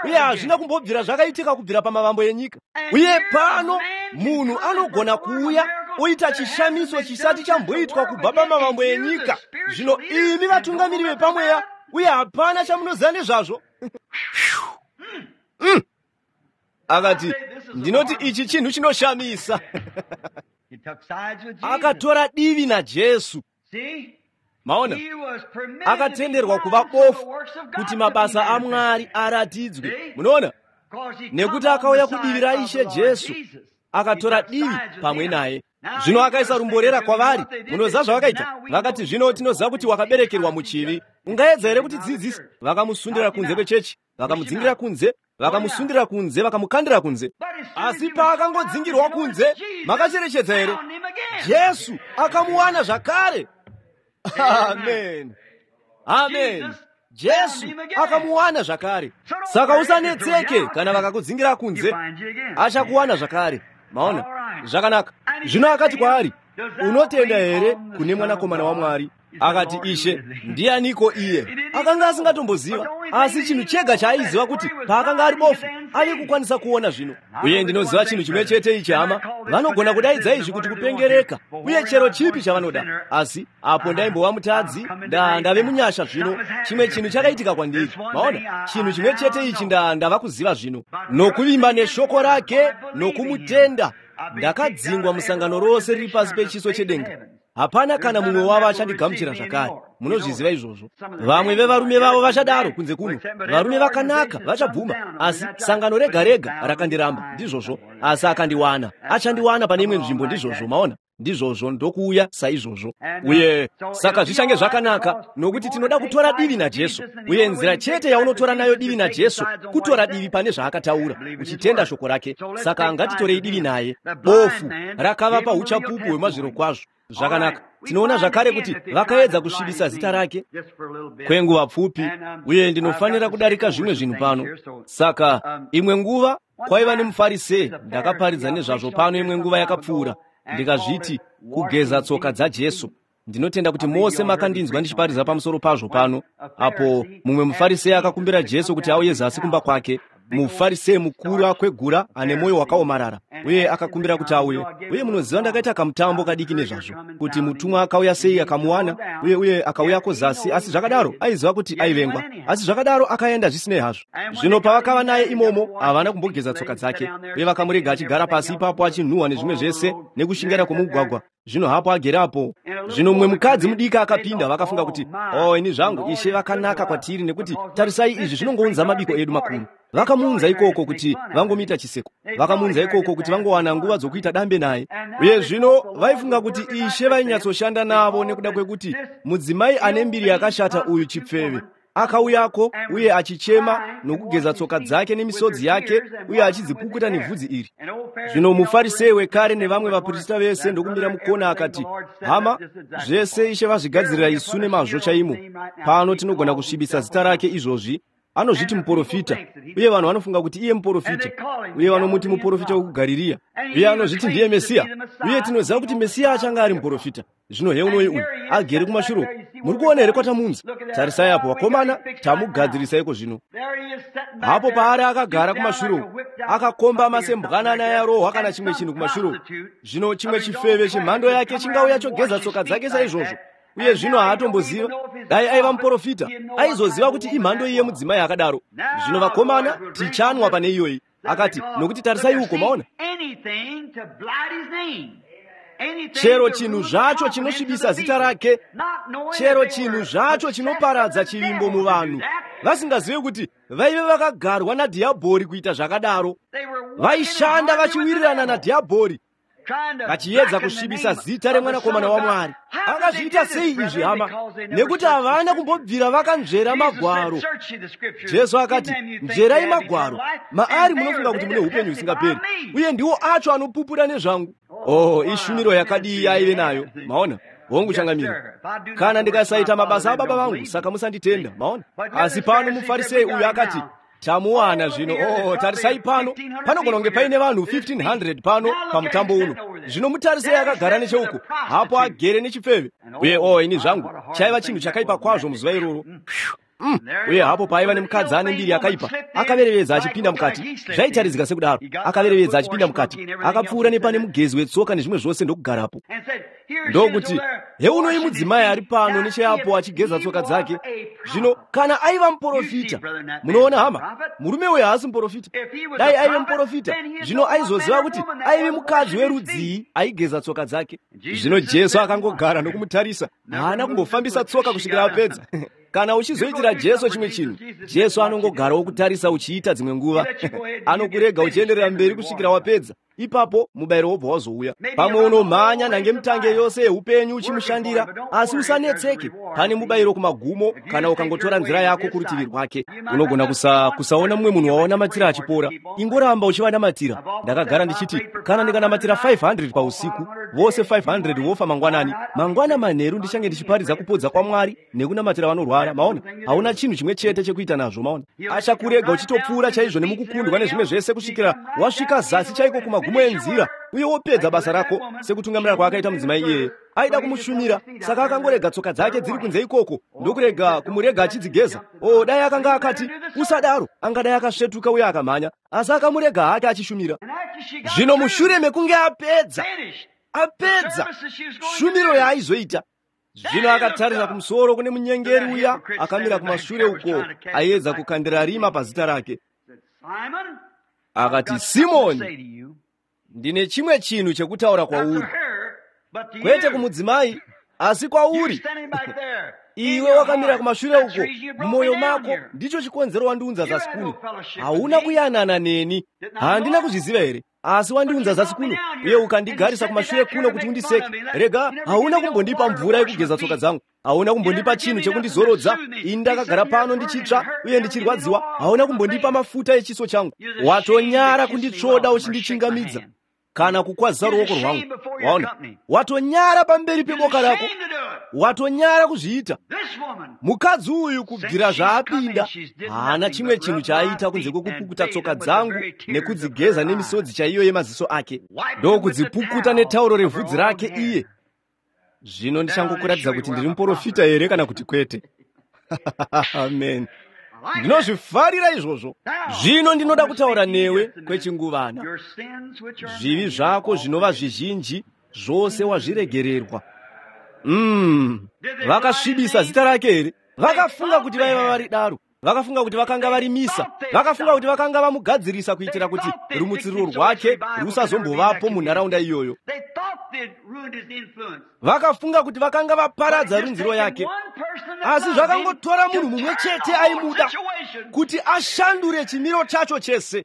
Uye hazvina kumbobvira zvakaitika kubvira pamavambo enyika. Uye pano munhu anogona kuuya oita chishamiso chisati chamboitwa kubva pamavambo enyika. Zvino imi vatungamiri vepamweya, uye hapana chamunoziva nezvazvo. Mm. Akati, ndinoti ichi chinhu chinoshamisa. Akatora divi naJesu. Maona, akatenderwa kuva bofu kuti mabasa aMwari aratidzwe. Munoona, nekuti akauya kudivi raIshe Jesu, akatora divi pamwe naye. Zvino akaisa rumborera kwavari. Munoziva zvavakaita? Vakati, zvino tinoziva kuti wakaberekerwa muchivi. Ungaedza here kutidzidzisa? Vakamusundira kunze kwechechi, vakamudzingira kunze, vakamusundira kunze, vakamukandira kunze. Asi paakangodzingirwa kunze, makacherechedza here? Jesu akamuwana zvakare. Amen. Amen. Jesu akamuwana zvakare. Saka usanetseke kana vakakudzingira kunze, achakuwana zvakare. Maona, zvakanaka. Zvino akati kwaari, unotenda here kune mwanakomana waMwari? Akati, Ishe, ndianiko iye? Akanga asingatomboziva, asi chinhu chega chaaiziva kuti paakanga ari bofu ave kukwanisa kuona zvino. Uye ndinoziva chinhu chimwe chete ichi, hama, vanogona kudaidza izvi kuti kupengereka uye chero chipi chavanoda. Asi apo ndaimbova mutadzi, nda ndave munyasha zvino. Chimwe chinhu chakaitika kwandiri. Maona, chinhu chimwe chete ichi nda ndava kuziva zvino. Nokuvimba neshoko rake, nokumutenda, ndakadzingwa musangano rose riri pasi pechiso chedenga. Hapana kana mumwe wavo achandigamuchira zvakare. Munozviziva izvozvo. Vamwe vevarume vavo vachadaro kunze kuno. Varume vakanaka vachabvuma, asi sangano rega rega rakandiramba. Ndizvozvo. Asi akandiwana. Achandiwana pane imwe nzvimbo. Ndizvozvo. Maona? Ndizvozvo, ndokuuya saizvozvo. Uye saka zvichange zvakanaka, nokuti tinoda kutora divi naJesu. Uye nzira chete yaunotora nayo divi naJesu kutora divi pane zvaakataura, uchitenda shoko rake. Saka ngatitorei divi naye. Bofu rakavapa uchapupu hwemazvirokwazvo. Zvakanaka. Tinoona zvakare kuti vakaedza kusvibisa zita rake kwenguva pfupi, uye ndinofanira kudarika zvimwe zvinhu pano. Saka imwe nguva kwaiva nemufarisei, ndakaparidza nezvazvo pano imwe nguva yakapfuura, ndikazviti kugeza tsoka dzaJesu. Ndinotenda kuti mose makandinzwa ndichiparidza pamusoro pazvo pano, apo mumwe mufarisei akakumbira Jesu kuti auye zasi kumba kwake. Mufarisei mukuru akwegura ane mwoyo wakaomarara, uye akakumbira kuti auye. Uye munoziva ndakaita kamutambo kadiki nezvazvo, kuti mutumwa akauya sei akamuwana, uye uye akauyako zasi. Asi zvakadaro aiziva kuti aivengwa, asi zvakadaro akaenda zvisinei hazvo. Zvino pavakava naye imomo, havana kumbogeza tsoka dzake, uye vakamurega achigara pasi ipapo achinhuhwa nezvimwe zvese nekushingaira kwomugwagwa. Zvino hapo agere apo. Zvino mumwe mukadzi mudiki akapinda, vakafunga kuti, oh, ini zvangu, Ishe vakanaka kwatiri, nekuti tarisai izvi zvinongounza mabiko edu makuru. Vakamuunza ikoko kuti vangomuita chiseko. Vakamuunza ikoko kuti vangowana nguva dzokuita dambe naye. Uye zvino vaifunga kuti Ishe vainyatsoshanda navo nekuda kwekuti mudzimai ane mbiri yakashata uyu chipfeve akauyako uye achichema nokugeza tsoka dzake nemisodzi yake uye achidzipukuta nevhudzi iri. Zvino mufarisei wekare nevamwe vaprista vese ndokumira mukona akati, hama, zvese Ishe vazvigadzirira isu nemazvo chaimo. Pano tinogona kusvibisa zita rake izvozvi. Anozviti muprofita, uye vanhu vanofunga kuti iye muprofita, uye vanomuti muprofita wekuGarirea, uye anozviti ndiye Mesiya, uye tinoziva kuti Mesiya achanga ari muprofita. Zvino heunoi uyu agere kumashure. Muri kuona here kwatamunza? Tarisai apo, vakomana, tamugadzirisaiko zvino. Hapo paari akagara kumashure, akakombama sembwanana yarohwa kana chimwe chinhu kumashure. Zvino chimwe chifeve chemhando yake chingauya chogeza tsoka dzake saizvozvo. Uye zvino haatomboziva. Dai aiva muprofita, aizoziva kuti imhando iye mudzimai akadaro. Zvino vakomana, tichanwa pane iyoyi. Akati, nokuti tarisai uko, maona, chero chinhu zvacho chinosvibisa zita rake, chero chinhu zvacho chinoparadza chivimbo muvanhu, vasingazivi kuti vaive vakagarwa nadhiabhori kuita zvakadaro. Vaishanda vachiwirirana nadhiabhori, vachiedza kusvibisa zita remwanakomana waMwari. Akazviita sei izvi, hama? Nekuti havana kumbobvira vakanzvera magwaro. Jesu akati, nzverai magwaro, maari munofunga kuti mune upenyu husingaperi, uye ndiwo acho anopupura nezvangu. Oh, ishumiro yakadii yaive nayo. Maona? Hongu changamiro. Kana ndikasaita mabasa ababa vangu, saka musanditenda. Maona? Asi pano mufarisei uyu akati, tamuwana zvino. Oh, tarisai pano, panogona kunge paine vanhu fifteen hundred pano pamutambo uno. Zvino mutarisei akagara necheuko, hapo agere nechipfeve. Uye oh, ini zvangu, chaiva chinhu chakaipa kwazvo muzuva iroro. Mm. Uye hapo paiva nemukadzi ane mbiri yakaipa, akaverevedza achipinda mukati. Zvaitaridzika sekudaro. Akaverevedza achipinda mukati, akapfuura nepane mugezi wetsoka nezvimwe zvose ndokugarapo. Ndokuti, heunoi mudzimai ari pano necheapo achigeza tsoka dzake. Zvino kana aiva muprofita, munoona hama, murume uyu haasi muprofita. Dai aive muprofita, zvino aizoziva kuti aive mukadzi werudzii aigeza tsoka dzake. Zvino Jesu akangogara nokumutarisa, haana kumbofambisa tsoka kusvikira apedza. Kana uchizoitira Jesu chimwe chinhu, Jesu anongogarawo kutarisa uchiita dzimwe nguva. Anokurega uchienderera mberi kusvikira wapedza. Ipapo mubayiro wobva wazouya. Pamwe unomhanya nhange mutange yose yeupenyu uchimushandira, asi usanetseke, pane mubayiro kumagumo kana ukangotora nzira yako kurutivi rwake. Unogona kusa, kusaona mumwe munhu wawanamatira achipora, ingoramba uchivanamatira. Ndakagara ndichiti kana ndikanamatira five hundred pausiku, vose five hundred vofa mangwanani. Mangwana manheru ndichange ndichiparidza kupodza kwaMwari nekunamatira vanorwara. Maona, hauna chinhu chimwe chete chekuita nazvo. Maona, achakurega uchitopfuura chaizvo nemukukundwa nezvimwe zvese kusvikira wasvika zasi chaiko kumagumo enzira, uye wopedza basa rako sekutungamira kwaakaita mudzimai iyeye. Aida kumushumira, saka akangorega tsoka dzake dziri kunze ikoko ndokurega kumurega achidzigeza. O, dai akanga akati usadaro, angadai akasvetuka uye akamhanya, asi akamurega hake achishumira. Zvino mushure mekunge apedza apedza shumiro yaaizoita, zvino akatarisa kumusoro kune munyengeri uya akamira kumashure uko aiedza kukandira rima pazita rake. Akati, Simoni, ndine chimwe chinhu chekutaura kwauri, kwete kumudzimai, asi kwauri. Iwe wakamira kumashure uko, mumwoyo mako, ndicho chikonzero wandiunza zasi kuno. Hauna kuyanana neni, handina kuzviziva here? Asi wandiunza zasi kuno uye ukandigarisa kumashure kuno kuti undiseke. Rega, hauna kumbondipa mvura yekugeza tsoka dzangu, hauna kumbondipa chinhu chekundizorodza. Ini ndakagara pano ndichitsva uye ndichirwadziwa, hauna kumbondipa mafuta echiso changu. Watonyara kunditsvoda uchindichingamidza kana kukwazisa ruoko rwangu. Waona, watonyara pamberi peboka rako, watonyara kuzviita. Mukadzi uyu kubvira zvaapinda haana chimwe chinhu chaaita kunze kwekupukuta tsoka dzangu nekudzigeza nemisodzi chaiyo yemaziso ake, ndokudzipukuta netauro revhudzi rake iye. Zvino ndichangokuratidza kuti ndiri muprofita here kana kuti kwete. Amen. Ndinozvifarira izvozvo. Zvino ndinoda kutaura newe kwechinguvana. Zvivi zvako zvinova zvizhinji, zvose wazviregererwa. Mm. Vakasvibisa zita rake here? Vakafunga kuti vaiva vari daro, vakafunga kuti vakanga varimisa, vakafunga kuti vakanga vamugadzirisa kuitira kuti rumutsiriro rwake rusazombovapo munharaunda iyoyo. Vakafunga kuti vakanga vaparadza runziro yake, asi zvakangotora munhu mumwe chete aimuda kuti ashandure chimiro chacho chese.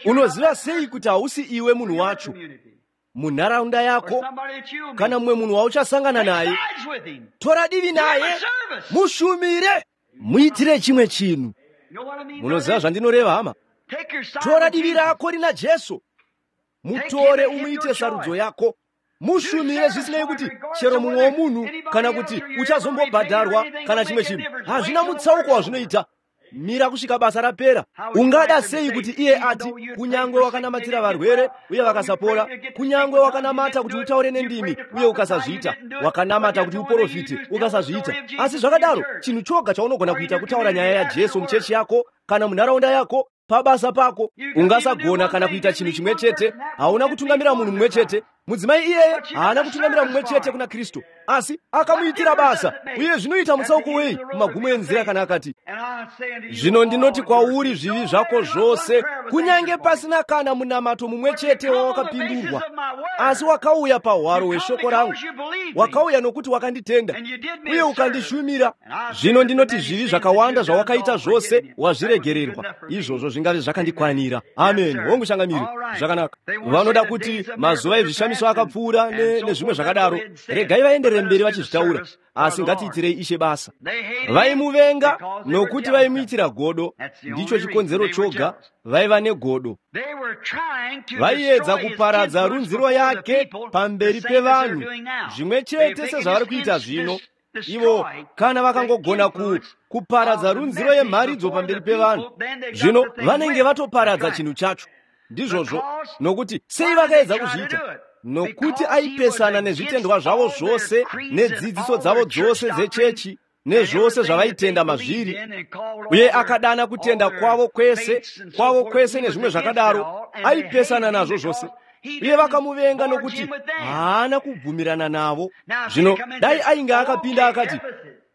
Unoziva sei kuti hausi iwe munhu wacho munharaunda yako kana mumwe munhu wauchasangana naye? Tora divi naye, mushumire, muitire chimwe chinhu. Munoziva zvandinoreva hama? Tora divi rako rina Jesu, mutore umuite sarudzo yako, mushumire zvisinei kuti chero mumwe womunhu kana kuti uchazombobhadharwa kana chimwe chinhu, hazvina mutsauko wazvinoita. Mira kusvika basa rapera. Ungada sei kuti iye ati, kunyangwe wakanamatira varwere uye vakasapora, kunyangwe wakanamata kuti utaure nendimi uye ukasazviita, wakanamata kuti uprofite ukasazviita, asi zvakadaro chinhu choga chaunogona kuita kutaura nyaya yaJesu muchechi yako kana munharaunda yako, pabasa pako. Ungasagona kana kuita chinhu chimwe chete, hauna kutungamira munhu mumwe chete. Mudzimai iyeye haana kutungamira mumwe chete kuna Kristu, asi akamuitira basa. Uye zvinoita mutsauko wei kumagumo enzira kana akati, zvino ndinoti kwauri zvivi zvako zvose, kunyange pasina kana munamato mumwe chete wawakapindurwa, asi wakauya pahwaro hweshoko rangu, wakauya nokuti wakanditenda uye ukandishumira. Zvino ndinoti zvivi zvakawanda zvawakaita zvose wazviregererwa. Izvozvo zvingave zvakandikwanira. Amen. Hongu changamire. Zvakanaka. Vanoda kuti mazuva ezvishamiso akapfuura nezvimwe zvakadaro, regai vaenderere mberi vachizvitaura, asi ngatiitirei Ishe basa. Vaimuvenga nokuti vaimuitira godo. Ndicho chikonzero choga vaiva negodo. Vaiedza kuparadza runziro yake pamberi pevanhu, zvimwe chete sezvavari kuita zvino. Ivo kana vakangogona ku kuparadza runziro yemharidzo pamberi pevanhu, zvino vanenge vatoparadza chinhu chacho. Ndizvozvo, nokuti sei vakaedza kuzviita? Nokuti aipesana nezvitendwa zvavo zvose nedzidziso dzavo dzose dzechechi nezvose zvavaitenda mazviri, uye akadana kutenda kwavo kwese kwavo kwese nezvimwe zvakadaro. Aipesana nazvo zvose, Uye vakamuvenga nokuti haana kubvumirana navo. Zvino dai ainge akapinda akati,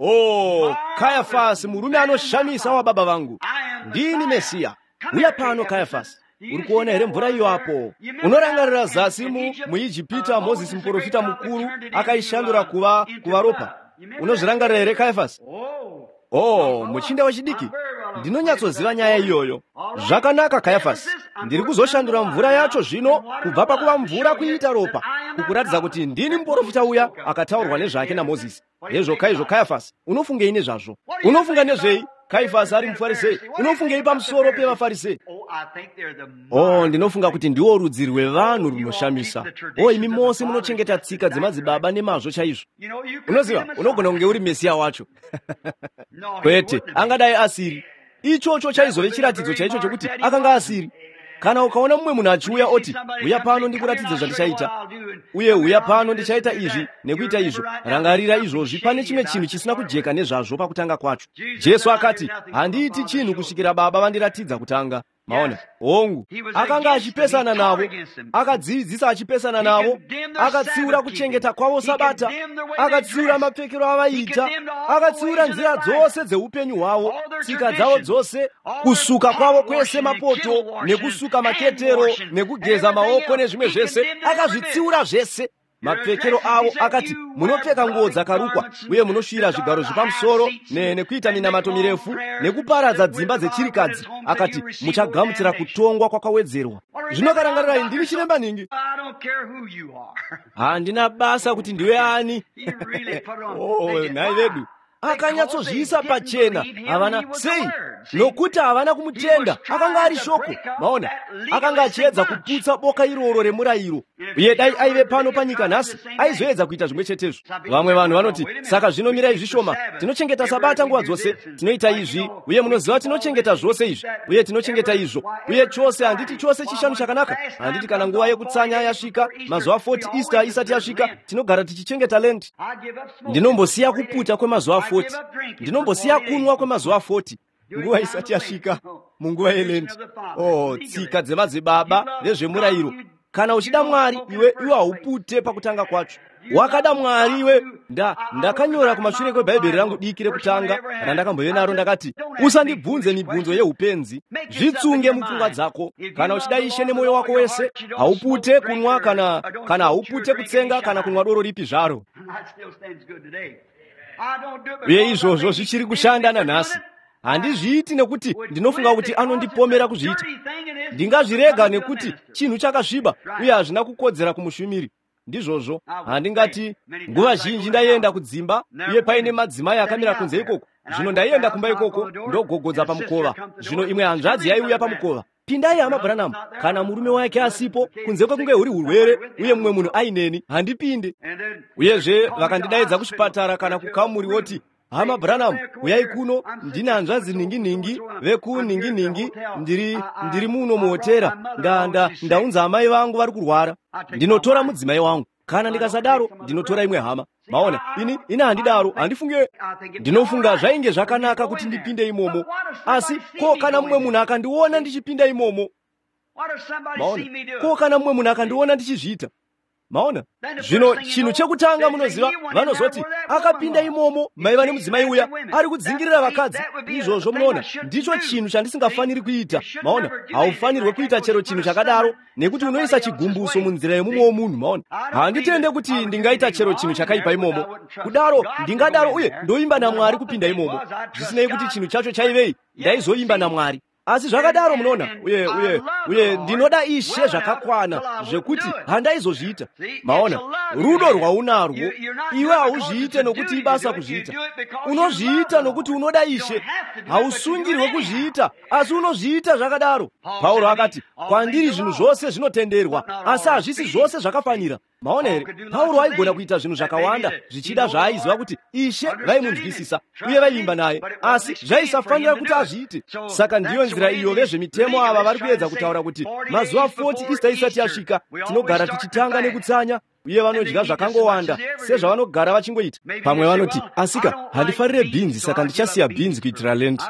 "Oh, Kayafasi, murume anoshamisa wababa vangu, ndini Mesiya. Uya pano Kayafasi, uri kuona here mvura iyo apo? Unorangarira zasi mu muIjipita Mozisi muprofita mukuru akaishandura kuva kuva ropa. Unozvirangarira here Kayafasi? Oh, muchinda wechidiki, ndinonyatsoziva nyaya iyoyo. Zvakanaka Kayafasi, ndiri kuzoshandura mvura yacho zvino kubva pakuva mvura kuita ropa, kukuratidza kuti ndini muprofita uya akataurwa nezvake naMozisi. Hezvo kaizvo Kayafasi, unofungei nezvazvo? Unofunga nezvei? Kaifasi ari mufarisei. Unofungei pamusoro pevafarisei? Oh, ndinofunga kuti ndiwo rudzi rwevanhu runoshamisa. Oh, imi mose munochengeta tsika dzemadzibaba nemazvo chaizvo. Unoziva, unogona kunge uri Mesiya wacho. Kwete, angadai asiri. Ichocho chaizove chiratidzo chaicho chokuti akanga asiri. Kana ukaona mumwe munhu achiuya oti, "Uya pano ndikuratidze zvandichaita, uye uya pano ndichaita izvi nekuita izvo," rangarira izvozvi, pane chimwe chinhu chisina kujeka nezvazvo pakutanga kwacho. Jesu akati, "Handiiti chinhu kusvikira Baba vandiratidza kutanga." Maona? Hongu, akanga achipesana navo, akadzidzisa achipesana navo, akatsiura kuchengeta kwavo Sabata, akatsiura mapfekero avaiita, akatsiura nzira dzose dzeupenyu hwavo, tsika dzavo dzose, kusuka kwavo kwese mapoto, nekusuka maketero, nekugeza maoko nezvimwe zvese, akazvitsiura zvese. Mapfekero avo akati, "Munopfeka nguo dzakarukwa uye munosvira zvigaro zvepamusoro nekuita minamato mirefu nekuparadza dzimba dzechirikadzi." Akati, "Muchagamuchira kutongwa kwakawedzerwa." Zvino karangarirai, ndini chiremba nhingi. Handina basa kuti ndiwe ani. Oh, nhai vedu. Akanyatsozviisa pachena. Havana sei? Nokuti havana kumutenda. Akanga ari shoko. Maona, akanga achiedza kuputsa boka iroro remurayiro. Uye dai aive pano panyika nhasi, aizoedza kuita zvimwe chetezvo. Vamwe vanhu vanoti, "Saka zvino mirai zvishoma, tinochengeta Sabata nguva dzose, tinoita izvi, uye munoziva tinochengeta zvose izvi, uye tinochengeta izvo, uye chose, handiti chose chishanu chakanaka, handiti kana nguva yekutsanya yasvika, mazuva forty Easter isati yasvika, tinogara tichichengeta Lent. Ndinombosiya kuputa kwemazuva forty, ndinombosiya kunwa kwemazuva forty, nguva isati yasvika munguva yeLent." Oh, tsika dzemadzibaba vezvemurayiro. Kana uchida Mwari, iwe iwe haupute pakutanga kwacho. Wakada Mwari iwe. Nda ndakanyora kumashure kwebhaibheri rangu diki rekutanga randakambove naro, ndakati, "Usandibvunze mibvunzo yeupenzi, zvitsunge mupfungwa dzako. Kana uchida Ishe nemwoyo wako wese, haupute kunwa kana kana haupute kutsenga kana kunwa doro ripi zvaro." Uye izvozvo zvichiri kushanda nanhasi. Handizviiti nekuti ndinofunga kuti anondipomera kuzviita. Ndingazvirega nekuti chinhu chakasviba uye hazvina kukodzera kumushumiri. Ndizvozvo. Handingati, nguva zhinji ndaienda kudzimba uye paine madzimai akamira kunze ikoko. Zvino ndaienda kumba ikoko ndogogodza pamukova. Zvino imwe hanzvadzi yaiuya pamukova. "Pindai hama Branham." Kana murume wake asipo, kunze kwekunge huri urwere uye mumwe munhu aineni, handipinde. Uyezve vakandidaidza kuchipatara kana kukamuri woti, "Hama Branham, uyai kuno, ndine hanzvadzi nhingi-nhingi vekunhingi-nhingi, ndiri ndiri muno muhotera, nda nda ndaunza amai vangu vari kurwara. Ndinotora mudzimai wangu. Kana ndikasadaro, ndinotora imwe hama." Maona, ini ini handidaro, handifunge. Ndinofunga zvainge zvakanaka kuti ndipinde imomo. Asi ko kana mumwe munhu akandiona ndichipinda imomo? Maona, ko kana mumwe munhu akandiona ndichizviita? Maona, zvino chinhu chekutanga munoziva, vanozoti, "Akapinda imomo maiva nemudzimai uya ari kudzingirira vakadzi." Izvozvo munoona, ndicho chinhu chandisingafaniri kuita. Maona, haufanirwe kuita chero chinhu chakadaro nekuti unoisa chigumbuso munzira yemumwe womunhu. Maona, handitende kuti ndingaita chero chinhu chakaipa imomo. Kudaro ndingadaro uye ndoimba naMwari kupinda imomo. Zvisinei kuti chinhu chacho chaivei, ndaizoimba naMwari. Asi zvakadaro munoona, uye uye uye ndinoda Ishe zvakakwana zvekuti handaizozviita. Maona, rudo rwaunarwo iwe hauzviite nokuti ibasa kuzviita. Unozviita nokuti unoda Ishe. Hausungirwe kuzviita, asi unozviita zvakadaro. Pauro akati, "Kwandiri zvinhu zvose zvinotenderwa, asi hazvisi zvose zvakafanira." Maona here? Pauro aigona kuita zvinhu zvakawanda zvichida zvaaiziva kuti Ishe vaimunzwisisa uye vaivimba naye, asi zvaisafanira kuti azviite. Saka ndiyo nzira iyo vezvemitemo ava vari kuedza kutaura kutaura kuti mazuva forty Easter isati yasvika tinogara tichitanga nekutsanya, uye vanodya zvakangowanda sezvavanogara vachingoita. Pamwe vanoti, asika handifarire bhinzi, saka ndichasiya bhinzi kuitira Lent.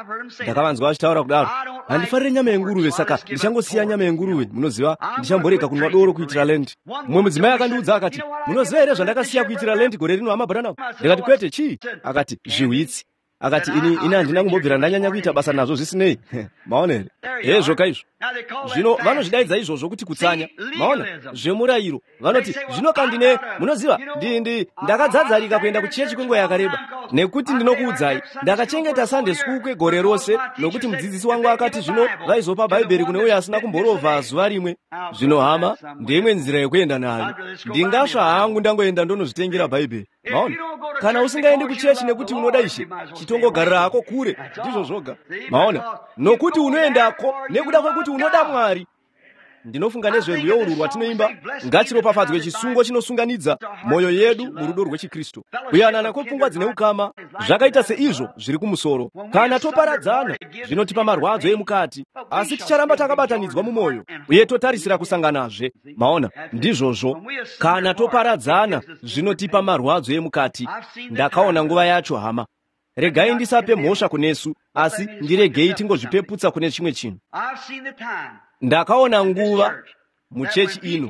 Ndakavanzwa vachitaura kudaro. Handifarire nyama yenguruve, saka ndichangosiya nyama yenguruve. Munoziva, ndichamborega kunwa doro kuitira Lent. Mumwe mudzimai akandiudza akati, munoziva here zvandakasiya kuitira Lent gore rino, hama Branham? Ndikati, kwete, chii? Akati, zvihwitsi. Akati, ini ini handina kumbobvira ndanyanya kuita basa nazvo zvisinei. Maona here? Hezvo kaizvo. Zvino vanozvidaidza izvozvo kuti kutsanya. Maona? Zvemurayiro. Vanoti, zvino kandine, munoziva, ndi ndi ndakadzadzarika kuenda kuchechi kwenguva yakareba. Nekuti ndinokuudzai, ndakachengeta Sunday school kwegore rose, nokuti mudzidzisi wangu akati zvino vaizopa Bhaibheri kune uyo asina kumborovha zuva rimwe. Zvino hama, ndeimwe nzira yekuenda nayo. Ndingasva hangu ndangoenda ndonozvitengera Bhaibheri. Maona? Kana usingaendi kuchechi nekuti unoda Ishe, chitongogarira hako kure, ndizvo zvoga. Maona? Nokuti unoendako nekuda kwekuti unoda Mwari. Ndinofunga nezverwiyo urwu rwatinoimba, ngachiropafadzwe chisungo chinosunganidza mwoyo yedu murudo rwechiKristu, kuyanana kwepfungwa dzine ukama, zvakaita seizvo zviri kumusoro. Kana toparadzana, zvinotipa marwadzo emukati, asi ticharamba takabatanidzwa mumwoyo uye totarisira kusanganazve. Maona? Ndizvozvo. Kana toparadzana, zvinotipa marwadzo emukati. Ndakaona nguva yacho, hama. Regai ndisape mhosva kunesu, asi ndiregei tingozvipeputsa kune chimwe chinhu. Ndakaona nguva muchechi ino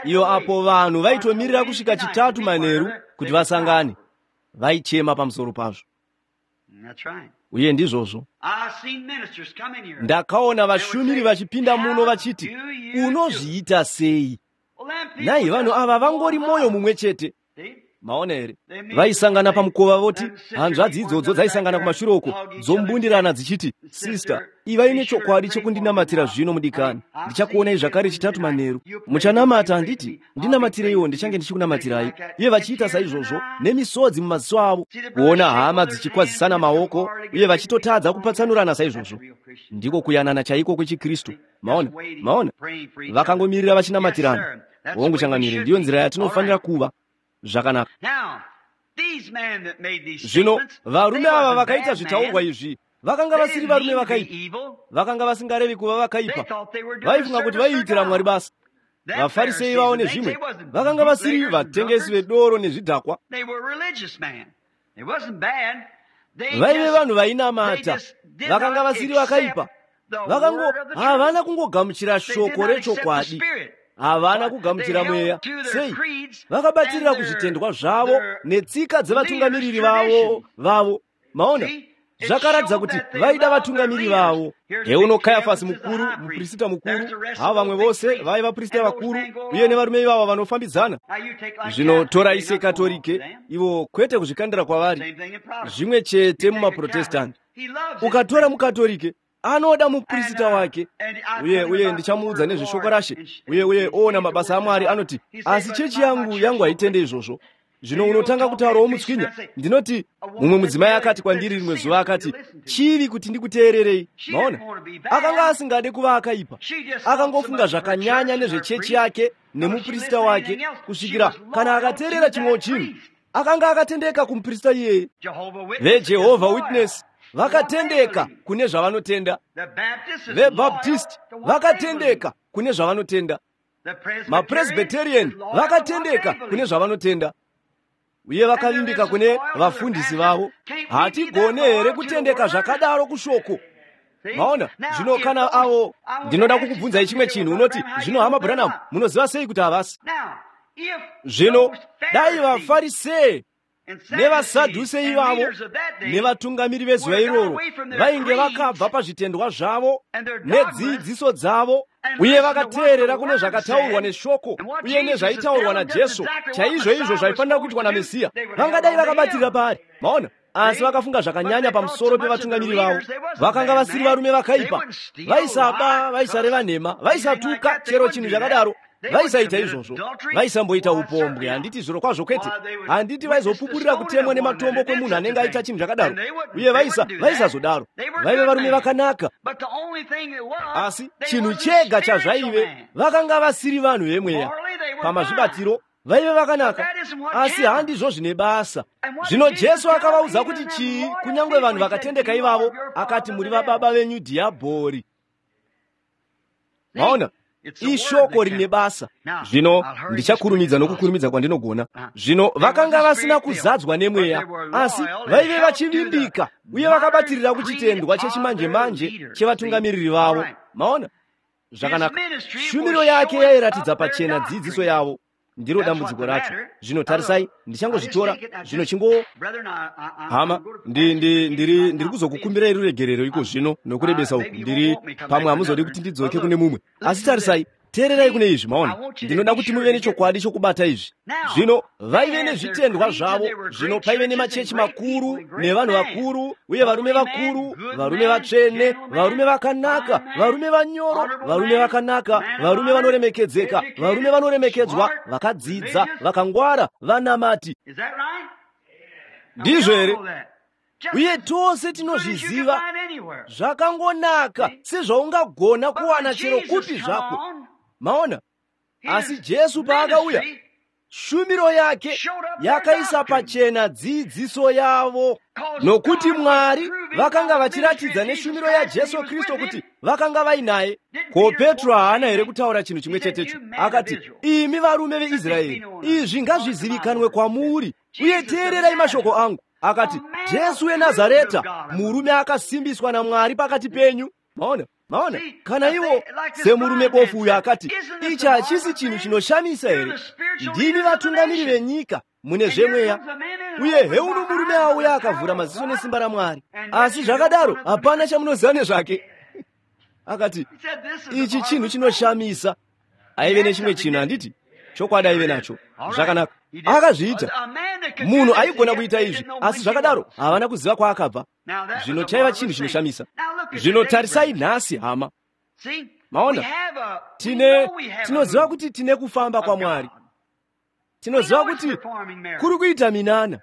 iyo apo vanhu vaitomirira kusvika chitatu manheru kuti vasangane, vaichema pamusoro pazvo. Uye ndizvozvo. Ndakaona vashumiri vachipinda muno vachiti, unozviita sei? Nhai, vanhu ava vangori mwoyo mumwe chete. Maona here? Vaisangana pamukova voti, hanzvadzi idzodzo dzaisangana kumashure uko dzombundirana dzichiti, sister, ivai nechokwadi chekundinamatira zvino mudikani. Ndichakuonai zvakare chitatu manheru. Muchanamata handiti? Ndinamatireiwo, ndichange ndichikunamatirai. Uye vachiita saizvozvo nemisodzi mumaziso avo. Kuona hama dzichikwazisana maoko uye vachitotadza kupatsanurana saizvozvo. Ndiko kuyanana chaiko kwechiKristu. Maona? Maona? Vakangomirira vachinamatirana. Hongu changamire, ndiyo nzira yatinofanira kuva. Zvakanaka. Zvino varume ava vakaita zvitaurwa izvi vakanga vasiri varume vakaipa, vakanga vasingarevi kuva vakaipa, vaifunga kuti vaiitira Mwari basa. VaFarisei vavo nezvimwe vakanga vasiri vatengesi vedoro nezvidhakwa, vaive vanhu vainamata, vakanga vasiri vakaipa, vakango havana kungogamuchira shoko rechokwadi. Havana kugamuchira mweya. Sei? Vakabatirira kuzvitendwa zvavo netsika dzevatungamiriri vavo vavo. Maona? Zvakaratidza kuti vaida vatungamiri vavo. Heuno Kayafasi mukuru, muprista mukuru, hava vamwe vose vaiva vaprista vakuru, uye nevarume ivava vanofambidzana. Zvino torai seKatorike, ivo kwete kuzvikandira kwavari, zvimwe chete mumaProtestanti. Ukatora muKatorike, anoda muprista wake, uye uye ndichamuudza nezveshoko rashe, uye uye oona mabasa aMwari, anoti, asi chechi yangu yangu haitende izvozvo. Zvino unotanga kutaurawo mutswinya. Ndinoti, mumwe mudzimai akati kwandiri rimwe zuva, akati, chivi kuti ndikuteererei. Maona? Akanga asingade kuva akaipa, akangofunga zvakanyanya nezvechechi yake nemuprista wake, kusvikira kana akateerera chimwewo chinhu, akanga akatendeka kumuprista iyeye. VeJehovah Witness vakatendeka kune zvavanotenda. VeBaptist vakatendeka kune zvavanotenda. MaPresbyterian vakatendeka kune zvavanotenda. Uye vakavimbika kune vafundisi vavo. Hatigone here kutendeka zvakadaro kushoko? Maona? Zvino kana avo, ndinoda kukubvunzai chimwe chinhu. Unoti, zvino hama Branham, munoziva sei kuti havasi? Zvino dai vaFarisei nevaSadhuse ivavo nevatungamiri vezuva iroro vainge vakabva pazvitendwa zvavo nedzidziso dzavo, uye vakateerera kune zvakataurwa neshoko uye nezvaitaurwa naJesu, chaizvo izvo zvaifanira kuitwa naMesiya, vangadai vakabatirira paari. Maona? Asi vakafunga zvakanyanya pamusoro pevatungamiri vavo. Vakanga vasiri varume vakaipa, vaisaba, vaisareva nhema, vaisatuka, chero chinhu chakadaro. Vaisaita izvozvo, vaisamboita upombwe, handiti zviro kwazvo kwete, handiti vaizopupurira kutemwa nematombo kwemunhu anenge aita chinhu chakadaro, uye vaisa vaisazodaro. Vaive varume vakanaka, asi chinhu chega chazvaive, vakanga vasiri vanhu vemweya. Pamazvibatiro vaive vakanaka, asi handizvo zvine basa. Zvino Jesu akavaudza kuti chii, kunyange vanhu vakatendeka ivavo, akati muri vababa venyu dhiabhori. Maona, ishoko rine basa. Zvino ndichakurumidza nokukurumidza kwandinogona. Zvino vakanga vasina kuzadzwa nemweya, asi vaive vachivimbika uye vakabatirira kuchitendwa chechimanje-manje chevatungamiriri vavo. Maona, zvakanaka. Shumiro yake yairatidza pachena dzidziso yavo. Ndiro dambudziko racho. Zvino tarisai, ndichangozvitora zvino chingo hama, ndiri ndiri kuzokukumbirai ruregerero iko zvino nokurebesa uku. Ndiri pamwe hamuzodi kuti ndidzoke kune mumwe, asi tarisai, teererai kune izvi. Maona, ndinoda kuti muve nechokwadi chokubata izvi. Zvino vaive nezvitendwa zvavo. Zvino paive nemachechi makuru nevanhu vakuru uye varume vakuru, varume vatsvene, varume vakanaka, varume vanyoro, varume vakanaka, varume vanoremekedzeka, varume vanoremekedzwa, vakadzidza, vakangwara, vanamati. Ndizvo here? Uye tose tinozviziva zvakangonaka sezvaungagona kuwana chero kupi zvako. Maona, asi Jesu paakauya, shumiro yake yakaisa pachena dzidziso yavo, nokuti Mwari vakanga vachiratidza neshumiro yaJesu Kristu kuti vakanga vainaye. Ko Petro haana here kutaura chinhu chimwe chetecho? Akati, imi varume veIsraeri, izvi ngazvizivikanwe kwamuri, uye teererai mashoko angu. Akati, Jesu weNazareta, murume akasimbiswa naMwari pakati penyu. Maona, maona, kana iwo semurume bofu uyo akati, ichi hachisi chinhu chinoshamisa here? Ndimi vatungamiri venyika mune zvemweya, uye heuno murume auya akavhura maziso nesimba raMwari, asi zvakadaro hapana chamunoziva nezvake. Akati, ichi chinhu chinoshamisa. Aive nechimwe chinhu, handiti? Chokwadi aive nacho. Zvakanaka, akazviita. Munhu aigona kuita izvi, asi zvakadaro havana kuziva kwaakabva. Zvino chaiva chinhu chinoshamisa. Zvino tarisai nhasi, hama. Maona, tine tinoziva kuti tine kufamba kwaMwari. Tinoziva kuti kuri kuita minana,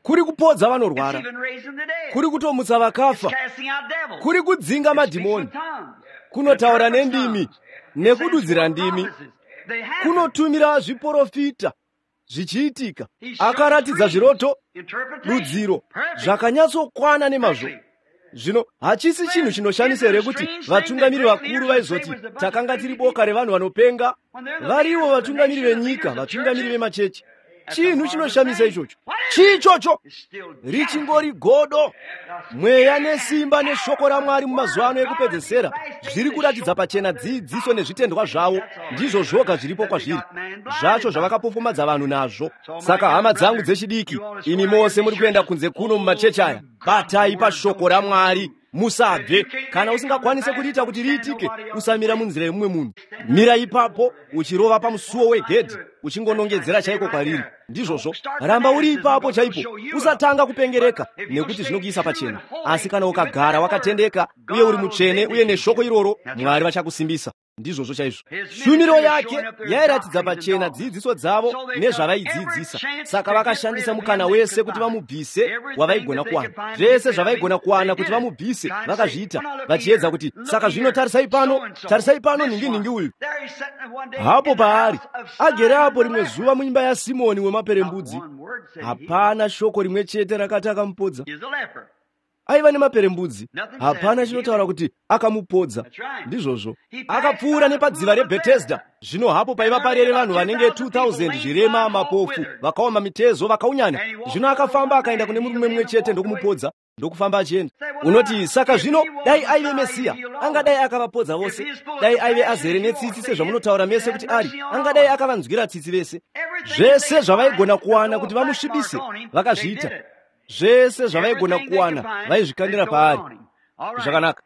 kuri kupodza vanorwara, kuri kutomutsa vakafa, kuri kudzinga madhimoni, kunotaura nendimi nekududzira ndimi, kunotumira zviprofita zvichiitika. Akaratidza zviroto, dudziro zvakanyatsokwana nemazvo. Zvino hachisi chinhu chinoshamisa here kuti vatungamiri vakuru vaizoti takanga tiri boka revanhu vanopenga? Varivo vatungamiri venyika, vatungamiri vemachechi. Chinhu chinoshamisa ichocho. Chii ichocho? Richingori godo. Mweya nesimba neshoko raMwari mumazuva ano ekupedzesera zviri kuratidza pachena dzidziso nezvitendwa zvavo. Ndizvo zvoga zviripo kwazviri, zvacho zvavakapofomadza vanhu nazvo. Saka hama dzangu dzechidiki, imi mose muri kuenda kunze kuno mumachechi aya, batai pashoko raMwari, musabve. Kana usingakwanise kuriita kuti riitike, usamira munzira yemumwe munhu. Mira ipapo uchirova pamusuwo wegedhi, uchingonongedzera chaiko kwariri. Ndizvozvo, ramba uri ipapo chaipo, usatanga kupengereka nekuti zvinokuisa pachena. Asi kana ukagara wakatendeka uye uri mutsvene uye neshoko iroro, Mwari vachakusimbisa. Ndizvozvo chaizvo. Shumiro yake yairatidza pachena dzidziso dzavo nezvavaidzidzisa. Saka vakashandisa mukana wese kuti vamubvise wavaigona kuwana. Zvese zvavaigona kuwana kuti vamubvise vakazviita, vachiedza kuti saka zvino tarisai pano, tarisai pano nhingi nhingi uyu hapo paari agere apo rimwe zuva muimba yaSimoni wemaperembudzi. Hapana shoko rimwe chete rakati akamupodza. Aiva nemaperembudzi, hapana chinotaura kuti akamupodza. Ndizvozvo. Akapfuura nepadziva reBethesda. Zvino hapo paiva parere vanhu vanenge two thousand zvirema, mapofu, vakaoma mitezo, vakaunyana. Zvino akafamba akaenda kune murume mumwe chete ndokumupodza, ndokufamba achienda. Unoti, saka zvino dai aive Mesiya, angadai akavapodza vose. Dai aive azere netsitsi sezvamunotaura mese kuti ari, angadai akavanzwira tsitsi vese. Zvese zvavaigona kuwana kuti vamusvibise, vakazviita. Zvese zvavaigona kuwana vaizvikandira paari. Zvakanaka.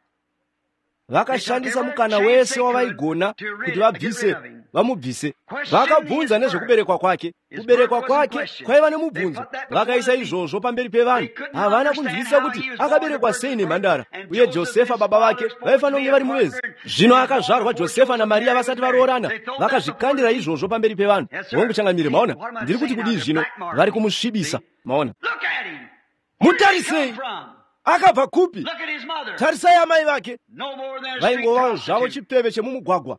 Vakashandisa mukana wese wavaigona kuti vabvise vamubvise. Vakabvunza nezvekuberekwa kwake. Kuberekwa kwake kwaiva nemubvunzo. Vakaisa izvozvo pamberi pevanhu. Havana kunzwisisa kuti akaberekwa sei nemhandara, uye Josefa baba vake vaifanira kunge vari muvezi. Zvino akazvarwa Josefa naMaria vasati varoorana. Vakazvikandira izvozvo pamberi pevanhu. Hongu changamire, maona, ndiri kuti kudii zvino? Vari kumusvibisa. Maona, mutarisei, akabva kupi? Tarisai amai vake, vaingovawo zvavo chipfeve chemumugwagwa,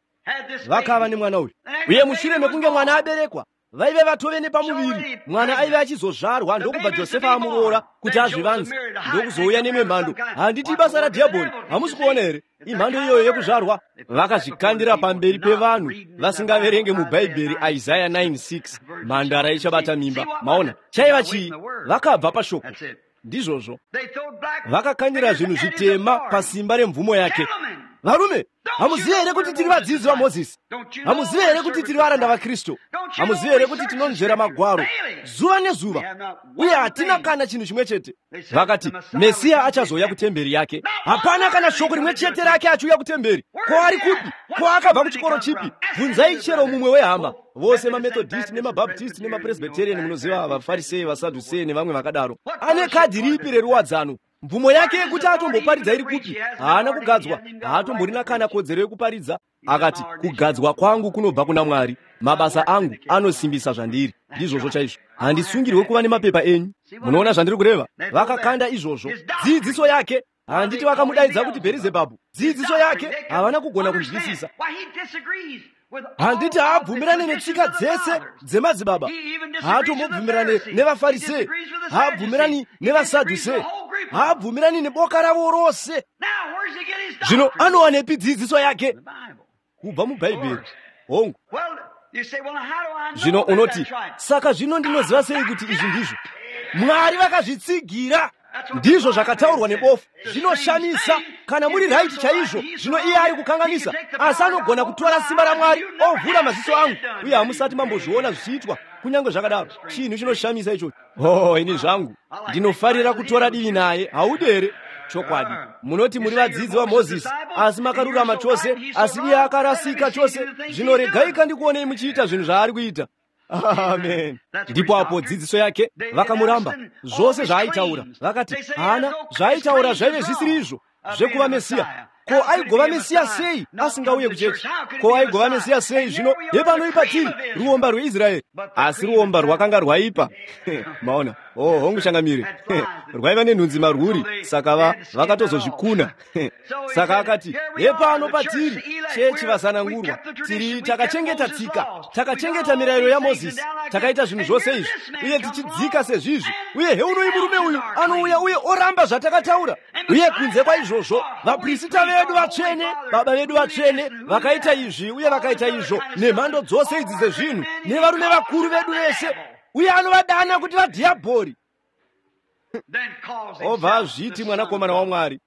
vakava nemwana uyu. Uye mushure mekunge mwana aberekwa, Vaive vatove nepamuviri, mwana aive achizozvarwa, ndokubva Josefa amuroora kuti azvivanze, ndokuzouya nemwe mhando. Handiti ibasa radhiabhori? Hamusi kuona here imhando iyoyo yekuzvarwa? Vakazvikandira pamberi pevanhu vasingaverenge mubhaibheri Isaya nine six, mhandara ichabata mimba. Maona chaiva chii? Vakabva pashoko. Ndizvozvo, vakakandira zvinhu zvitema pasimba remvumo yake. Varume, hamuzivi here kuti tiri vadzidzi vaMozisi? Hamuzivi here kuti tiri varanda vaKristu? Hamuzivi here kuti tinonzvera magwaro zuva nezuva, uye hatina kana chinhu chimwe chete? Vakati Mesiya achazouya kutemberi yake. Hapana kana shoko rimwe chete rake achiuya kutemberi. Ko ari kupi? Ko akabva kuchikoro chipi? Bvunzai chero mumwe wehama. Vose maMethodist nemaBaptist nemaPresbyterian, munoziva, vaFarisei, vaSadhusei nevamwe vakadaro. Ane kadhi ripi reruwadzano? Mvumo yake yekuti atomboparidza iri kupi? Haana kugadzwa, haatomborina kana kodzero yekuparidza. Akati, kugadzwa kwangu kunobva kuna Mwari, mabasa angu anosimbisa zvandiri. Ndizvozvo chaizvo, handisungirwe kuva nemapepa enyu. Munoona zvandiri kureva? Vakakanda izvozvo. Dzidziso yake, handiti vakamudaidza kuti Bherizebhabhu. Dzidziso yake havana kugona kunzwisisa. Handiti haabvumirane netsika dzese dzemadzibaba, haatombobvumirane nevaFarisei, haabvumirani nevaSadhusei, haabvumirani neboka ravo rose. Zvino anowanepi dzidziso yake? Kubva mubhaibheri. Hongu. Zvino unoti, saka zvino ndinoziva sei kuti izvi ndizvo? Mwari vakazvitsigira. Ndizvo zvakataurwa nebofu. Zvinoshamisa kana muri right chaizvo. Zvino iye ari kukanganisa, asi anogona kutora simba raMwari ovhura maziso angu, uye hamusati mambozviona zvichiitwa. Kunyange zvakadaro, chinhu chinoshamisa ichocho. Oh, ini zvangu ndinofarira kutora divi naye. Haudi here? Chokwadi. Munoti muri vadzidzi vaMozisi, asi makarurama chose, asi iye akarasika chose. Zvino regai kandikuonei muchiita zvinhu zvaari kuita. Amen. Ndipo apo dzidziso yake vakamuramba. Zvose zvaaitaura vakati haana zvaaitaura zvaive zvisiri izvo zvekuva Mesiya. Ko aigova Mesiya sei asingauye kuchechi? Ko aigova Mesiya sei? Zvino hepano ipatiri ruomba rweIsraeri. Asi ruomba rwakanga rwaipa. Maona? Oh, hongu changamire. Rwaiva nenhunzi marwuri, saka va vakatozozvikuna. Saka akati, hepano patiri chechi vasanangurwa, tiri takachengeta tsika, takachengeta mirayiro yaMozisi, takaita zvinhu zvose izvi, uye tichidzika sezvizvi, uye heunoi murume uyu anouya uye oramba zvatakataura. Uye kunze kwaizvozvo, vaprisita vedu vatsvene, baba vedu vatsvene, vakaita izvi uye vakaita izvo, nemhando dzose idzi dzezvinhu, nevarume vakuru vedu vese, uye anovadana kuti vadhiabhori. Obva azviti mwanakomana waMwari.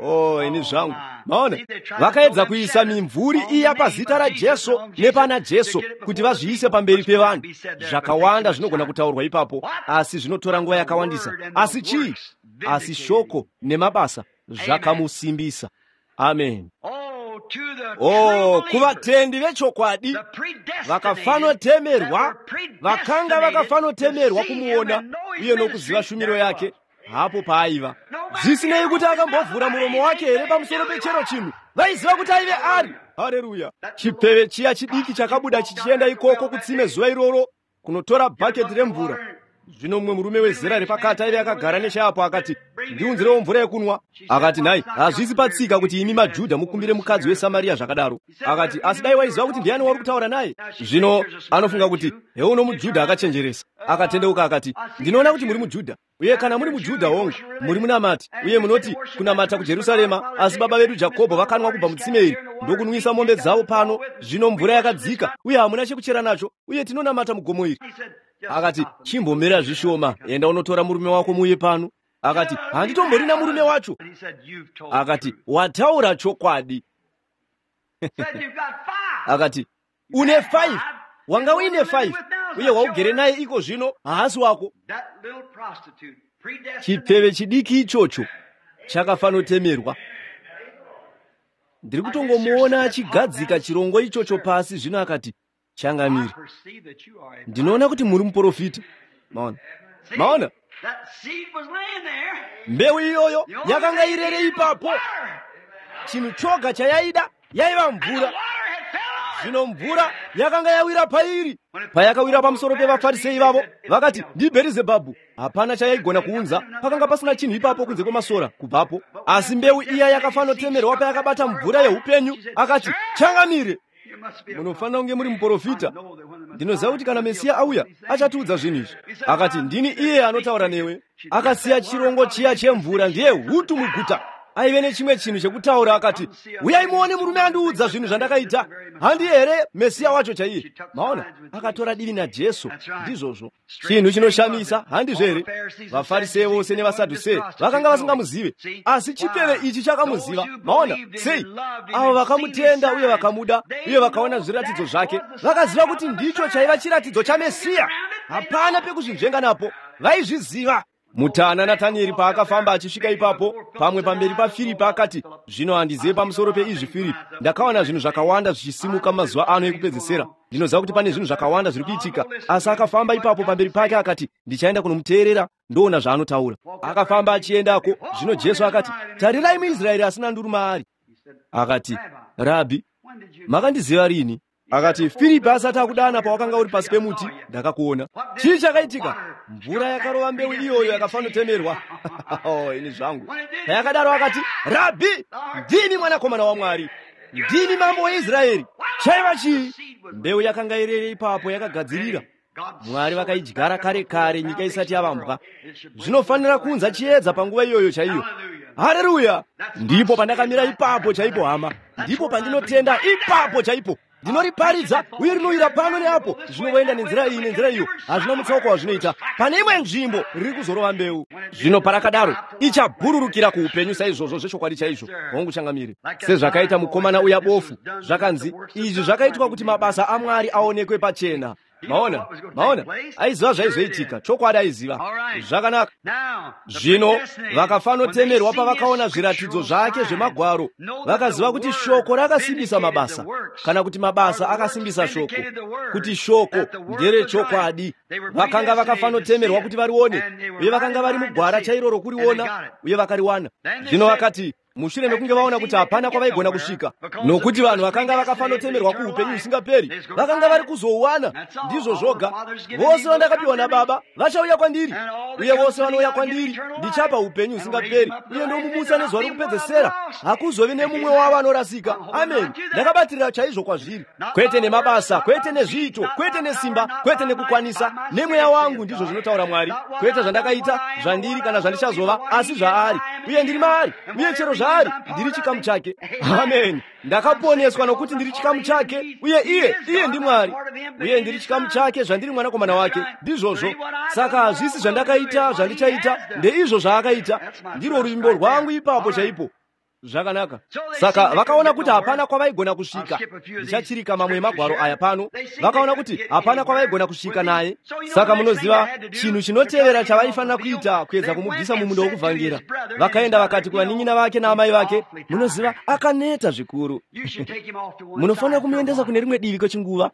Oh, ini zvangu. Maona, vakaedza kuisa mimvuri iya pazita raJesu nepana Jesu kuti vazviise pamberi pevanhu. Zvakawanda zvinogona kutaurwa ipapo, asi zvinotora nguva yakawandisa. Asi chii? Asi shoko nemabasa zvakamusimbisa. Amen. Oh, kuvatendi vechokwadi vakafanotemerwa, vakanga vakafanotemerwa kumuona uye nokuziva shumiro yake hapo paaiva. Zvisinei kuti akambovhura muromo wake here pamusoro pechero chinhu, vaiziva kuti aive ari. Haleluya. Chipfeve chiya chidiki chakabuda chichienda ikoko kutsime zuva iroro kunotora bhaketi remvura. Zvino mumwe murume wezera repakati aive akagara nechapo akati, ndiunzirewo mvura yekunwa. Akati, nhai, hazvisi patsika kuti imi maJudha mukumbire mukadzi weSamaria zvakadaro. Akati, asi dai waiziva kuti ndiani wauri kutaura naye. Zvino anofunga kuti heuno muJudha akachenjeresa. Akatendeuka akati, ndinoona kuti muri muJudha, uye kana muri muJudha hongu muri munamati, uye munoti kunamata kuJerusarema, asi baba vedu Jakobho vakanwa kubva mutsime iri ndokunwisa mombe dzavo pano. Zvino mvura yakadzika uye hamuna chekuchera nacho, uye tinonamata mugomo iri. Akati, chimbomira zvishoma, enda unotora murume wako muuye pano. Akati, handitomborina murume wacho. Akati, wataura chokwadi. Akati, une five, wanga uine five, uye waugere naye iko zvino haasi wako. Chipfeve chidiki ichocho chakafanotemerwa. Ndiri kutongomuona achigadzika chirongo ichocho pasi. Zvino akati, changamire, ndinoona kuti muri muprofita. Maona? Maona? Mbeu iyoyo yakanga irere ipapo. Chinhu choga chayaida yaiva mvura. Zvino mvura yakanga yawira pairi. Payakawira pamusoro pevaFarisei vavo, vakati ndiBherizebhabhu. Hapana chayaigona kuunza, pakanga pasina chinhu ipapo kunze kwemasora kubvapo. Asi mbeu iya yakafanotemerwa payakabata mvura yeupenyu, akati, changamire, munofanira kunge muri muprofita. Ndinoziva kuti kana Mesiya auya, achatiudza zvinhu izvi. Akati, ndini iye anotaura newe. Akasiya chirongo chiya chemvura ndiye hutu muguta. Aive nechimwe chinhu chekutaura. Akati, uyai muone murume andiudza zvinhu zvandakaita. Handi here Mesiya wacho chaiye? Maona, akatora divi naJesu. Ndizvozvo. Chinhu chinoshamisa, handizvo here? VaFarisei vose nevaSadhusei vakanga vasingamuzive, asi chipfeve ichi chakamuziva. Maona, sei? Avo vakamutenda uye vakamuda uye vakaona zviratidzo zvake, vakaziva kuti ndicho chaiva chiratidzo chaMesiya. Hapana pekuzvinzvenga napo, vaizviziva. Mutana Natanieri paakafamba achisvika ipapo, pamwe pamberi paFiripi, akati, zvino handizive pamusoro peizvi Firipi. Ndakaona zvinhu zvakawanda zvichisimuka mazuva ano ekupedzisira. Ndinoziva kuti pane zvinhu zvakawanda zviri kuitika. Asi akafamba ipapo pamberi pake akati, ndichaenda kunomuteerera, ndoona zvaanotaura. Akafamba achiendako. Zvino Jesu akati, tarirai muIsraeri asina nduru maari. Akati, Rabhi, makandiziva rini? Akati, Firipi asati akudana pawakanga uri pasi pemuti, ndakakuona. Chii chakaitika? Mvura yakarova mbeu iyoyo yakafanotemerwa. Oh, ini zvangu. Payakadaro akati, Rabhi, ndini mwanakomana waMwari, ndini mambo weIsraeri. Chaiva chii? Mbeu yakanga irere ipapo yakagadzirira. Mwari vakaidyara kare kare nyika isati yavambwa. Zvinofanira kuunza chiedza panguva iyoyo chaiyo. Haleluya! Ndipo pandakamira ipapo chaipo, hama. Ndipo pandinotenda ipapo chaipo. Ndinoriparidza uye rinowira pano neapo, zvinovoenda nenzira iyi nenzira iyo, hazvina mutsauko wazvinoita. Pane imwe nzvimbo riri kuzorova mbeu. Zvino parakadaro ichabhururukira kuupenyu saizvozvo zvechokwadi chaizvo. Hongu changamire. Sezvakaita mukomana uya bofu, zvakanzi izvi zvakaitwa kuti mabasa aMwari aonekwe pachena. Maona, maona, aiziva zvaizoitika. Chokwadi aiziva. Zvakanaka. Zvino vakafanotemerwa pavakaona zviratidzo zvake zvemagwaro, vakaziva kuti shoko rakasimbisa mabasa, kana kuti mabasa akasimbisa shoko, kuti shoko nderechokwadi. Vakanga vakafanotemerwa kuti varione, uye vakanga vari mugwara chairo rokuriona, uye vakariwana. Zvino vakati, mushure mekunge vaona kuti hapana kwavaigona kusvika, nokuti vanhu vakanga vakafanotemerwa kuupenyu husingaperi, vakanga vari kuzouwana. Ndizvo zvoga. Vose vandakapiwa naBaba vachauya kwandiri, uye vose vanouya kwandiri ndichapa upenyu husingaperi, uye ndomumutsa nezuva rokupedzesera. Hakuzovi nemumwe wavo anorasika. Amen. Ndakabatirira chaizvo kwazviri, kwete nemabasa, kwete nezviito, kwete nesimba, kwete nekukwanisa, nemweya wangu, ndizvo zvinotaura Mwari. Kwete zvandakaita, zvandiri kana zvandichazova, asi zvaari, uye ndiri maari, uye chero zvaari ndiri chikamu chake. Amen. Ndakaponeswa nokuti ndiri chikamu chake, uye iye iye ndiMwari, uye ndiri chikamu chake zvandiri mwanakomana wake. Ndizvozvo. Saka hazvisi zvandakaita, zvandichaita, ndeizvo zvaakaita. Ndirwo ruvimbo rwangu ipapo chaipo. Zvakanaka. Saka vakaona kuti hapana kwavaigona kusvika. Ndichachirika mamwe emagwaro aya pano. Vakaona kuti hapana kwavaigona kusvika naye. Saka munoziva chinhu chinotevera chavaifanira kuita kuedza kumubvisa mumunda wokuvhangera. Vakaenda vakati kuvanin'ina vake naamai vake, munoziva akaneta zvikuru. Munofanira kumuendesa kune rimwe divi kwechinguva.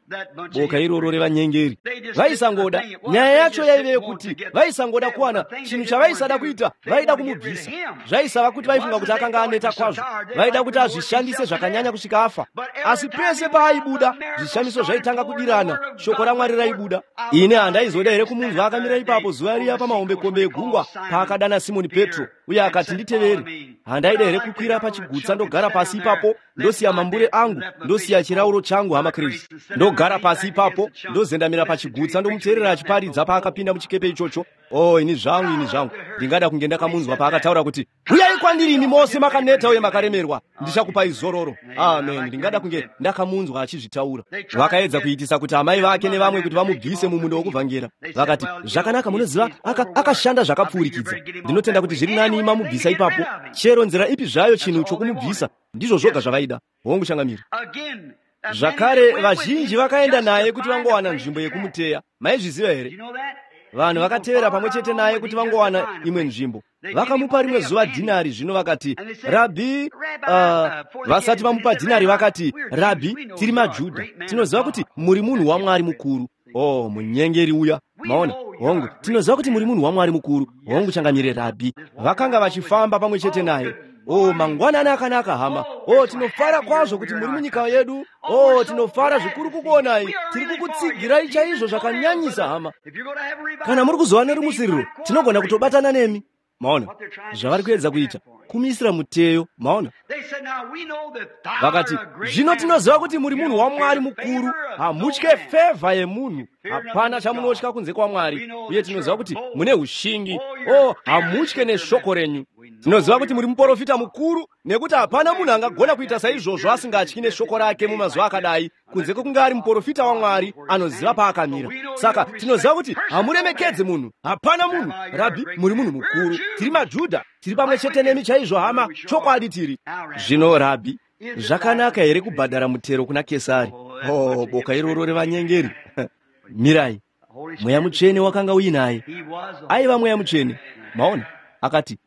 Boka iroro revanyengeri. Vaisangoda. Nyaya yacho yaive yekuti vaisangoda kuwana chinhu chavaisada kuita, vaida kumubvisa. Zvaisava kuti vaifunga kuti akanga aneta kwazvo, vaida kuti azvishandise zvakanyanya kusvika afa. Asi pese paaibuda, zvishamiso zvaitanga kudirana, shoko raMwari raibuda. Ini handaizoda here kumunzwa akamira ipapo zuva riya pamahombekombe egungwa paakadana Simoni Petro uye akati nditevere? Handaida here kukwira pachigutsa ndogara pasi ipapo, ndosiya mambure angu, ndosiya chirauro changu, hama Chris, ndogara pasi ipapo, ndozendamira pachigutsa, ndomuteerera achiparidza paakapinda muchikepe ichocho? Oh, ini zvangu, ini zvangu, ndingada kunge ndakamunzwa paakataura kuti uyai kwandiri imi mose makaneta uye makaremerwa, ndichakupai zororo. Amen. Ndingada kunge ndakamunzwa achizvitaura. Vakaedza kuitisa kuti amai vake nevamwe kuti vamubvise mumunda wokuvhangera. Vakati, zvakanaka, munoziva, akashanda aka zvakapfuurikidza. Ndinotenda kuti zviri nani mamubvisa ipapo. Chero nzira ipi zvayo chinhu chokumubvisa, ndizvo zvoga zvavaida. Hongu changamire. Zvakare vazhinji vakaenda naye kuti vangowana nzvimbo yekumuteya. Maizviziva here? Vanhu vakatevera pamwe chete naye kuti vangowana imwe nzvimbo. Vakamupa rimwe zuva dhinari. Zvino vakati, Rabhi, uh, vasati vamupa dhinari vakati, Rabhi, tiri maJudha, tinoziva kuti muri munhu waMwari mukuru. Oh, munyengeri uya. Maona, hongu, tinoziva kuti muri munhu waMwari mukuru. Hongu changamire, Rabhi. Vakanga vachifamba pamwe chete naye. Oh, mangwanani akanaka, hama. Oh, tinofara kwazvo kuti muri munyika yedu. Oh, tinofara zvikuru kukuonai. Tiri kukutsigirai chaizvo zvakanyanyisa, hama. Kana muri kuzova nerumutsiriro, tinogona kutobatana nemi. Maona zvavari kuedza kuita, Kumuisira muteyo, maona. Vakati, zvino tinoziva kuti muri munhu waMwari mukuru, hamutye fevha yemunhu, hapana chamunotya kunze kwaMwari, uye tinoziva kuti mune ushingi, o hamutye neshoko renyu. Tinoziva kuti muri muprofita mukuru, nekuti hapana munhu angagona kuita saizvozvo asingatyi neshoko rake mumazuva akadai, kunze kwekunge ari muprofita waMwari anoziva paakamira. Saka tinoziva kuti hamuremekedzi munhu, hapana munhu. Rabhi, muri munhu mukuru, tiri maJudha, tiri pamwe chete nemi chaizvo hama, chokwadi tiri. Zvino Rabhi, zvakanaka here kubhadhara mutero kuna Kesari? Oh, boka iroro revanyengeri. Mirai, Mweya Mutsvene wakanga uinaye, aiva Mweya Mutsvene, maona. Akati,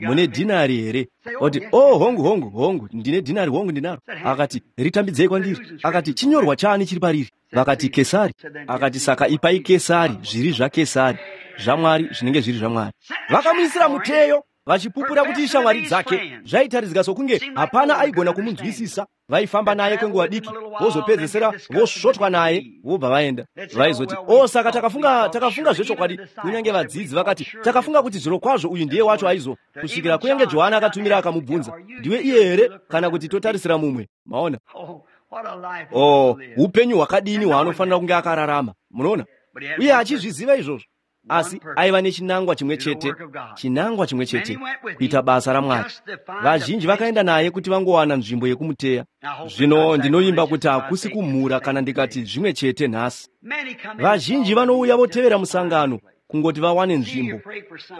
mune dhinari here? Oti, oh, hongu, hongu, hongu, ndine dhinari, hongu ndinaro. Akati, ritambidzei kwandiri. Akati, chinyorwa chani chiri pariri? Vakati, Kesari. Akati, saka ipai Kesari zviri zvaKesari, zvaMwari zvinenge zviri zvaMwari. Vakamuisira muteyo, vachipupura kuti ishamwari dzake. Zvaitaridzika sokunge hapana aigona kumunzwisisa. Vaifamba naye kwenguva diki, vozopedzesera vosvotwa naye, vobva vaenda. Vaizoti, o, saka takafunga takafunga zvechokwadi. Kunyange vadzidzi vakati, takafunga kuti zvirokwazvo uyu ndiye wacho aizo, kusvikira kunyange Johana akatumira akamubvunza, ndiwe iye here kana kuti totarisira mumwe? Maona? O, upenyu hwakadini hwaanofanira kunge akararama, munoona? Uye achizviziva izvozvo. Asi aiva nechinangwa chimwe chete, chinangwa chimwe chete, kuita basa raMwari. Vazhinji vakaenda naye kuti vangowana nzvimbo yekumuteya. Zvino ndinovimba kuti hakusi kumhura kana ndikati zvimwe chete nhasi. Vazhinji vanouya votevera musangano kungoti vawane nzvimbo,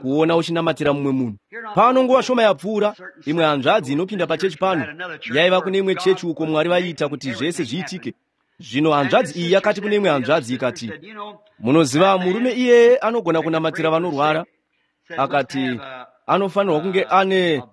kuona uchinamatira mumwe munhu. Pano nguva shoma yapfuura, imwe hanzvadzi inopinda pachechi pano, yaiva kune imwe chechi uko Mwari vaiita kuti zvese zviitike. Zvino hanzvadzi iyi yakati kune imwe hanzvadzi ikati, munoziva murume iyeye anogona kunamatira vanorwara. Akati, anofanirwa kunge ane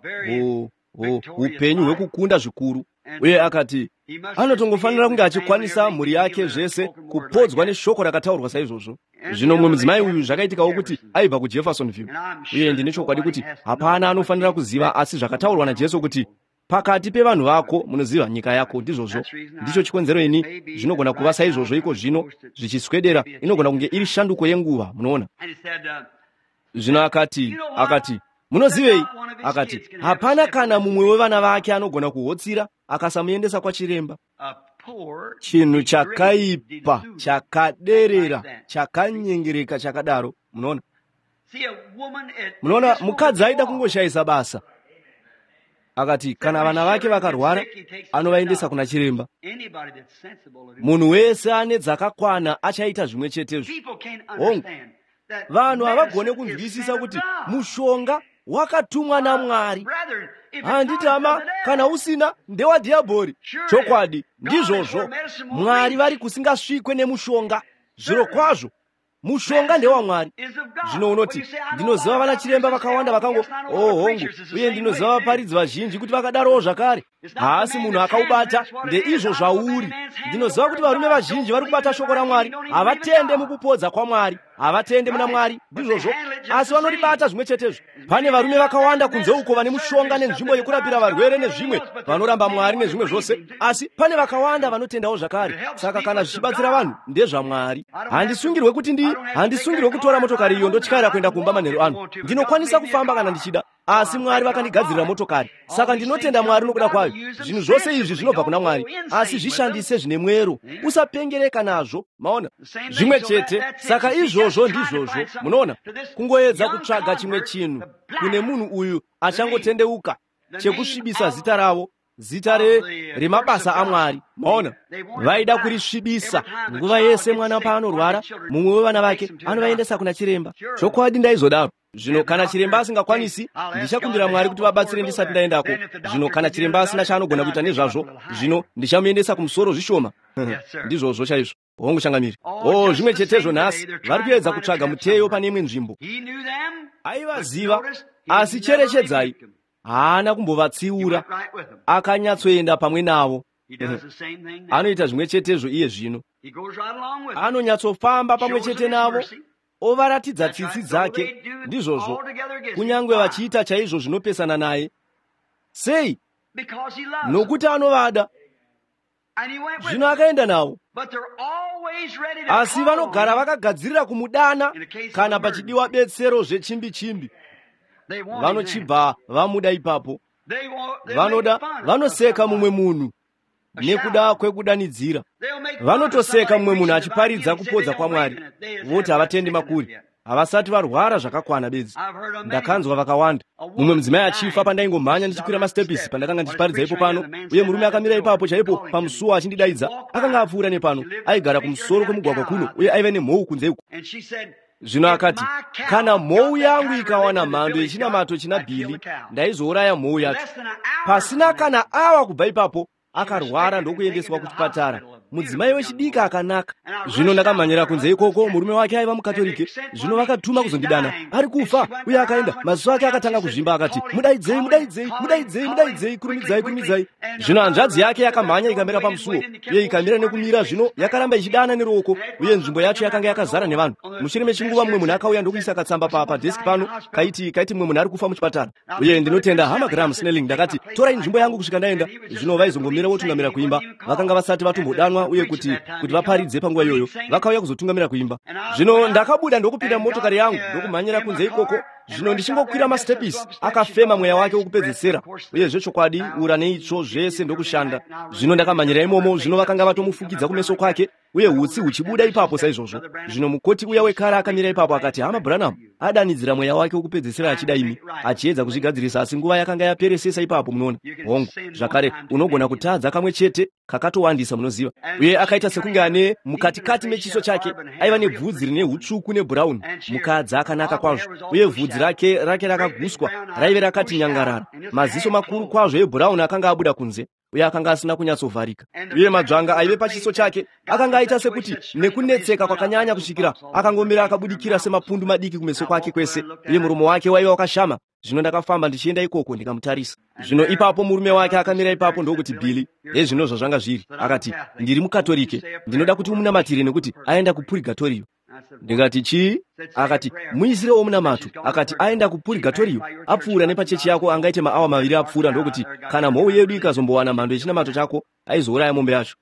upenyu hwekukunda zvikuru. Uye akati, anotongofanira kunge achikwanisa mhuri yake zvese kupodzwa neshoko rakataurwa saizvozvo. Zvino mumwe mudzimai uyu zvakaitikawo kuti aibva kuJeffersonville. Uye ndine chokwadi kuti hapana anofanira kuziva asi zvakataurwa naJesu kuti pakati pevanhu vako, munoziva nyika yako, ndizvozvo. Ndicho chikonzero ini zvinogona kuva saizvozvo iko zvino zvichiswedera, inogona kunge iri shanduko yenguva, munoona. Zvino akati, akati, munozivei? Akati, hapana kana mumwe wevana vake anogona kuhotsira akasamuendesa kwachiremba. Chinhu chakaipa, chakaderera, chakanyengereka chakadaro, munoona. Munoona, mukadzi aida kungoshayisa basa. Akati, kana vana vake vakarwara, anovaendesa kuna chiremba. Munhu wese ane dzakakwana achaita zvimwe chetezvo. Hongu, vanhu havagone kunzwisisa kuti mushonga wakatumwa naMwari. Handiti hama, kana usina ndewadhiabhori. Chokwadi, ndizvozvo. Mwari vari kusingasvikwe nemushonga. Zvirokwazvo, mushonga ndewaMwari. Zvino unoti, ndinoziva vana chiremba vakawanda vakango, oh hongu, uye ndinoziva vaparidzi vazhinji kuti vakadarowo zvakare. Haasi munhu akaubata, ndeizvo zvauri. Ndinoziva kuti varume vazhinji vari kubata shoko raMwari, havatende mukupodza kwaMwari, havatende muna Mwari, ndizvozvo, asi vanoribata zvimwe chetezvo. Pane varume vakawanda kunze uko vane mushonga nenzvimbo yekurapira varwere nezvimwe, vanoramba Mwari nezvimwe zvose, asi pane vakawanda vanotendawo zvakare. Saka kana zvichibatsira vanhu, ndezvaMwari. Handisungirwe kuti ndi handisungirwe kutora motokari iyo ndotyaira kuenda kumba manheru ano. Ndinokwanisa kufamba kana ndichida, asi Mwari vakandigadzirira motokari. Saka ndinotenda Mwari nokuda kwayo. Zvinhu zvose izvi zvinobva kuna Mwari, asi zvishandise zvine mwero, usapengereka nazvo, maona. Zvimwe chete, saka izvozvo ndizvozvo, munoona. Kungoedza kutsvaga chimwe chinhu kune munhu uyu achangotendeuka chekusvibisa zita ravo, zita remabasa aMwari, maona. Vaida kurisvibisa. Nguva yese mwana paanorwara, mumwe wevana vake anovaendesa kuna chiremba. Chokwadi ndaizodaro. Zvino kana chiremba asingakwanisi, ndichakumbira Mwari kuti vabatsire ndisati ndaendako. Zvino kana chiremba asina chaanogona kuita nezvazvo, zvino ndichamuendesa kumusoro zvishoma. Ndizvozvo chaizvo. Hongu changamiri. Oh, zvimwe chetezvo nhasi. Vari kuedza kutsvaga muteyo pane imwe nzvimbo. Aivaziva, asi cherechedzai, haana kumbovatsiura. Akanyatsoenda pamwe navo. Anoita zvimwe chetezvo iye zvino. Anonyatsofamba pamwe chete navo, ovaratidza tsitsi dzake, ndizvozvo, kunyange vachiita chaizvo zvinopesana naye. Sei? Nokuti anovada. Zvino akaenda navo. Asi vanogara vakagadzirira kumudana kana pachidiwa betsero zvechimbi-chimbi. Vanochibva vamuda ipapo. Vanoda, vanoseka mumwe munhu nekuda kwekudanidzira. Vanotoseka mumwe munhu achiparidza kupodza kwaMwari, voti havatendi makuri, havasati varwara zvakakwana bedzi. Ndakanzwa vakawanda. Mumwe mudzimai achifa pandaingomhanya ndichikwira masitepisi pandakanga ndichiparidza ipo pano, uye murume akamira ipapo chaipo pamusuo achindidaidza. Akanga apfuura nepano, aigara kumusoro kwemugwagwa kuno, uye aiva nemhou kunze uku. Zvino akati, kana mhou yangu ikawana mhando yechinamato china Bhili, ndaizouraya mhou yacho. Pasina kana awa kubva ipapo, akarwara ndokuendeswa kuchipatara. Mudzimai wechidiki akanaka. Zvino ndakamhanyira kunze ikoko, murume wake aiva mukatorike. Zvino vakatuma kuzondidana, ari kufa, uye akaenda. Maziso ake akatanga kuzvimba, akati, mudaidzei, mudaidzei, mudaidzei, mudaidzei, kurumidzai, kurumidzai. Zvino hanzvadzi yake yakamhanya ikamira pamusuo, uye ikamira nekumira. Zvino yakaramba ichidana neruoko, uye nzvimbo yacho yakanga yakazara nevanhu. Mushure mechinguva mumwe munhu akauya ndokuisa katsamba pa padeski pano, kaiti kaiti mumwe munhu ari kufa muchipatara. Uye ndinotenda hama Graham Snelling, ndakati, torai nzvimbo yangu kusvika ndaenda. Zvino vaizongomira votungamira kuimba. Vakanga vasati vatombodanwa uye kuti kuti vaparidze panguva iyoyo, vakauya kuzotungamira kuimba. Zvino ndakabuda ndokupinda motokari yangu ndokumhanyira kunze ikoko. Zvino ndichingokwira masitepisi, akafema mweya wake wokupedzesera, uye zvechokwadi ura neitsvo zvese ndokushanda. Zvino ndakamhanyira imomo. Zvino vakanga vatomufukidza kumeso kwake, uye hutsi huchibuda ipapo saizvozvo. Zvino mukoti uya wekare akamira ipapo akati, hama Branham adanidzira mweya wake wokupedzesera achida imi, achiedza kuzvigadzirisa, asi nguva yakanga yaperesesa ipapo. Munoona, hongu, zvakare unogona kutadza kamwe chete kakatowandisa, munoziva. Uye akaita sekunge ane mukatikati mechiso chake aiva nebvudzi rine hutsvuku nebhurauni, mukadzi akanaka kwazvo, uye vhudzi rake rake rakaguswa raive rakati nyangarara, maziso makuru kwazvo ebhurauni akanga abuda kunze, uye akanga asina kunyatsovharika, uye madzvanga aive pachiso chake akanga aita sekuti nekunetseka kwakanyanya kusvikira akangomira akabudikira semapundu madiki kumeso kwake kwese, uye muromo wake waiva wakashama. Zvino ndakafamba ndichienda ikoko ndikamutarisa. Zvino ipapo murume wake akamira ipapo ndokuti, Bhili, hezvino zvazvanga zviri. Akati, ndiri mukatorike, ndinoda kuti umunamatire nekuti aenda kupurigatoriyo. Ndikati, chii? Akati, muisirewo munamato. Akati, aenda kupurigatoriyo, apfuura nepachechi yako angaite maawa maviri apfuura, ndokuti kana mhou yedu ikazombowana mhando yechinamato chako, aizouraya mombe yacho.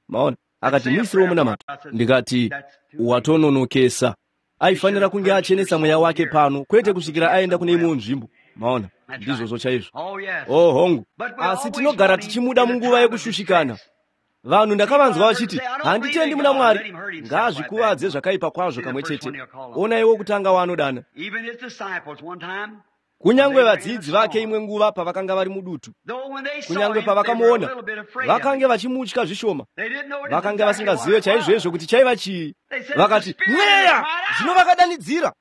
Maona? Akati, muisirewo munamato. Ndikati, watononokesa. Aifanira kunge achenesa mweya wake pano, kwete kusvikira aenda kune imwewo nzvimbo. Maona? Ndizvozvo chaizvo. Oh, hongu. Asi tinogara tichimuda munguva yekushushikana. Vanhu ndakavanzwa vachiti, handitendi muna Mwari. Ngaazvikuvadze zvakaipa kwazvo kamwe chete. Onaiwo kutanga waanodana. Kunyange vadzidzi vake imwe nguva pavakanga vari mudutu, kunyange pavakamuona, vakange vachimutya zvishoma. Vakanga vasingazive chaizvoizvo kuti chaiva chii. Vakati, mweya! Zvino vakadanidzira.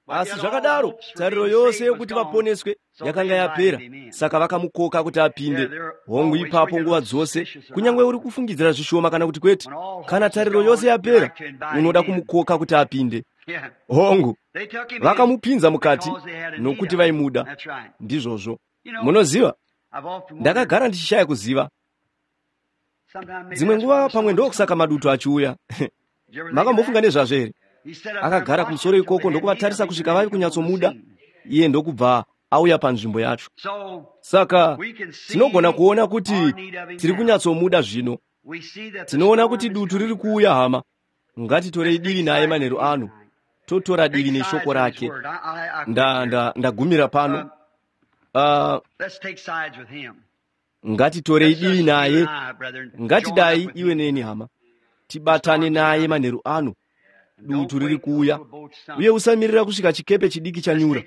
Asi zvakadaro, tariro yose yokuti vaponeswe yakanga yapera, saka vakamukoka kuti apinde. Hongu, ipapo nguva dzose, kunyange uri kufungidzira zvishoma kana kuti kwete, kana tariro yose yapera, unoda kumukoka kuti apinde. Hongu, vakamupinza mukati nokuti vaimuda. Ndizvozvo. Munoziva, ndakagara ndichishaya kuziva. Dzimwe nguva pamwe ndokusaka madutu achiuya. Makambofunga nezvazvo here? Akagara kumusoro ikoko ndokuvatarisa kusvika vave kunyatsomuda, iye ndokubva auya panzvimbo yacho. Saka tinogona kuona kuti tiri kunyatsomuda zvino. Tinoona kuti dutu riri kuuya, hama. Ngatitorei divi naye manheru ano, totora divi neshoko rake. Ndagumira pano. Uh, ngatitorei divi naye. Ngatidai iwe neni, hama, tibatane naye manheru ano. Dutu riri kuuya, uye usamirira kusvika chikepe chidiki chanyura.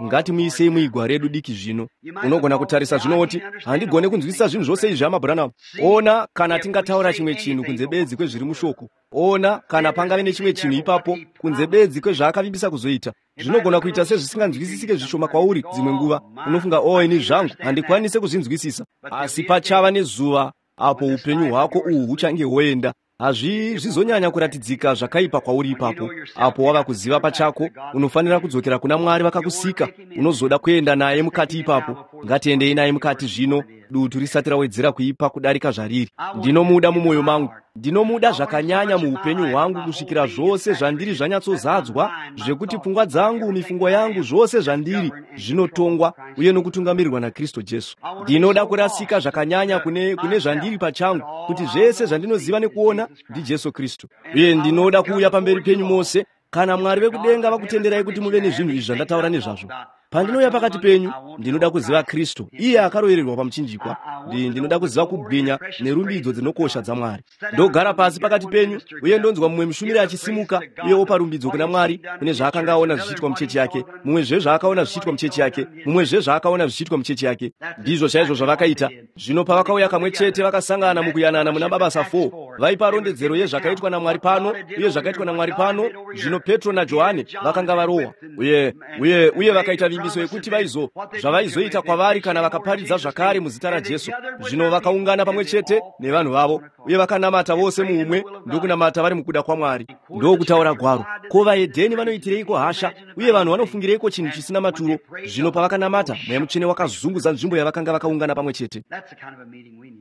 Ngatimuisei muigwa redu diki zvino. Unogona kutarisa zvino woti, handigone kunzwisisa zvinhu zvose izvi, hama Branham. Ona kana tingataura chimwe chinhu kunze bedzi kwezviri mushoko. Ona kana pangave nechimwe chinhu ipapo kunze bedzi kwezvaakavimbisa kuzoita. Zvinogona kuita sezvisinganzwisisike zvishoma kwauri dzimwe nguva. Unofunga, oh, ini zvangu handikwanise kuzvinzwisisa. Asi pachava nezuva apo upenyu hwako uhu huchange hwoenda. Hazvi zvizonyanya kuratidzika zvakaipa kwauri ipapo. Apo wava kuziva pachako, unofanira kudzokera kuna Mwari vakakusika. Unozoda kuenda naye mukati ipapo. Ngatiendei naye mukati zvino, dutu risati rawedzera kuipa kudarika zvariri. Ndinomuda mumwoyo mangu. Ndinomuda zvakanyanya muupenyu hwangu kusvikira zvose zvandiri zvanyatsozadzwa, zvekuti pfungwa dzangu, mifungo yangu, zvose zvandiri zvinotongwa uye nokutungamirirwa naKristu Jesu. Ndinoda kurasika zvakanyanya kune, kune zvandiri pachangu, kuti zvese zvandinoziva nekuona ndiJesu Kristu. Uye ndinoda kuuya pamberi penyu mose, kana Mwari vekudenga vakutenderai kuti muve nezvinhu izvi zvandataura nezvazvo. Pandinouya pakati penyu, ndinoda kuziva Kristu, iye akarovererwa pamuchinjikwa. Ndinoda kuziva kubwinya nerumbidzo dzinokosha dzaMwari. Ndogara pasi pakati penyu, uye ndonzwa mumwe mushumiri achisimuka uye opa rumbidzo kuna Mwari kune zvaakanga aona zvichiitwa muchechi yake, mumwezve zvaakaona zvichiitwa muchechi yake, mumwezve zvaakaona zvichiitwa muchechi yake. Ndizvo chaizvo zvavakaita. Zvino pavakauya kamwe chete vakasangana mukuyanana muna Mabasa four, vaipa rondedzero yezvakaitwa naMwari pano uye zvakaitwa naMwari pano. Zvino Petro naJohane vakanga varohwa, uye uye uye vakaita vimbiso yekuti vaizo zvavaizoita kwavari kana vakaparidza zvakare muzita raJesu. Zvino vakaungana pamwe chete nevanhu vavo uye vakanamata vose muumwe, ndokunamata vari mukuda kwaMwari. Ndokutaura gwaro, ko vahedheni vanoitireiko hasha uye vanhu vanofungireiko chinhu chisina maturo? Zvino pavakanamata, Mweya Mutsvene wakazunguza nzvimbo yavakanga vakaungana pamwe chete.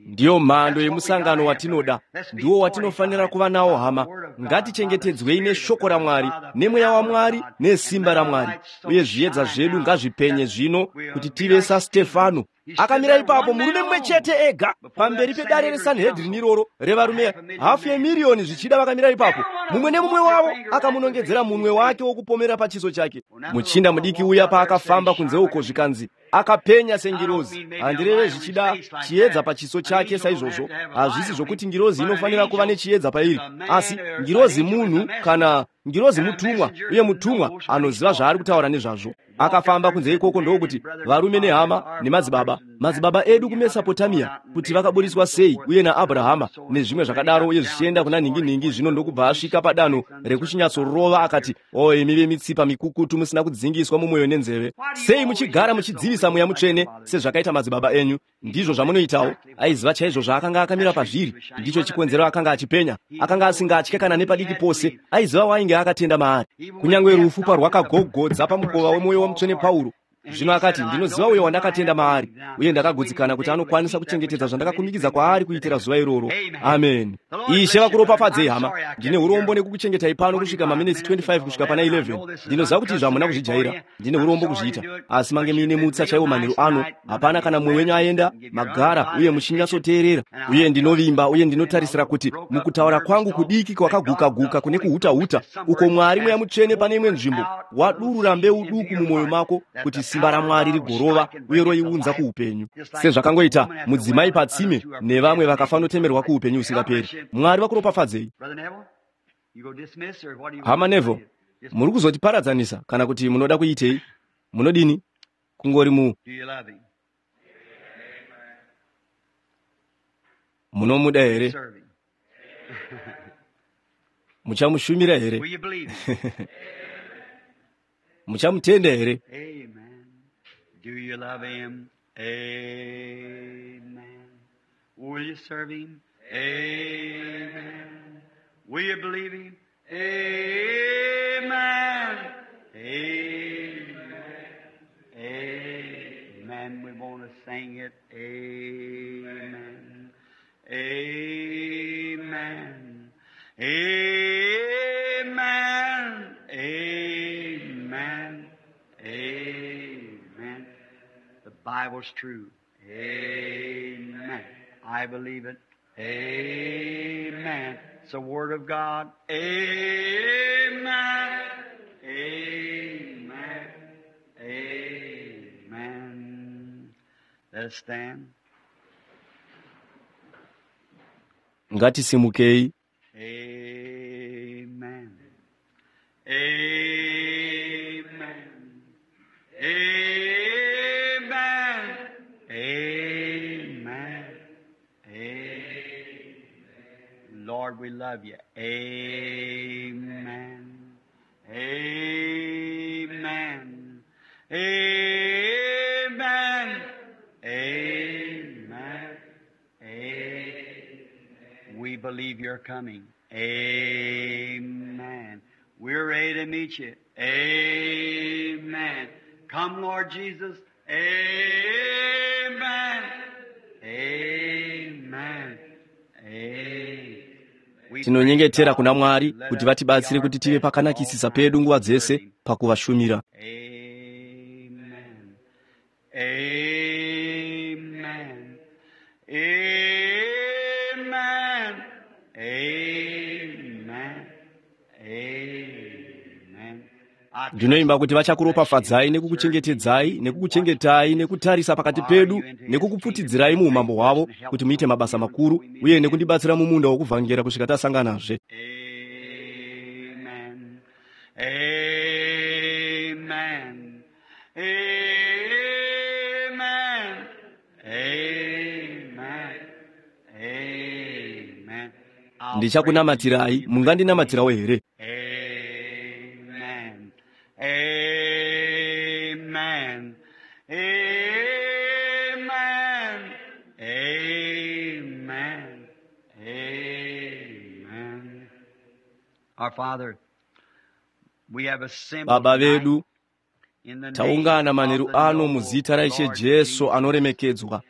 Ndiyo mhando yemusangano watinoda, ndiwo watinofanira kuva nawo, hama. Ngatichengetedzwei neshoko raMwari, nemweya waMwari, nesimba raMwari, uye zviedza zvedu ngazvipenye zvino kuti tive saStefano. Akamira ipapo murume mumwe chete ega pamberi pedare reSanhedrini iroro revarume hafu yemiriyoni zvichida vakamira ipapo. Mumwe nemumwe wavo akamunongedzera munwe wake wokupomera pachiso chake. Muchinda mudiki uya paakafamba kunze uko, zvikanzi akapenya sengirozi. Handireve zvichida chiedza pachiso chake saizvozvo. Hazvisi zvokuti ngirozi inofanira kuva nechiedza pairi, asi ngirozi munhu, kana ngirozi mutumwa, uye mutumwa anoziva zvaari kutaura nezvazvo. Akafamba kunze ikoko ndokuti, varume nehama nemadzibaba, madzibaba edu kuMesopotamia, kuti vakaburiswa sei uye naAbrahama nezvimwe zvakadaro, uye zvichienda kuna nhingi-nhingi. Zvino ndokubva asvika padanho rekuchinyatsorova, akati, o imi vemitsipa mikukutu, musina kudzingiswa mumwoyo nenzeve, sei muchigara muchidzivisa Mweya Mutsvene sezvakaita madzibaba enyu? Ndizvo zvamunoitawo. Aiziva chaizvo zvaakanga akamira pazviri. Ndicho chikonzero akanga achipenya. Akanga asingatye kana nepadiki pose. Aiziva wainge akatenda maari, kunyange rufu parwakagogodza pamukova wemwoyo wamutsvene Pauro. Zvino akati, ndinoziva uyo wandakatenda maari, uye ndakagutsikana kuti anokwanisa kuchengetedza zvandakakumikidza kwaari kuitira zuva iroro. Amen. Ishe vakuropafadzei, hama. Ndine urombo nekukuchengetai pano kusvika maminitsi twenty five kusvika pana eleven. Ndinoziva kuti izvo hamuna kuzvijaira. Ndine urombo kuzviita, asi mange muine mutsa chaiwo manheru ano. Hapana kana mumwe wenyu aenda, magara uye muchinyatsoteerera. Uye ndinovimba uye ndinotarisira kuti mukutaura kwangu kudiki kwakaguka-guka kune kuhuta-huta uko, Mwari Mweya Mutsvene pane imwe nzvimbo wadurura mbeu duku mumwoyo mako kuti simba raMwari rigorova uye roiunza kuupenyu, sezvakangoita mudzimai patsime nevamwe vakafanotemerwa kuupenyu husingaperi. Mwari vakuropafadzei. Hama Neville, muri kuzotiparadzanisa kana kuti munoda kuitei? Munodini? Kungori mu munomuda here? Muchamushumira here? Muchamutenda here? Do you love him? Amen. Will you serve him? Amen. Will you believe him? Amen. Amen. Amen. We want to sing it. Amen. Amen. Amen. Amen. Amen. The Bible's true. Amen. I believe it. Amen. It's the Word of God. Amen. Amen. Amen. Let us stand. Ngatisimukei. Amen. Amen. Amen. Amen. Amen. Lord, we love you. Amen. Amen. Amen. Amen. Amen. We believe you're coming. Amen. We're ready to meet you. Amen. Come, Lord Jesus. Amen. Amen. Amen. Tinonyengetera kuna Mwari kuti vatibatsire kuti tive pakanakisisa pedu nguva dzese pakuvashumira. Amen. Amen. Amen. Amen. Amen. I Ndinovimba kuti vachakuropafadzai nekukuchengetedzai nekukuchengetai nekutarisa pakati pedu nekukupfutidzirai muumambo hwavo kuti muite mabasa makuru uye nekundibatsira mumunda wokuvhangera kusvika tasanganazve. Amen. Amen. Amen. Amen. Ndichakunamatirai, mungandinamatirawo here? Amen. Amen. Amen. Amen. Amen. Our Father, we have assembled Baba vedu, in the taungana name of manheru the ano noble muzita raIshe Lord Jesu Jesus, anoremekedzwa,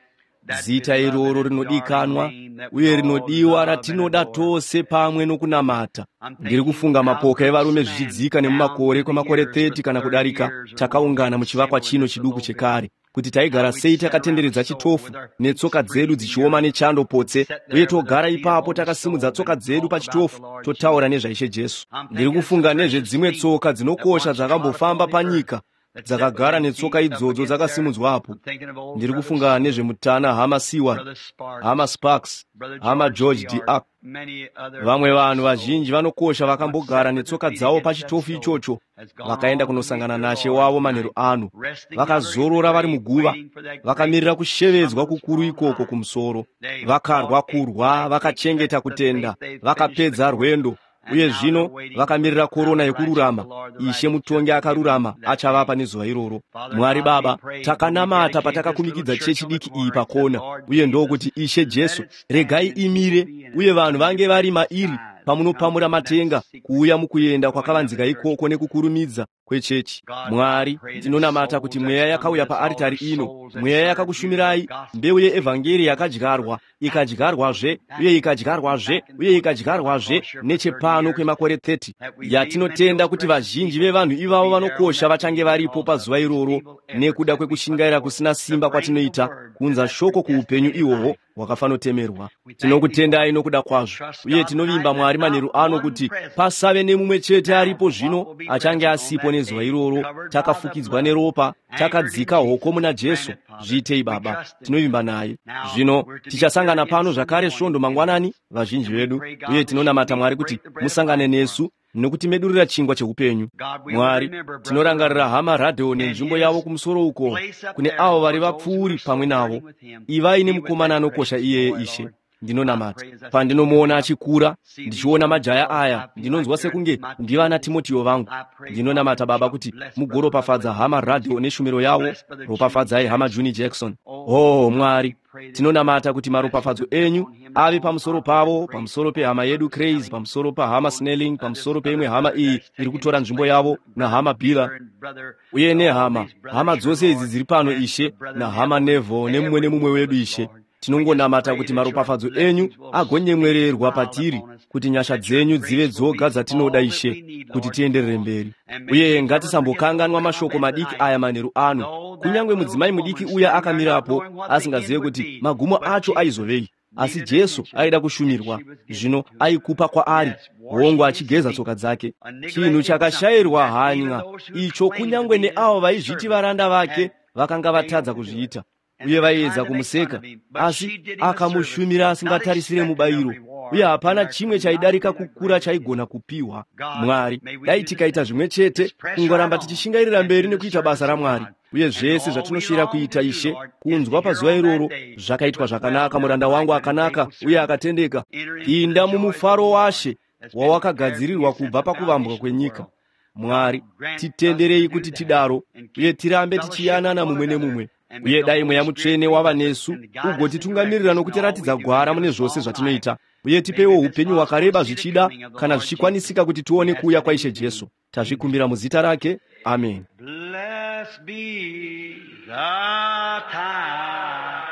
that zita iroro beloved and rinodikanwa darling name that we uye all rinodiwa love and ratinoda adore. tose pamwe nokunamata. I'm Ndiri thinking kufunga how mapoka groups evarume man zvichidzika down nemumakore through the kwemakore years for thirty kana thirty kudarika years or more takaungana muchivakwa assembled in chino this chiduku little chekare building. kuti taigara How we'd sei sat around the takatenderedza stove chitofu with our feet netsoka dzedu freezing dzichioma up nechando and potse sat uye there with our togara feet ipapo upon the takasimudza stove tsoka and dzedu talk about the pachitofu Lord totaura Jesus. nezvaIshe Jesu. I'm Ndiri thinking of some kufunga precious nezvedzimwe feet tsoka that dzinokosha once trod dzakambofamba upon the earth, panyika that sat with dzakagara them netsoka feet up idzodzo against there. dzakasimudzwapo. I'm thinking of old Ndiri Brother kufunga Seward, nezvemutana hama Seward, Brother Sparks, hama Sparks, Brother hama George George D. D. Ark, Ark, many other vamwe vanhu precious souls vazhinji vanokosha that once vakambogara sat with their netsoka feet dzavo against that pachitofu stove ichocho has gone vakaenda on to meet kunosangana their nashe Lord wavo manheru tonight, ano, resting yonder in the vakazorora vari grave, muguva, waiting for that great vakamirira kushevedzwa summons kukuru from ikoko high. kumusoro. They Vakarwa fought a kurwa, fight, they kept vakachengeta the kutenda, faith, they finished the vakapedza course, rwendo, and uye now they're zvino waiting for the vakamirira crown korona of righteousness, yekururama. the Lord, the Ishe righteous judge, mutongi will give akarurama them that achavapa day. nezuva iroro. Father Mwari God, we Baba, prayed when we takanamata dedicated this little patakakumikidza church chechi on the diki iyi corner and said, pakona, Lord uye Jesus, ndokuti Ishe let Jesu, it stand regai and people imire be in it uye vanhu when vange you vari break the mairi skies and come pamunopamura from that matenga secret kuuya mukuenda going of the kwakavanzika church. ikoko nekukurumidza kwechechi. God, I Mwari, pray that ndinonamata kuti souls mweya that's come to yakauya this altar, paaritari ino, souls that mweya served you, the yakakushumirai, gospel mbeu yeevhangeri seed was yakadyarwa, back and ikadyarwazve back uye and ikadyarwazve back and uye forth ikadyarwazve across here for thirty nechepano years, kwemakore thirty that we believe many of yatinotenda those kuti precious vazhinji people vevanhu will ivavo be there on vanokosha that vachange day varipo because of pazuva the iroro feeble efforts nekuda that we put kwekushingaira forth kusina to simba bring the kwatinoita word to kuunza that shoko kuupenyu predestinated ihwohwo life. hwakafanotemerwa. We thank thee for Tinokutendai it nokuda and kwazvo trust uye God tinovimba tonight that Mwari not manheru ano one kuti present pasave nemumwe chete now aripo but what zvino will be achange present on asipo that nezuva day, iroro, covered by the takafukidzwa blood, neropa, anchored in takadzika hoko Jesus. muna Grant Jesu. it, Father. Zviitei We Baba, trust in him. tinovimba naye. Now Zvino we're to meet here tichasangana again pano Sunday zvakare morning, svondo many of mangwanani, us. vazhinji And we vedu, pray, God, uye that you'll tinonamata meet Mwari and kuti break the bread of musangane life for us. nesu nokutimedurira chingwa cheupenyu. God, we will Mwari, remember Brother tinorangarira Rudd hama Radheo and nenzvimbo yavo his kumusoro uko place up kune there avo vari for those who vapfuuri are pamwe navo. sojourning with him. Ivai Be with nemukomana that anokosha precious iyeye boy, Ishe. Lord. I Ndinonamata pray as I see him pandinomuona coming up, achikura, see these ndichiona young majaya fellows, aya, I feel like ndinonzwa they're sekunge my ndivana Timothy. Timotiyo vangu. I pray, Father, Ndinonamata that Baba you'll kuti bless Brother mugoropafadza Rutledge hama and his Radheo neshumiro yavo, bless Brother Junie ropafadzai hama Jackson. Juni Jackson. Oh, Oh God, we Mwari, pray that your tinonamata kuti blessings maropafadzo will be enyu upon him and ave on pamusoro Father and pavo, grace pamusoro pehama upon yedu Brother Craze, Snelling, pamusoro pahama upon Snelling, uh, this pamusoro peimwe other hama brother iyi that's iri taken kutora his nzvimbo place, yavo, Brother nahama Bila Beeler and Brother, uye all nehama these brothers hama here, dzose idzi Lord, dziri pano and the Ishe, Brother nahama Neville, Neville nemumwe every nemumwe one of wedu us, Ishe. Lord. We just Tinongonamata pray kuti that your maropafadzo enyu blessings will agonyemwererwa smile patiri, upon us, kuti nyasha that your dzenyu dzive grace will be dzoga dzatinoda all that Ishe, we need, kuti Lord, to tienderere go on. mberi. And may Uye we never forget those ngatisambokanganwa mashoko comments madiki tonight. aya manheru ano. Though that Kunyange little mudzimai mudiki woman uya standing there not akamirapo knowing what the end asingazive would kuti be, magumo but acho Jesus aizovei, asi needed Jesu attention, aida and kushumirwa, she was given zvino to him. aikupa kwaari, Yes, hongu washing his achigeza feet, tsoka dzake, a chinhu neglected something chakashayirwa that even hanya those who icho claimed to kunyange be his neavo vaizviti servants varanda vake had vakanga failed vatadza to do it. kuzviita And uye they were trying vaiedza to make fun kumuseka, of him, but asi she did him a service, akamushumira not asingatarisire expecting a mubayiro, uye reward, and hapana there chimwe could not chaidarika been a kukura greater gift. chaigona kupiwa. God, Mwari, may we dai do the tikaita same. zvimwe chete, Just press right kungoramba on tichishingairira and mberi do the nekuita basa service of raMwari, God. uye And zvese all we zvatinoshuvira long to kuita do, Ishe, Lord, is to kunzwa hear pazuva on that iroro day, it zvakaitwa was well zvakanaka, done, muranda my wangu good and akanaka faithful uye servant. akatendeka, Enter into the pinda joys of the mumufaro Lord waShe that's been prepared for you wawakagadzirirwa since kubva the pakuvambwa foundation of the kwenyika. world. Mwari, God, grant us to titenderei do kuti that tidaro and uye keep tirambe fellowship with tichiyanana one mumwe another. nemumwe. And may Uye the dai Holy Mweya Spirit Mutsvene lead wava us nesu and guide us and direct ugotitungamirira us in all we nokutiratidza do and gwara give mune us zvose long life. zvatinoita. Uye May tipewo we, if it's upenyu possible, hwakareba see the zvichida coming of the kana Lord Jesus. zvichikwanisika kuti We tione ask kuuya that in kwaIshe his name. Jesu. Amen. Tazvikumbira muzita rake. Amen. Blessed be the tie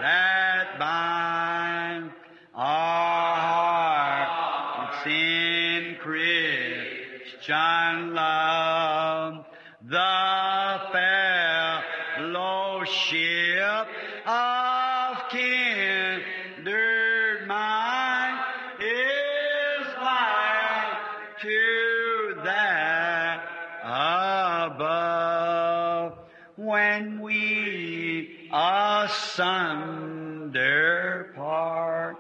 that binds our hearts in Christian love, the fellowship of kindred mind is like to that Asunder part.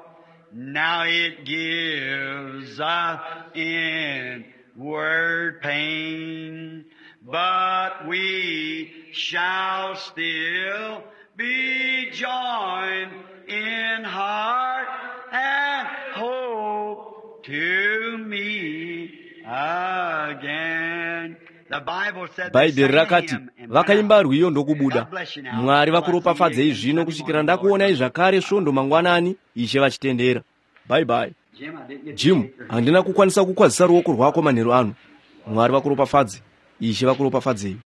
Now it gives us inward pain, but we shall still be joined in heart and hope to meet again. The Bible said they Bhaibheri sang a rakati hymn and went vakaimba out. rwiyo ndokubuda. God bless you now. Mwari Till I see you vakuropafadzei again zvino Sunday kusvikira morning, Lord ndakuonai willing. zvakare svondo mangwanani, Ishe vachitendera. Bye bye. Jim, I didn't get to Jim, shake your hand. handina kukwanisa kukwazisa ruoko rwako manheru ano. Mwari vakuropafadze. Ishe vakuropafadzei.